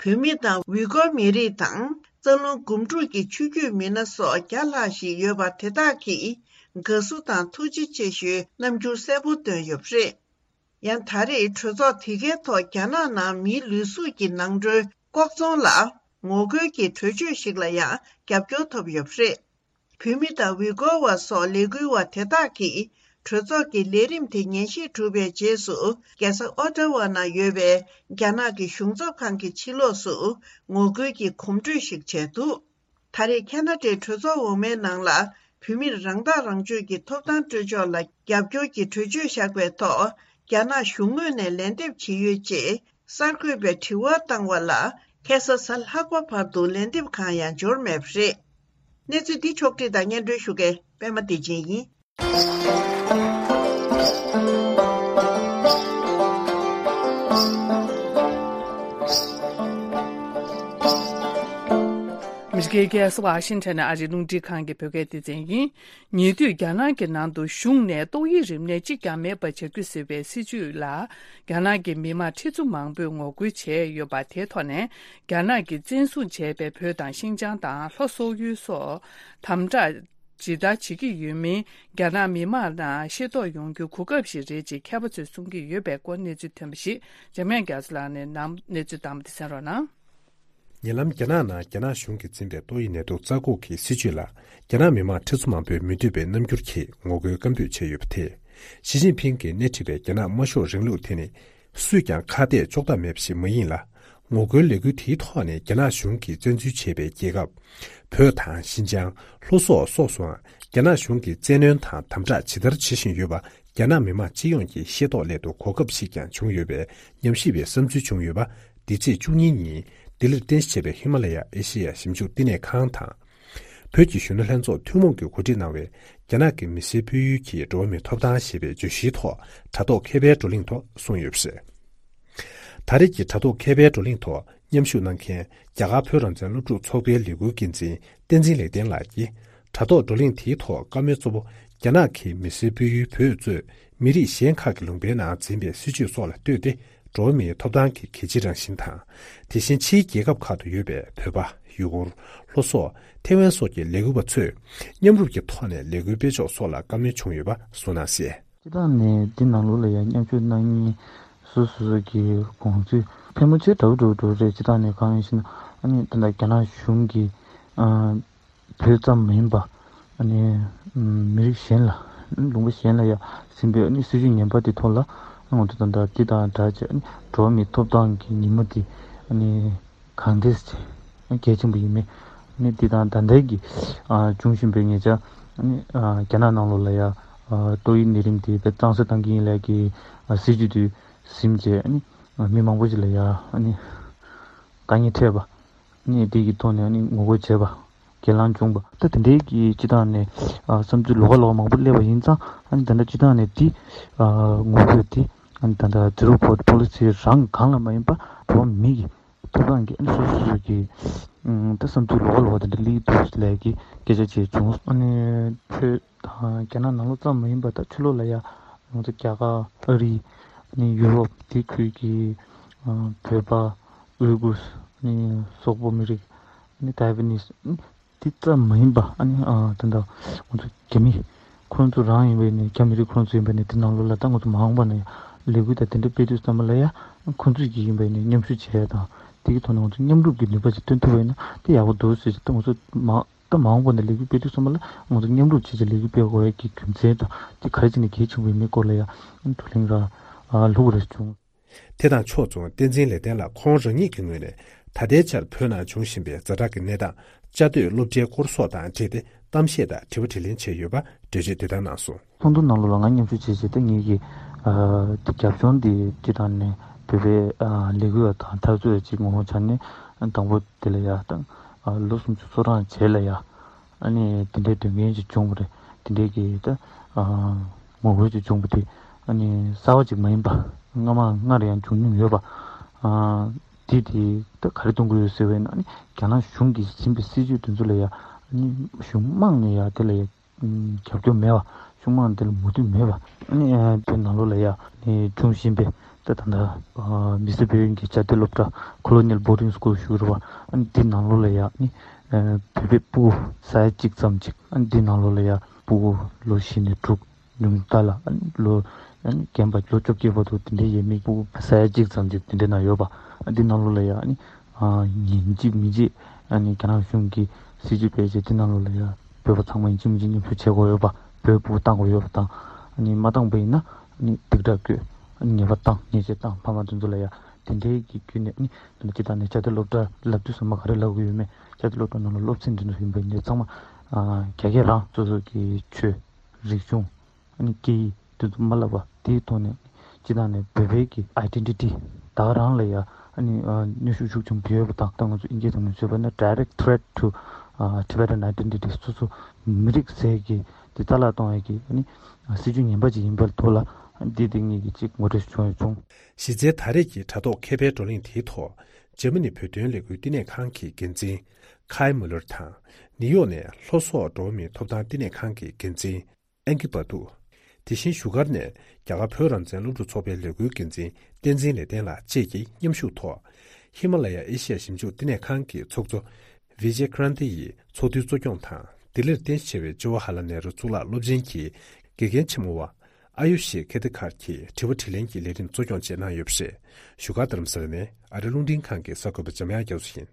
བོད་མི་དང་ཝི་གོར་མི་རིགས་དང་། རྩ་རླུང་སྒོམ་སྒྲུབ་ཀྱི་ཆོས་བརྒྱུད་མི་སྣ་སོགས་བརྒྱ་ལྷག་ཞིག་ཡོད་པ་དེ་དག་གིས་དགའ་བསུ་དང་ཐུགས་རྗེ་ཆེ་ཞུའི་རྣམ་འགྱུར་གསལ་པོ་བཏོན་ཡོད་པ་རེད། ཡང་ད་རེས་གྲོས་ཚོགས་དེ་གའི་ཐོག་རྒྱ་ནག་ནང་མིའི་ལུས་གཟུགས་ཀྱི་ནང་ཁྲོལ་ལྐོག་ཚོང་ལ་ངོ་རྒོལ་གྱི་གྲོས་ཆོད་ཞིག་ལ་ཡང་རྒྱབ་སྐྱོར་ཐོབ་ཡོད་པ་རེད། བོད་མི་དང་ཝི་གོ་བ་སོགས་ལས་འགུལ་བ་དེ་དག་གིས་གྲོས་ཚོགས་ཀྱི་ལས་རིམ་དེ་ཉན་ཞིབ་གྲུབ་པའི་རྗེས་སུ། རྒྱལ་ས་ཨོ་ཊ་ཝ་ནང་ཡོད་པའི་རྒྱ་ནག་གི་གཞུང་ཚབ་ཁང་གི་ཕྱི་ལོགས་སུ་ངོ་རྒོལ་གྱི་གོམ་བགྲོད་ཞིག་བྱས་འདུག་ད་རེས་ཁེ་ན་ཌའི་གྲོས་ཚོགས་འོག་མའི་ནང་ལ་བོད་མིར་རང་ཐག་རང་གཅོད་ཀྱི་ཐོབ་ཐང་སྤྲོད་ཕྱོགས་ལ་རྒྱབ་སྐྱོར་གྱི་གྲོས་ཆོད་བཞག་པའི་ཐོག་རྒྱ་ནག་གཞུང་ངོས་ནས་ལན་འདེབས་བྱེད་ཡོད་ཅེས་གསར་འགོད་པས་དྲི་བ་བཏང་བ་ལ། ཁ་སང་གཟའ་ལྷག་པ་བར་དུ་ལན་འདེབས་གང་ཡང་འབྱོར་མེད་པ་རེད། གནས་ཚུལ་འདི་ཕྱོགས་བསྒྲིགས་དང་སྙན་སྒྲོན་ཞུ་མཁན་པད་མ་བདེ་ཆེན་ཡིན། མི་རིགས་ཁ་སང་ཝ་ཤིང་ཊོན་ཨ་རིའི་རླུང་འཕྲིན་ཁང་གི་བོད་སྐད་སྡེ་ཚན་ཡིན། ཉེ་དུས་རྒྱ་ནག་གི་ནང་དུ་གཞུང་ནས་ཏོག་དབྱིབས་རིམས་ནད་གཅིག་ཀྱང་མེད་པ་བྱ་རྒྱུ་ཟེར་བའི་སྲིད་བྱུས་ལ། རྒྱ་ནག་གི་མི་མང་ཁྲི་ཚོ་མང་པོས་ངོ་རྒོལ་བྱས་ཡོད་པ་དེའི་ཐོག་ནས། རྒྱ་ནག་གིས་བཙན་བཟུང་བྱས་པའི་བོད་དང་ཤིན་ཅང་དང་ལྷོ་སོག་ཡུལ་སོགས་དམ་དྲག་ཇི་ལྟར་བྱེད་ཀྱི་ཡོད་མིན། རྒྱ་ནག་མི་མང་ནང་ཤེས་རྟོགས་ཡོང་རྒྱུའི་གོ་སྐབས་ཤིག་རེད་ཅེས་མཁས་པ་ཚོས་གསུང་གི་ཡོད་པའི་སྐོར་གནས་ཚུལ་ཐོན་པ་ཞིག་འཇམ་དབྱངས་རྒྱ་མཚོ་ལགས་ནས་ནམ་གནས་ཚུལ་དང་པོ་དེ་གསན་རོགས་གནང་། ཉེ་ལམ་རྒྱ་ནག་ནང་རྒྱ་ནག་གཞུང་གིས་འཛིན་པའི་ཏོག་དབྱིབས་ནད་དུག་རྩ་འགོག་གི་སྲིད་བྱུས་ལ་རྒྱ་ནག་མི་མང་ཁྲི་ཚོ་མང་པོས་མི་འདོད་པའི་རྣམ་འགྱུར་གྱིས་ངོ་རྒོལ་སྐད་འབོད་བྱས་ཡོད་པ་དེས། ཞི་ཅིན་ཕིང་གིས་སྣེ་ཁྲིད་པའི་རྒྱ་ནག་དམར་ཤོག་རིང་ལུགས་དེ་ནི་སུས་ཀྱང་ཁ་གཏད་གཅོག་ཐབས་མེད་པ་ཞིག་མ་ཡིན་ལ། ངོ་རྒོལ་ལས་འགུལ་དེའི་ཐོག་ནས་རྒྱ་ནག་གཞུང་གིས་བཙན་འཛུལ་བྱས་པའི་རྒྱལ་ཁབ་བོད་དང་ཤིན་ཅང་། ལྷོ་སོག་སོགས་སུའང་རྒྱ་ནག་གཞུང་གིས་བཙན་གནོན་དང་དམ་དྲག་ཇི་ལྟར་བྱེད་བཞིན་ཡོད་པ། རྒྱ་ནག་མི་མང་སྤྱི་ཡོངས་ཀྱི་ཤེས་རྟོགས་སླད་དུ་གོ་སྐབས་ཤིག་ཀྱང་བྱུང་ཡོད་པའི་ཉམས་ཞིབ་པའི་བསམ་ཚུལ་བྱུང་ཡོད་པ། འདི་ཚེས་བཅུ་གཉིས་ཉིན་ལྡི་ལིར་རྟེན་གཞི་བྱས་པའི་ཧི་མ་ལ་ཡ་ཨེ་ཤེ་ཡ་ཞིབ་འཇུག་བསྟི་གནས་ཁང་དང་། བོད་ཀྱི་གཞོན་ནུ་ལྷན་ཚོགས་ཐུན་མོང་གིས་གོ་སྒྲིག་གནང་བའི་རྒྱ་ནག་གི་མི་སེར་སྤེལ་ཡུལ་གྱི་འགྲོ་བ་མིའི་ཐོབ་ཐང་ཞེས་པའི་བརྗོད་གཞིའི་ཐོག་དྲ་ཐོག་མཁས་པའི་བགྲོ་གླེང་ཐོག་གསུངས་ཡོད་པ་རེད། ད་རེས་ཀྱི་དྲ་ཐོག་མཁས་པའི་བགྲོ་གླེང་ཐོག་མཉམ་ཞུགས་གནང་མཁན་རྒྱ་གར་བོད་རང་བཙན་སློབ་ཕྲུག་ཚོགས་པའི་ལས་འགུལ་འགན་འཛིན་བསྟན་འཛིན་ལེགས་ལྡན་ལགས་ཀྱིས། དྲ་ཐོག་བགྲོ་གླེང་དེའི་ཐོག་བཀའ་མོལ་གཙོ་བོ། རྒྱ་ནག་གིས་མི་སེར་སྤེལ་ཡུལ་བོད་གཙོས་མི་རིགས་གཞན་ཁག་གི་ལུང་པའི་ནང་འཛིན་པའི་སྲིད་བྱུས་སོགས་ལ་ལྟོས་ཏེ། འགྲོ་བ་མིའི་ཐོབ་ཐང་གི་གལ་ཆེའི་རང་བཞིན་དང་། དེ་བཞིན་ཕྱིའི་རྒྱལ་ཁབ་ཁག་ཏུ་ཡོད་པའི་བོད་པ། ཡུ་གུར། ལྷོ་སོག་ཐེ་ཝན་སོགས་ཀྱི་ལས་འགུལ་བ་ཚོས། མཉམ་རུབ་ཀྱི་ཐོག་ནས་ལས་འགུལ་སྤེལ་ཕྱོགས་སོགས་ལ་བཀའ་མོལ་བྱུང་ཡོད་པ་གསུངས་གནང་གསལ། སྤྱིར་བཏང་ནས་འདི་ནང་ལོགས་ལ་ཡང་མཉམ་ཞུགས་གནང་མཁན་སོ་སོ་སོ་གི་དགོངས་ཚུལ་ཕལ་མོ་ཆེ་འདྲ་བོ་འདྲ་བོ་འདྲ་བོ་རེད། སྤྱིར་བཏང་ནས་གང་ཡིན་ཞེ་ན། ཨ་ནི་ད་ལྟ་རྒྱ་ནག་གཞུང་གིས་ཨ་བོད་ཙམ་མ་ཡིན་པ་ཨ་ནི་མི་རིགས་གཞན་ལ། ལུང་པ་གཞན་ལ་ཡང་ཟིན་པའི་ཨ་ནི་སྲིད་བྱུས་ངན་པ་དེ་ཐོག་ལ། ང་ཚོ་ད་ལྟ་འདི་དང་སྦྲགས་བྱས་ཨ་ནི་འགྲོ་བ་མིའི་ཐོབ་ཐང་གི་ཉིན་མོ་དེ་ཨ་ནི། གང་ལྟར་གལ་ཆེན་པོ་ཡིན་མིན། ནི་འདི་དང་ད་ལྟའི་གི་ཨ་བྱུང་བཞིན་པའི་ཉེ་ཆར་ནི་ཨ་རྒྱ་ནག་ནང་ལོགས་ལ་ཡ་ཨ་ཏོག་དབྱིབས་ནད་རིམས་དེ་དཔེ་གཙང་སེལ་གཏང་གི་ཡིན་ལབ་ཀྱི་ཨ་སྲིད་ཇུས་དེ་ཟིན་བྱས་ནི་ཨ་མི་མང་པོ་ཞིག་ལ་ཡ་ཨ་ནི་དཀའ་ངལ་འཕྲད་པ། ནི་དེ་གི་ཐོག་ནས་ཨ་ནི་ངོ་རྒོལ་བྱས་པ། སྒེར་ལངས་བྱུང་བ། ད་དེ་འདྲའི་གི་སྤྱི་བཏང་ནས་ཨ་བསམ་ཚུལ་ལོགས་ཀ་ལོགས་ཀ་མང་པོ་སླེབས་པ་ཡིན་ཙང་ཨ་ནི་ད་ལྟ་སྤྱི་བཏང་ནས་དེ་ཨ་ངོ་རྒོལ་དེ་ཨ་ནི་ད་ལྟ་Zero COVID Policy རང་སྒང་ལ་མ་ཡིན་པ་འགྲོ་བ་མི་གི་ཐོབ་ཐང་གི་ཨ་ནི་སོ་སོ་སོ་གི་ཨུམ་ད་བསམ་ཚུལ་ལོགས་ཀ་ལོགས་ཀ་དེ་འདྲ་སླེབས་འདུག་ལབ་ཀྱི་སྐད་ཆ་བྱས་བྱུང་། ཨ་ནི་བོད་དང་རྒྱ་ནག་ནང་ལོགས་ཙམ་མ་ཡིན་པ་ད་ཕྱི་ལོགས་ལ་ཡ་ང་ཚོ་རྒྱ་གར་ཨ་རི་ཨ་ནི་ཡུ་རོབ་དེ་ཁུལ་གྱི་ཨ་བོད་པ་ཨུ་གུར་ཨ་ནི་སོག་པོ་མི་རིགས་ཨ་ནི་ཏའེ་ཝན་ནིས་ཨ་ནི། དེ་ཙམ་མ་ཡིན་པ་ཨ་ནི་ཨ་ད་ལྟ་ང་ཚོ་རྒྱ་མི་ཁོ་ཚོ་རང་ཡིན་པ་ཡིན་ནའི་རྒྱ་མི་རིགས་ཁོ་ཚོ་ཡིན་པ་ཡིན་ནའི་དེ་ནང་ལོགས་ལ་ད་ང་ཚོ་མ་འོངས་པ་ན་ཡང་ལས་འགུལ་དང་དེ་འདྲ་སྤེལ་དུས་ཙམ་པ་ལ་ཡང་ཁོ་ཚོ་གི་ཡིན་པ་ཡིན་ནའི་མཉམ་ཞུགས་བྱས་དང་དེ་གི་ཐོག་ནས་ང་ཚོ་མཉམ་རུབ་ཀྱི་ནུས་པ་ཅིག་སྟོན་ཐུབ་པ་ཡིན་ན་དེ་ཡག་པོ་འདུག་ཟེར་ཅིག་ད་ང་ཚོ་མ་ད་མ་འོངས་པ་ན་ལས་འགུལ་སྤེལ་དུས་ཙམ་པ་ལ་ང་ཚོ་མཉམ་རུབ་བྱས་ཅིག་ལས་འགུལ་སྤེལ་དགོས་ཡ་གི་རྒྱུ་མཚན་དང་དེ་ག་རེ་བྱས་ནས་གལ་ཆེན་པོ་ཡིན་མིན་སྐོར་ལ་ཡང་བགྲོ་གླེང་ར་ལྷུག་ར་བྱུང་། དེ་དང་ཕྱོགས་མཚུངས་བསྟན་འཛིན་ལེགས་ལྡན་ལགས་ཁོང་རང་ཉིད་ཀྱི་ངོས་ནས་ད་ལྟའི་ཆར་བོད་ནང་འབྱུང་བཞིན་པའི་ཛ་དྲག་གི་གནས་སྟངས་བཅའ་སྡོད་སློབ་གྲྭའི་སྐོར་སོགས་དང་འབྲེལ་ཏེ་གཏམ་བཤད་དང་དྲི་བ་དྲིས་ལན་བྱས་ཡོད་པ་འགྲེལ་བརྗོད་དེ་ལྟར་གནང་སོང་། ཚོགས་འདུ་ནང་ལོགས་ལ་ང་མཉམ་ཞུགས་བྱས་བྱས་ཏེ་ངེད་ཀྱི་ཨ་དེ་རྒྱབ་ལྗོངས་དེ་སྤྱི་བཏང་ནས་བོད་པའི་ཨ་ལས་འགུལ་བ་དང་འཐབ་རྩོད་ཅིག་ངོ་བོ་ཆ་ནས་དང་པོ་དེ་ལ་ཡ་དང་ཨ་ལོ་སུམ་ཅུ་སོ་གྲངས་རྗེས་ལ་ཡ་ཨ་ནི་དེ་འདྲའི་དོན་རྐྱེན་ཅིག་བྱུང་བ་རེད། དེ་འདྲའི་གི་ད་ཨ་ངོ་རྒོལ་ཅིག་བྱུང་བ་དེ་ཨ་ནི་གསར་བ་ཅིག་མ་ཡིན་པ་སྔ་མ་སྔར་ཡང་བྱུང་མྱོང་ཡོད་པ་ཨ་དེ་དེ་ད་ག་རེ་གཏོང་གི་ཡོད་ཟེར་བས་ན་ཨ་ནི་རྒྱ་ནག་གཞུང་གིས་འཛིན་པའི་སྲིད་ཇུས་དེ་ཚོ་ལ་ཡ་ཨ་ནི་གཞུང་དམངས་ནས་ཡ་དེ་ལ་ཡ། རྒྱབ་སྐྱོར་མེད་པ། གཞུང་དམངས་དེ་ལ་མོས་མཐུན་མེད་པ། ཨ་ནི་དེ་ནང་ལོགས་ལ་ཡ་ནི་འབྱུང་བཞིན་པའི་ད་ད་ལྟ་མི་སེར་བོད་ཡིན་གྱི་བྱ་དེ་སློབ་གྲྭ་Colonial Boarding School ཞུ་རུ་བ། ཨ་ནི་དེ་ནང་ལོགས་ལ་ཡ་ནི་བོད་པའི་སྤུ་གུ་ས་ཡ་གཅིག་ཙམ་ཅིག་ཨ་ནི་དེ་ནང་ལོགས་ལ་ཡ་སྤུ་གུ་ལོ་བཞི་ནས་དྲུག་ཉུང་མཐའ་ལ་ཨ་ནི་ལོ་ཨ་ནི་རྒན་པ་ལོ་བཅོ་བརྒྱད་བར་དུ་དེ་འདྲའི་ཡས་མས་སྤུ་གུ་ས་ཡ་གཅིག་ཙམ་ཅིག་དེ་འདྲའི་ནང་ཡོད་པ། ཨ་ནི་དེ་ནང་ལོགས་ལ་ཡ་ཨ་ནི། ཉིན་གཅིག་མི་གཅིག་ཨ་ནི་རྒྱ་ནག་གཞུང་གིས་སྲིད་ཇུས་སྤེལ་རྗེས་དེ་ནང་ལོགས་ལ་ཡ་བོད་པ་ཚང་མ་ཡིན་གཅིག་མིན་གཅིག་མཉམ་ཞུགས་བྱེད་དགོས་ཡོད་པ། བོད་ཕྲུག་བཏང་དགོས་ཡོད་པ་དང་ཨ་ནི་མ་བཏང་པ་ཡིན་ན་ཨ་ནི་སྡིགས་ར་བསྐུལ་ཨ་ནི་ཉེས་པ་བཏང་ཉེས་ཆད་བཏང་ཕ་མ་དེ་ཚོ་ལ་ཡ་དེ་འདྲའི་གི་བརྒྱུད་ནས་ཨ་ནི་དེ་ནི་སྤྱི་བཏང་ནས་བྱ་དེ་སློབ་གྲྭ་ལབ་དུས་ཙམ་པ་ག་རེ་ལབ་དགོས་ཡོད་མེད་བྱ་དེ་སློབ་གྲྭ་ནང་ལ་སློབ་ཚན་དེ་ཚོ་ཡིན་པ་ཡིན་ནའི་ཚང་མ་རྒྱ་སྐད་རང་སོ་སོ་གི་ཆོས་རིག་གཞུང་ཨ་ནི་སྐད་ཡིག་དེ་ཚོ་མ་བསླབ་པ་དེའི་ཐོག་ནས་སྤྱི་བཏང་ནས་བོད་པའི་གི་identity་ད་ག་རང་ལ་ཡ་ཨ་ནི་ཨ་གནོན་ཤུགས་ཤུགས་ཆེན་པོ་ཡོད་པ་དང་ད་ང་ཚོ་དབྱིན་ཇིའི་ཐོག་ནས་བརྗོད་པ་ན་direct threat to uh, Tibetan identity སོ་སོ་མི་རིགས་ཟེར་གི་དེ་རྩ་བརླག་གཏོང་ཡ་གི་ཨ་ནི་སྲིད་ཇུས་ངན་པ་ཅིག་ཡིན་པར་ཐོག་ལ་འདི་དེ་ངེད་ཀྱི་ཅིག་ངོ་སྤྲོད་བྱུང་ཡོད་བྱུང་། གཞི་རྩའི་ད་རེས་ཀྱི་དྲ་ཐོག་མཁས་པའི་བགྲོ་གླེང་དེའི་ཐོག་འཇར་མ་ནི་བོད་དོན་ལས་འགུལ་བསྟི་གནས་ཁང་གི་འགན་འཛིན་ཁའི་མུ་ལར་དང་ནིའུ་ཡོག་ནས་ལྷོ་སོག་འགྲོ་བ་མིའི་ཐོབ་ཐང་བསྟི་གནས་ཁང་གི་འགན་འཛིན། ཨན་ཀི་པ་ཏུ། དེ་བཞིན་བཞུགས་སྒར་ནས་རྒྱ་གར་བོད་རང་བཙན་སློབ་ཕྲུག་ཚོགས་པའི་ལས་འགུལ་འགན་འཛིན་བསྟན་འཛིན་ལེགས་ལྡན་ལགས་བཅས་ཀྱིས་མཉམ་ཞུགས་ཐོག་ཧི་མ་ལ་ཡ་ཨེ་ཤི་ཡ་ཞིབ་འཇུག་བསྟི་གནས་ཁང་གི་ཚོགས་གཙོ་བི་ཇེ་ཀྲན་ཏི་ཡི་ཚོགས་འདུའི་གཙོ་སྐྱོང་དང་ལྡི་ལིར་རྟེན་གཞི་བྱས་པའི་ཇ་ཝ་ཧ་ལ་ནེ་རུ་གཙུག་ལག་སློབ་ཆེན་གྱི་དགེ་རྒན་ཆེན་མོ་བ་ཨ་ཡུ་ཤི་ཁེ་ཏི་ཁར་གྱིས་དྲི་བ་དྲིས་ལན་གྱི་ལས་རིམ་གཙོ་སྐྱོང་བཅས་གནང་ཡོད་པ་རེད། བཞུགས་སྒར་རྡ་རམ་ས་ལ་ནས་ཨ་རི་རླུང་འཕྲིན་ཁང་གི་གསར་འགོད་པ་འཇམ་དབྱངས་རྒྱ་མཚོ་ཡིན།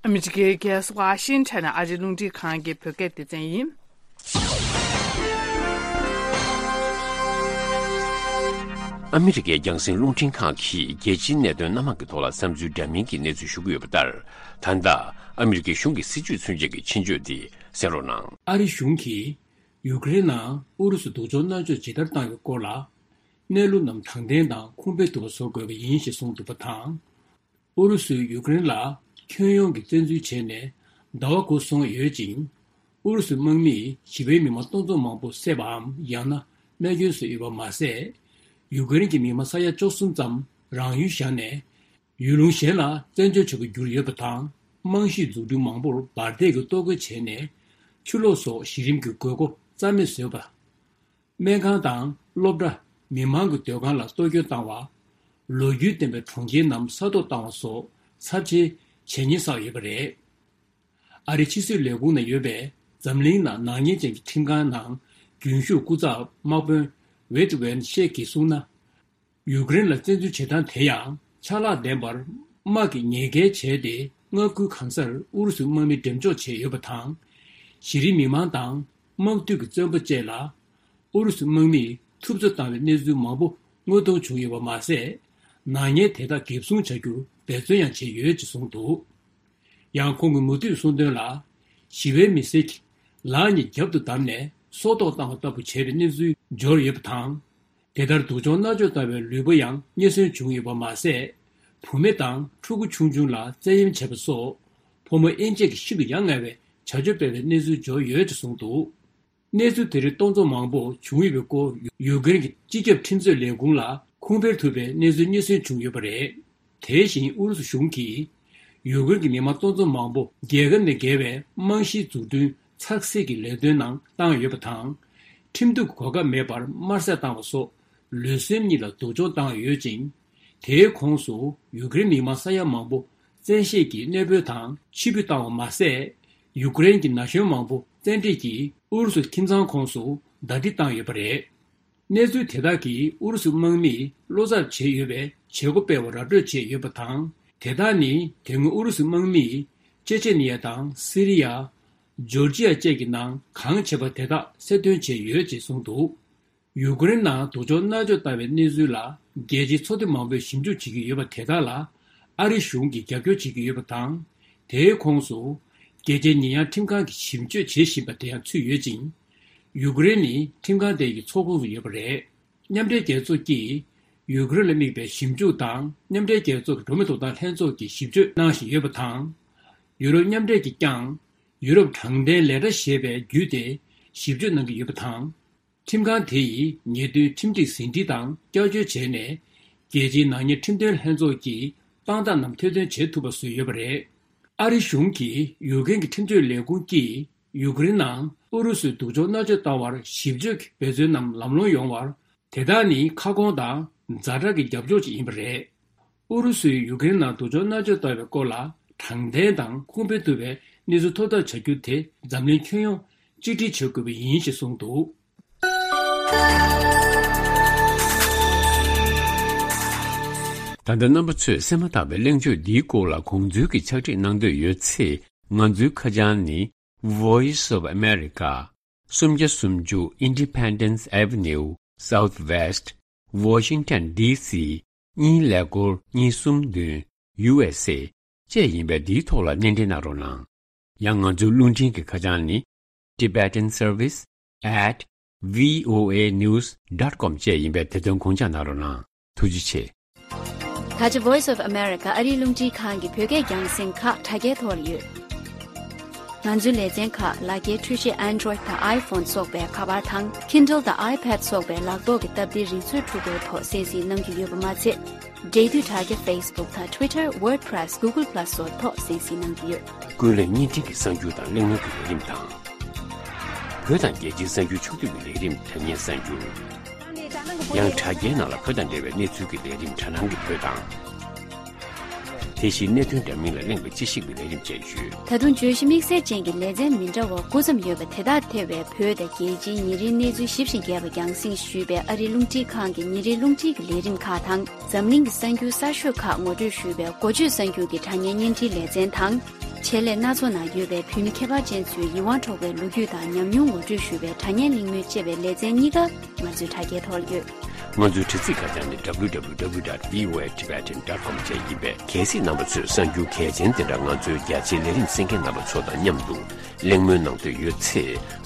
ཨ་མི་རི་ཀའི་རྒྱལ་ས་ཝ་ཤིང་ཊོན་ནས་ཨ་རིའི་རླུང་འཕྲིན་ཁང་གི་བོད་སྐད་སྡེ་ཚན་ཡིན། ཨ་མི་རི་ཀའི་རྒྱང་སྲིང་རླུང་འཕྲིན་ཁང་གིས་རྒྱལ་སྤྱིའི་གནད་དོན་སྣ་མང་གི་ཐོག་ལ་བསམ་ཚུལ་འདྲ་མིན་གྱི་གནས་ཚུལ་ཞུ་གི་ཡོད་པ་ལྟར། ད་ལྟ་ཨ་མི་རི་ཀའི་གཞུང་གི་སྲིད་ཇུས་མཚོན་བྱེད་ཀྱི་ཕྱིན་བརྗོད་འདི་གསན་རོགས་གནང་། ཨ་རི་གཞུང་གིས་ཡུཀ་རེན་ནང་ཨུ་རུ་སུ་སྡུག་སྦྱོང་མནར་གཅོད་ཇི་ལྟར་བཏང་ཡོད་སྐོར་ལ། གནས་ལུགས་རྣམས་དྲང་བདེན་དང་ཁུངས་སྤེལ་ཐུབ་པ་བཟོ་དགོས་པ་ཡིན་ཞེས་གསུངས་འདུག་པ་དང་། ཨུ་རུ་སུས་ཡུཀ་རེན་ལ་ཁྱོན་ཡོངས་ཀྱི་བཙན་འཛུལ་བྱས་ནས་ཟླ་བ་དགུ་སོང་ཡོད་ཅིང་། ཨུ་རུ་སུའི་དམག་མིས་ཞི་བའི་མི་མང་སྟོང་ཚོ་མང་པོ་བསད་པའམ་ཡང་ན་རྨས་སྐྱོན་བཟོས་ཡོད་པ་མ་ཟད། ཡུཀ་རེན་གྱི་མི་མང་ས་ཡ་བཅུ་གསུམ་ཙམ་རང་ཡུལ་བཞག་ནས་ཡུལ་ལུང་གཞན་ལ་བཙན་བྱོལ་བྱ་རྒྱུར་གྱུར་ཡོད་པ་དང་། རྨང་གཞིའི་འཛུགས་སྐྲུན་མང་པོར་འབར་མདེལ་གྱིས་གཏོར་རྒོལ་བྱས་ནས་ཆུ་ལོག་སོགས་གཞི་རིམ་གྱི་དགོས་མཁོ་རྩ་མེད་བཟོས་པ། སྨན་ཁང་དང་སློབ་གྲྭ། མི་མང་གི་སྡོད་ཁང་ལ་གཏོར་སྐྱོན་བཏང་བ། ལོ་རྒྱུས་ལྡན་པའི་གྲོང་ཁྱེར་རྣམས་ས་ཐོག་བཏང་བ་སོགས་ཚབས་ཆེའི་བྱས་ཉེས་བསགས་ཡོད་པ་རེད། ཨ་རིའི་ཕྱི་སྲིད་ལས་ཁུངས་ནང་ཡོད་པའི་འཛམ་གླིང་ནང་ནག་ཉེས་ཅན་གྱི་ཁྲིམས་ཁང་ནང་རྒྱུན་ཞུགས་སྐུ་ཚབ་དམག་དཔོན་ཝེད་ཝན་ཤེ་གིས་གསུངས་ན། ཡུཀ་རེན་ལ་བཙན་འཛུལ་བྱེད་སྟངས་དེ་ཡང་ཆ་ལག་ལྡན་པར་དམག་གིས་ཉེས་འགེལ་བྱས་ཏེ། མངའ་ཁུལ་གང་སར་ཨུ་རུ་སུའི་དམག་མི་འགྲེམས་འཇོག་བྱས་ཡོད་པ་དང་། གཞི་རིམ་མི་མང་དང་དམག་འཐུས་ཀྱི་བཙོན་པ་བཅས་ལ་ཨུ་རུ་སུའི་དམག་མིས་ཐུབ་ཚོད་བཏང་བའི་གནས་ཚུལ་མང་པོ་དངོས་མཐོང་བྱུང་ཡོད་པ་མ་ཟད། ནག་ཉེས་དེ་དག་འགེབས་སྲུང་བྱ་རྒྱུར་འབད་བརྩོན་ཡང་བྱས་ཡོད་ཅེས་གསུངས་འདུག། ཡང་ཁོང་གིས་མུ་མཐུད་གསུངས་དོན་ལ། ཞི་བའི་མི་སེར་གྱིས་ལག་གཉིས་རྒྱབ་ཏུ་བསྡམས་ནས་སྲོག་ཐོག་བཏང་བ་ལྟ་བུ་བྱས་པའི་གནས་ཚུལ་འབྱོར་ཡོད་པ་དང་། དེ་ལྟར་སྡུག་སྦྱོང་མནར་གཅོད་བཏང་བའི་ལུས་པོ་ཡང་རྙེད་སོན་བྱུང་ཡོད་པ་མ་ཟད། བུད་མེད་དང་ཕྲུ་གུ་ཆུང་ཆུང་ལ་བཙན་གཡེམ་བྱས་པ་སོགས་ཕོ་མོ་དབྱེ་འབྱེད་ཀྱིས་ཤིན་ཏུ་ཡ་ང་བའི་བྱ་སྤྱོད་སྤེལ་བའི་གནས་ཚུལ་འབྱོར་ཡོད་ཅེས་གསུངས་འདུག། གནས་ཚུལ་དེ་རིགས་གཏོང་ཚོགས་མང་པོ་བྱུང་ཡོད་པའི་སྐོར་ཡུ་ཀེ་རེན་གྱི་སྤྱི་ཁྱབ་ཁྲིམས་རྩོད་ལས་ཁུངས་ལ་ཁུངས་སྤེལ་ཐུབ་པའི་གནས་ཚུལ་རྙེད་སོན་བྱུང་ཡོད་པ་རེད། དེ་བཞིན་ཨུ་རུ་སུ་གཞུང་གིས་ཡུ་ཀེ་རེན་གྱི་མི་མང་སྟོང་ཚོ་མང་པོ་རྒྱལ་ཁབ་ནས་བརྒལ་བའི་རྨང་གཞིའི་འཛུགས་སྐྲུན་ཚགས་སྲིད་ཀྱི་ལས་དོན་ནང་བཏང་ཡོད་པ་དང་། ཁྲིམས་གཏུག་གི་གོ་སྐབས་མེད་པར་དམར་གསོད་བཏང་བ་སོགས་ལུས་སེམས་གཉིས་ལ་སྡུག་སྦྱོང་བཏང་ཡོད་ཅིང་། དེའི་ཁོངས་སུ་ཡུ་ཀེ་རེན་མི་མང་ས་ཡ་མང་པོ་བཙན་ཤེད་ཀྱིས་གནས་སྤོས་དང་ཕྱིར་འབུད་བཏང་བ་མ་ཟད། ཡུ་ཀེ་རེན་གྱི་ན་གཞོན་མང་པོ་བཙན་ཁྲིད་ཀྱིས་ཨུ་རུ་སུ་ཁྱིམ་ཚང་ཁོངས་སུ་ཟླ་སྒྲིལ་བཏང་ཡོད་པ་རེད། གནས་ཚུལ་དེ་དག་གིས་ཨུ་རུ་སུ་དམག་མིས་བློ་འཚབ་བྱས་ཡོད་པའི་བྱེད་སྒོ་སྤེལ་བ་ར་སྤྲོད་བྱས་ཡོད་པ་དང་། དེ་དག་ནི་དེ་སྔོན་ཨུ་རུ་སུ་དམག་མིས་ཅེ་ཆེ་ནི་ཡ་དང་སི་རི་ཡ། ཇོར་ཇི་ཡ་བཅས་ཀྱི་ནང་གང་བྱས་པ་དེ་དག་གསལ་སྟོན་བྱས་ཡོད་ཅེས་གསུངས་འདུག་ཡུ་ཀེ་རེན་ནང་སྡུག་སྦྱོང་མནར་གཅོད་བཏང་བའི་གནས་ཚུལ་ལ་རྒྱལ་སྤྱིའི་ཚོགས་སྡེ་མང་པོས་ཞིབ་འཇུག་བྱེད་ཀྱི་ཡོད་པ་དེ་དག་ལ་ཨ་རི་གཞུང་གིས་རྒྱབ་སྐྱོར་བྱེད་ཀྱི་ཡོད་པ་དང་། དེའི་ཁོངས་སུ་རྒྱལ་སྤྱིའི་ཉེས་ཡངས་ཁྲིམས་ཁང་གིས་ཞིབ་དཔྱོད་བྱེད་བཞིན་པ་དེ་ཡང་ཚུད་ཡོད་ཅིང་། ཡུ་ཀེ་རེན་ནི་ཁྲིམས་ཁང་དེ་ཡི་ཚོགས་ཁོངས་སུ་ཡོད་པ་རེད། མཉམ་འབྲེལ་རྒྱལ་ཚོགས་ཀྱིས་ཡུ་ཀེ་རེན་ལ་དམིགས་པའི་ཞིབ་འཇུག་དང་མཉམ་འབྲེལ་རྒྱལ་ཚོགས་ཀྱི་འགྲོ་བ་མིའི་ཐོབ་ཐང་ལྷན་ཚོགས་ཀྱིས་ཞིབ་དཔྱོད་གནང་བཞིན་ཡོད་པ་དང་། ཡུ་རོབ་མཉམ་འབྲེལ་གྱིས་ཀྱང་ཡུ་རོབ་དྲང་བདེན་ལས་གྲྭ་ཞེས་པའི་བརྒྱུད་དེ་ཞིབ་དཔྱོད་གནང་གི་ཡོད་པ་དང་། ཁྲིམས་ཁང་དེ་ཡིས་ཉེས་དོན་ཁྲིམས་སྒྲིག་ཟིན་བྲིས་དང་བསྐྱར་བཅོས་བྱས་ནས། རྒྱལ་སྤྱིའི་ནག་ཉེས་ཁྲིམས་དོན་ལྷན་ཚོགས་ཀྱི་དཔང་རྟགས་རྣམས་ཐེར་འདོན་བྱེད་ཐུབ་པ་བཟོས་ཡོད་པ་རེད། ཨ་རི་གཞུང་གིས་ཡུ་ཀེ་རེན་གྱི་ཁྲིམས་རྩོད་ལས་ཁུངས་ཀྱིས་ཡུ་ཀེ་རེན་ནང་ཨུ་རུ་སུས་སྡུག་སྦྱོང་མནར་གཅོད་བཏང་བར་ཞིབ་དཔྱོད་ཀྱི་འབད་བརྩོན་རྣམས་ལམ་ལྷོང་ཡོང་བར། དེ་དག་ནི་ཁ་སྐོང་དང་ཛ་དྲག་གི་རྒྱབ་སྐྱོར་ཅིག་ཡིན་པ་རེད། ཨུ་རུ་སུས་ཡུ་ཀེ་རེན་ནང་སྡུག་སྦྱོང་མནར་གཅོད་བཏང་བའི་སྐོར་ལ་དྲང་བདེན་དང་ཁུངས་སྤེལ་ཐུབ་པའི་གནས་ཚུལ་ཐོབ་ཐབས་བྱ་རྒྱུ་དེ་འཛམ་གླིང་ཁྱོན་ཡོངས་གཅིག་སྒྲིལ་བྱེད་དགོས་པ་ཡིན་ཞེས་གསུངས་འདུག་ད་ལྟ་རྣམ་པ་ཚོས་གསན་མ་ཐག་པའི་གླེང་བརྗོད་འདིའི་སྐོར་ལ་དགོངས་ཚུལ་གྱི་ཕྱག་བྲིས་གནང་འདོད་ཡོད་ཚེ། ང་ཚོའི་ཁ་བྱང་ནི། Voice of America། སུམ་བརྒྱ་སུམ་ཅུ་Independence Avenue Southwest Washington D C གཉིས་ཀླད་ཀོར་གཉིས་གསུམ་བདུན་U S A བཅས་ཡིན་པས་འདིའི་ཐོག་ལ་སྣེ་འདྲེན་གནང་རོགས་གནང་། ཡང་ང་ཚོའི་རླུང་འཕྲིན་གྱི་ཁ་བྱང་ནི། Tibetan Service at V O A news dot com བཅས་ཡིན་པས་དེ་དོན་དགོངས་འཇགས་གནང་རོགས་གནང་། ཐུགས་རྗེ་ཆེ། ད་ཆ་Voice of America ཨ་རིའི་རླུང་འཕྲིན་ཁང་གི་བོད་སྐད་རྒྱང་སྲིང་ཁག་དྲ་རྒྱའི་ཐོག་ལ་ཡོད། ང་ཚོའི་ལེ་ཚན་ཁག་ལག་འཁྱེར་འཕྲུལ་ཆས་Android དང་iPhone སོགས་པའི་ཁ་པར་དང་Kindle དང་iPad སོགས་པའི་ལག་ཐོག་གི་སྟབས་བདེའི་རིག་མཛོད་འཕྲུལ་འཁོར་ཐོག་གསན་གཟིགས་གནང་རྒྱུ་ཡོད་པ་མ་ཚད། འབྲེལ་མཐུད་དྲ་རྒྱ་Facebook དང་Twitter WordPress Google Plus སོགས་ཐོག་གསན་གཟིགས་གནང་རྒྱུ་ཡོད། ཀུན་གླེང་བརྙན་འཕྲིན་གྱི་གསར་འགྱུར་དང་གླེང་མོལ་གྱི་ལས་རིམ་དང་། བོད་དང་རྒྱལ་སྤྱིའི་གསར་འགྱུར་ཕྱོགས་བསྡུས་ཀྱི་ལས་རིམ་དྲ་བརྙན་གསར་འགྱུར། ཡང་དྲ་རྒྱའི་ནང་ལ་བོད་དང་འབྲེལ་བའི་གནས་ཚུལ་གྱི་ལས་རིམ་དྲ་སྣང་གི་བོད་དང་། དེ་བཞིན་གནད་དོན་འདྲ་མིན་ལ་གླེང་བའི་དཔྱད་ཞིབ་ཀྱི་ལས་རིམ་བཅས་ཡོད། ད་དུང་བརྗོད་གཞི་དམིགས་བསལ་ཅན་གྱི་ལེ་ཚན་མི་འདྲ་བ་སྐུ་མཚམས་ཡོད་པ་དེ་དག་ཐེ་བའི་བོད་དང་རྒྱལ་སྤྱིའི་ཉིན་རེའི་གནས་ཚུལ་ཞིབ་ཅིང་རྒྱས་པ་རྒྱང་སྲིང་ཞུས་པའི་ཨ་རིའི་རླུང་འཕྲིན་ཁང་གི་ཉིན་རེའི་རླུང་འཕྲིན་གྱི་ལས་རིམ་ཁག་དང་། འཛམ་གླིང་གི་གསར་འགྱུར་གསར་ཤོས་ཁག་ངོ་སྤྲོད་ཞུས་པའི་འགོ་བརྗོད་གསར་འགྱུར་གྱི་དྲ་བརྙན་བརྙན་འཕྲིན་ལེ་ཚན་དང་། ཆེད་ལས་སྣ་ཚོགས་ནང་ཡོད་པའི་བོད་མི་ཁྱད་པར་ཅན་ཚོའི་ཡིད་དབང་འཕྲོག་པའི་ལོ་རྒྱུས་དང་ཉམས་མྱོང་ངོ་སྤྲོད་ཞུ་བའི་དྲ་བརྙན་གླེང་མོལ་ཅེས་པའི་ལེ་ཚན་གཉིས་ཀ་ང་ཚོའི་དྲ་རྒྱའི་ཐོག་ཡོད། ང་ཚོའི་དྲ་ཚིགས་ཁ་བྱང་ནི། W W W dot V O A Tibetan dot com བཅས་ཡིན་པས། གལ་སྲིད་རྣམ་པ་ཚོས་གསར་འགྱུར་གལ་ཆེན་དེ་འདྲ་ང་ཚོའི་རྒྱ་ཆེའི་ལས་རིམ་གསན་མཁན་རྣམ་པ་ཚོ་དང་མཉམ་དུ་གླེང་མོལ་གནང་འདོད་ཡོད་ཚེ།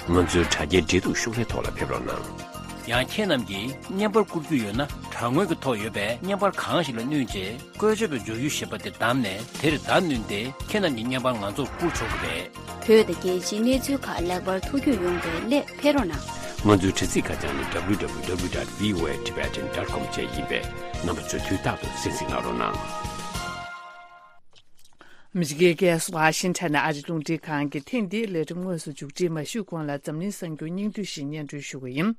ང་ཚོའི་དྲ་རྒྱའི་འབྲེལ་གཏུག་ཤོག་ལྷེ་ཐོག་ལ་ཕེབས་རོགས་གནང་། ཡང་ཁྱེད་རྣམས་ཀྱིས་བརྙན་པར་བསྐུར་རྒྱུ་ཡོད་ན། དྲ་ངོས་ཀྱི་ཐོག་ཡོད་པའི་བརྙན་པར་གང་ཞིག་ལ་བསྣུན་རྗེས། བཀོལ་སྤྱོད་པའི་འབྱོར་ཡུལ་ཞེས་པ་དེ་བདམས་ནས་དེར་བརྡ་བསྣུན་ཏེ། ཁྱེད་རྣམས་ཀྱི་བརྙན་པར་ང་ཚོར་བསྐུར་ཆོག་གི་རེད། བོད་དང་རྒྱལ་སྤྱིའི་གནས་ཚུལ་ཁག་ལེགས་པར་ཐུགས་རྒྱུས་ཡོང་བའི་སླད་ཕེབས་རོགས་གནང་། ང་ཚོའི་དྲ་ཚིགས་ཁ་བྱང་ནི། W W W dot V O A Tibetan dot com བཅས་ཡིན་པས། རྣམ་པ་ཚོས་དུས་རྟག་ཏུ་གསན་གཟིགས་གནང་རོགས་གནང་། ཨ་མི་རི་ཀའི་རྒྱལ་ས་ཝ་ཤིང་ཊོན་ནས་ཨ་རིའི་རླུང་འཕྲིན་ཁང་གི་ཐེངས་འདིའི་ལས་རིམ་དངོས་སུ་མཇུག་སྒྲིལ་མ་ཞུས་གོང་ལ། འཛམ་གླིང་གསར་འགྱུར་སྙིང་བསྡུས་ཤིག་སྙན་སྒྲོན་ཞུ་གི་ཡིན།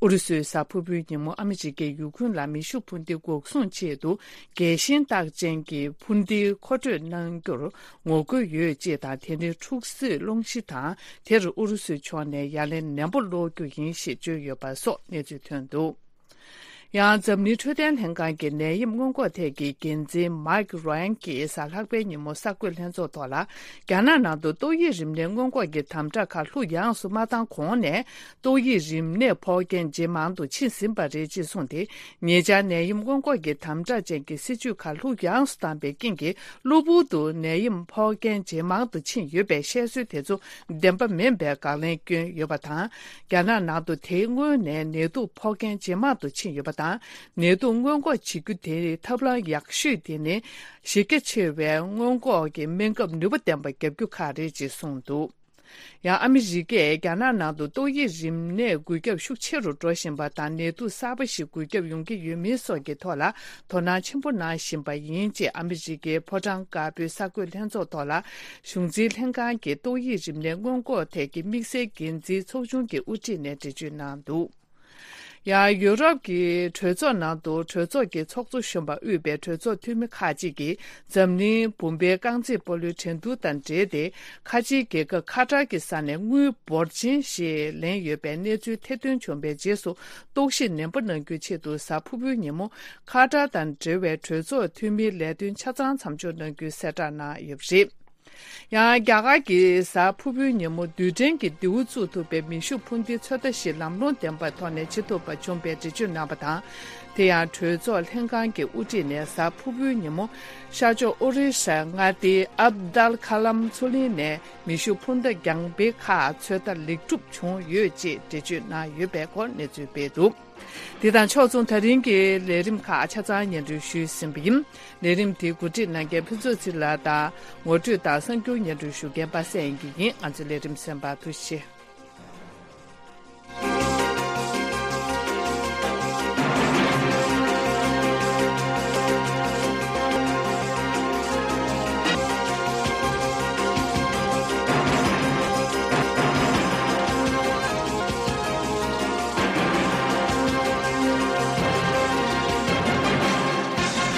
ཨུ་རུ་སུའི་གཟའ་ཕུར་བུའི་ཉིན་མོ་ཨ་མི་རི་ཀས་ཡུ་ཁུན་ལ་མེ་ཤུགས་འཕུར་མདེལ་འགོག་སྲུང་ཆེད་དུ་རྒྱལ་ཞེན་རྟགས་ཅན་གྱི་འཕུར་མདེལ་མཁོ་སྤྲོད་གནང་རྒྱུར་ངོ་རྒོལ་ཡོད་ཅེས་དང་། དེ་ནི་འཁྲུག་རྩོད་སློང་གཞི་དང་། དེར་ཨུ་རུ་སུའི་ཕྱོགས་ནས་ཡ་ལན་ནན་པོ་སློག་རྒྱུ་ཡིན་ཞེས་བརྗོད་ཡོད་པ་སོགས་གནས་ཚུལ་ཐོན་འདུག། ཡང་འཛམ་གླིང་འཕྲོད་བསྟེན་ལྷན་ཁང་གི་ནད་ཡམས་སྔོན་འགོག་ཐད་ཀྱི་འགན་འཛིན་མཱིག་རོན་གྱིས་གཟའ་ལྷག་པའི་ཉིན་མོ་གསར་འགོད་ལྷན་ཚོགས་ཐོག་ལ། རྒྱ་ནག་ནང་དུ་ཏོག་དབྱིབས་རིམས་ནད་སྔོན་འགོག་གི་དམ་དྲག་ཁག་ལྷུག་ཡངས་སུ་མ་བཏང་གོང་ནས། ཏོག་དབྱིབས་རིམས་ནད་ཕོག་མཁན་ཇེ་མང་དུ་ཕྱིན་ཟིན་པ་རེད་ཅེས་གསུངས་ཏེ། ཉེ་ཆར་ནད་ཡམས་སྔོན་འགོག་གི་དམ་དྲག་ཅན་གྱི་སྲིད་ཇུས་ཁག་ལྷུག་ཡངས་སུ་བཏང་པའི་རྐྱེན་གྱིས། གློ་བུར་དུ་ནད་ཡམས་ཕོག་མཁན་ཇེ་མང་དུ་ཕྱིན་ཡོད་པའི་བཤད་སྲོལ་དེ་ཚོ་བདེན་པ་མིན་པའི་དགག་ལན་བསྐྱོན་ཡོད་པ་དང་། རྒྱ་ནག་ནང་དུ་དེའི་སྔོན་ནས་ནད་དུག་ཕོག་མཁན་ཇེ་མང་དུ་ཕྱིན་ཡོད་པ་དང་། ནད་དུག་སྔོན་འགོག་བྱེད་རྒྱུ་དེའི་ཐབས་ལམ་ཡག་ཤོས་དེ་ནི། གཞི་རྒྱ་ཆེ་བའི་སྔོན་འགོག་གི་སྨན་ཁབ་ནུས་པ་ལྡན་པ་བརྒྱབ་རྒྱུ་ཁག་རེད་ཅེས་གསུངས་འདུག། ཡང་ཨ་མི་རི་ཀས་རྒྱ་ནག་ནང་དུ་ཏོག་དབྱིབས་རིམས་ནད་འགོས་ཁྱབ་ཤུགས་ཆེ་རུ་འགྲོ་བཞིན་པ་དང་། ནད་དུག་གསར་པ་ཞིག་འགོས་ཁྱབ་ཡོང་གི་ཡོད་མེད་སོགས་ཀྱི་ཐོག་ལ་དོ་སྣང་ཆེན་པོ་གནང་བཞིན་པ་ཡིན་ཅེས་ཨ་མི་རི་ཀའི་ཕོ་བྲང་དཀར་པོའི་གསར་འགོད་ལྷན་ཚོགས་ཐོག་ལ་གཞུང་འཛིན་ལྷན་ཁང་གི་ཏོག་དབྱིབས་རིམས་ནད་སྔོན་འགོག་ཐད་ཀྱི་དམིགས་བསལ་འགན་འཛིན་ཚོགས་ཆུང་གི་དབུ་ཁྲིད་ནས་འགྲེལ་བརྗོད་གནང་འདུག་ཡང་ཡུ་རོབ་ཀྱི་གྲོས་ཚོགས་ནང་དུ་གྲོས་ཚོགས་ཀྱི་ཚོགས་གཙོ་གཞོན་པ་དབུས་པའི་གྲོས་ཚོགས་འཐུས་མི་ཁག་ཅིག་གིས་འཛམ་གླིང་བུམ་པའི་རྐང་རྩེད་སྤོ་ལོའི་འགྲན་བསྡུར་དང་འབྲེལ་ཏེ། ཁ་ཆེའི་རྒྱལ་ཁབ་ཁ་ཏར་གྱི་ས་ནས་དངུལ་འབོར་ཆེན་ཞིག་ལེན་ཡོད་པའི་གནས་ཚུལ་ཐེར་འདོན་བྱུང་བའི་རྗེས་སུ། རྟོག་ཞིབ་ནན་པོ་གནང་རྒྱུའི་ཆེད་དུ་གཟའ་ཕུར་བུའི་ཉིན་མོ་ཁ་ཏར་དང་འབྲེལ་བའི་གྲོས་ཚོགས་འཐུས་མིའི་ལས་དོན་ཆ་ཚང་མཚམས་འཇོག་གནང་རྒྱུའི་གསལ་བསྒྲགས་གནང་ཡོད་པ་རེད། ཡང་རྒྱ་གར་གྱིས་གཟའ་ཕུར་བུའི་ཉིན་མོ་རྡུལ་ཕྲན་གྱི་མདེའུ་བཙུགས་ཐུབ་པའི་མེ་ཤུགས་འཕུར་མདེལ་ཚོད་ལྟ་ཞིག་ལམ་ལྷོང་ལྡན་པའི་ཐོག་ནས་བྱེད་ཐུབ་པ་བྱུང་བའི་འགྲེལ་བརྗོད་གནང་བ་དང་། དེ་ཡང་གྲོས་ཚོགས་ལྷན་ཁང་གི་དབུ་ཁྲིད་ནས་གཟའ་ཕུར་བུའི་ཉིན་མོ་ཤར་ཕྱོགས་ཨོ་རི་ཤའི་མངའ་སྡེའི་ཨབ་དལ་ཁ་ལམ་མཚོ་གླིང་ནས་མེ་ཤུགས་འཕུར་མདའ་རྒྱང་འཕེན་ཁག་ཚོད་ལྟ་ལེགས་གྲུབ་བྱུང་ཡོད་ཅེས་འགྲེལ་བརྗོད་གནང་ཡོད་པའི་སྐོར་གནས་ཚུལ་སྤེལ་འདུག་འདི་དང་ཕྱོགས་མཚུངས་ད་རིང་གི་ལས་རིམ་ཁག་ཆ་ཚང་སྙན་སྒྲོན་ཞུས་ཟིན་པ་ཡིན། ལས་རིམ་དེ་གོ་སྒྲིག་གནང་མཁན་ཕུན་ཚོགས་ཚེ་རིང་ལགས་དང་། ངོ་སྤྲོད་དང་གསར་འགྱུར་སྙན་སྒྲོན་ཞུ་མཁན་པ་སངས་དབྱངས་སྐྱིད་ཡིན། ང་ཚོའི་ལས་རིམ་གསན་པར་ཐུགས་རྗེ་ཆེ།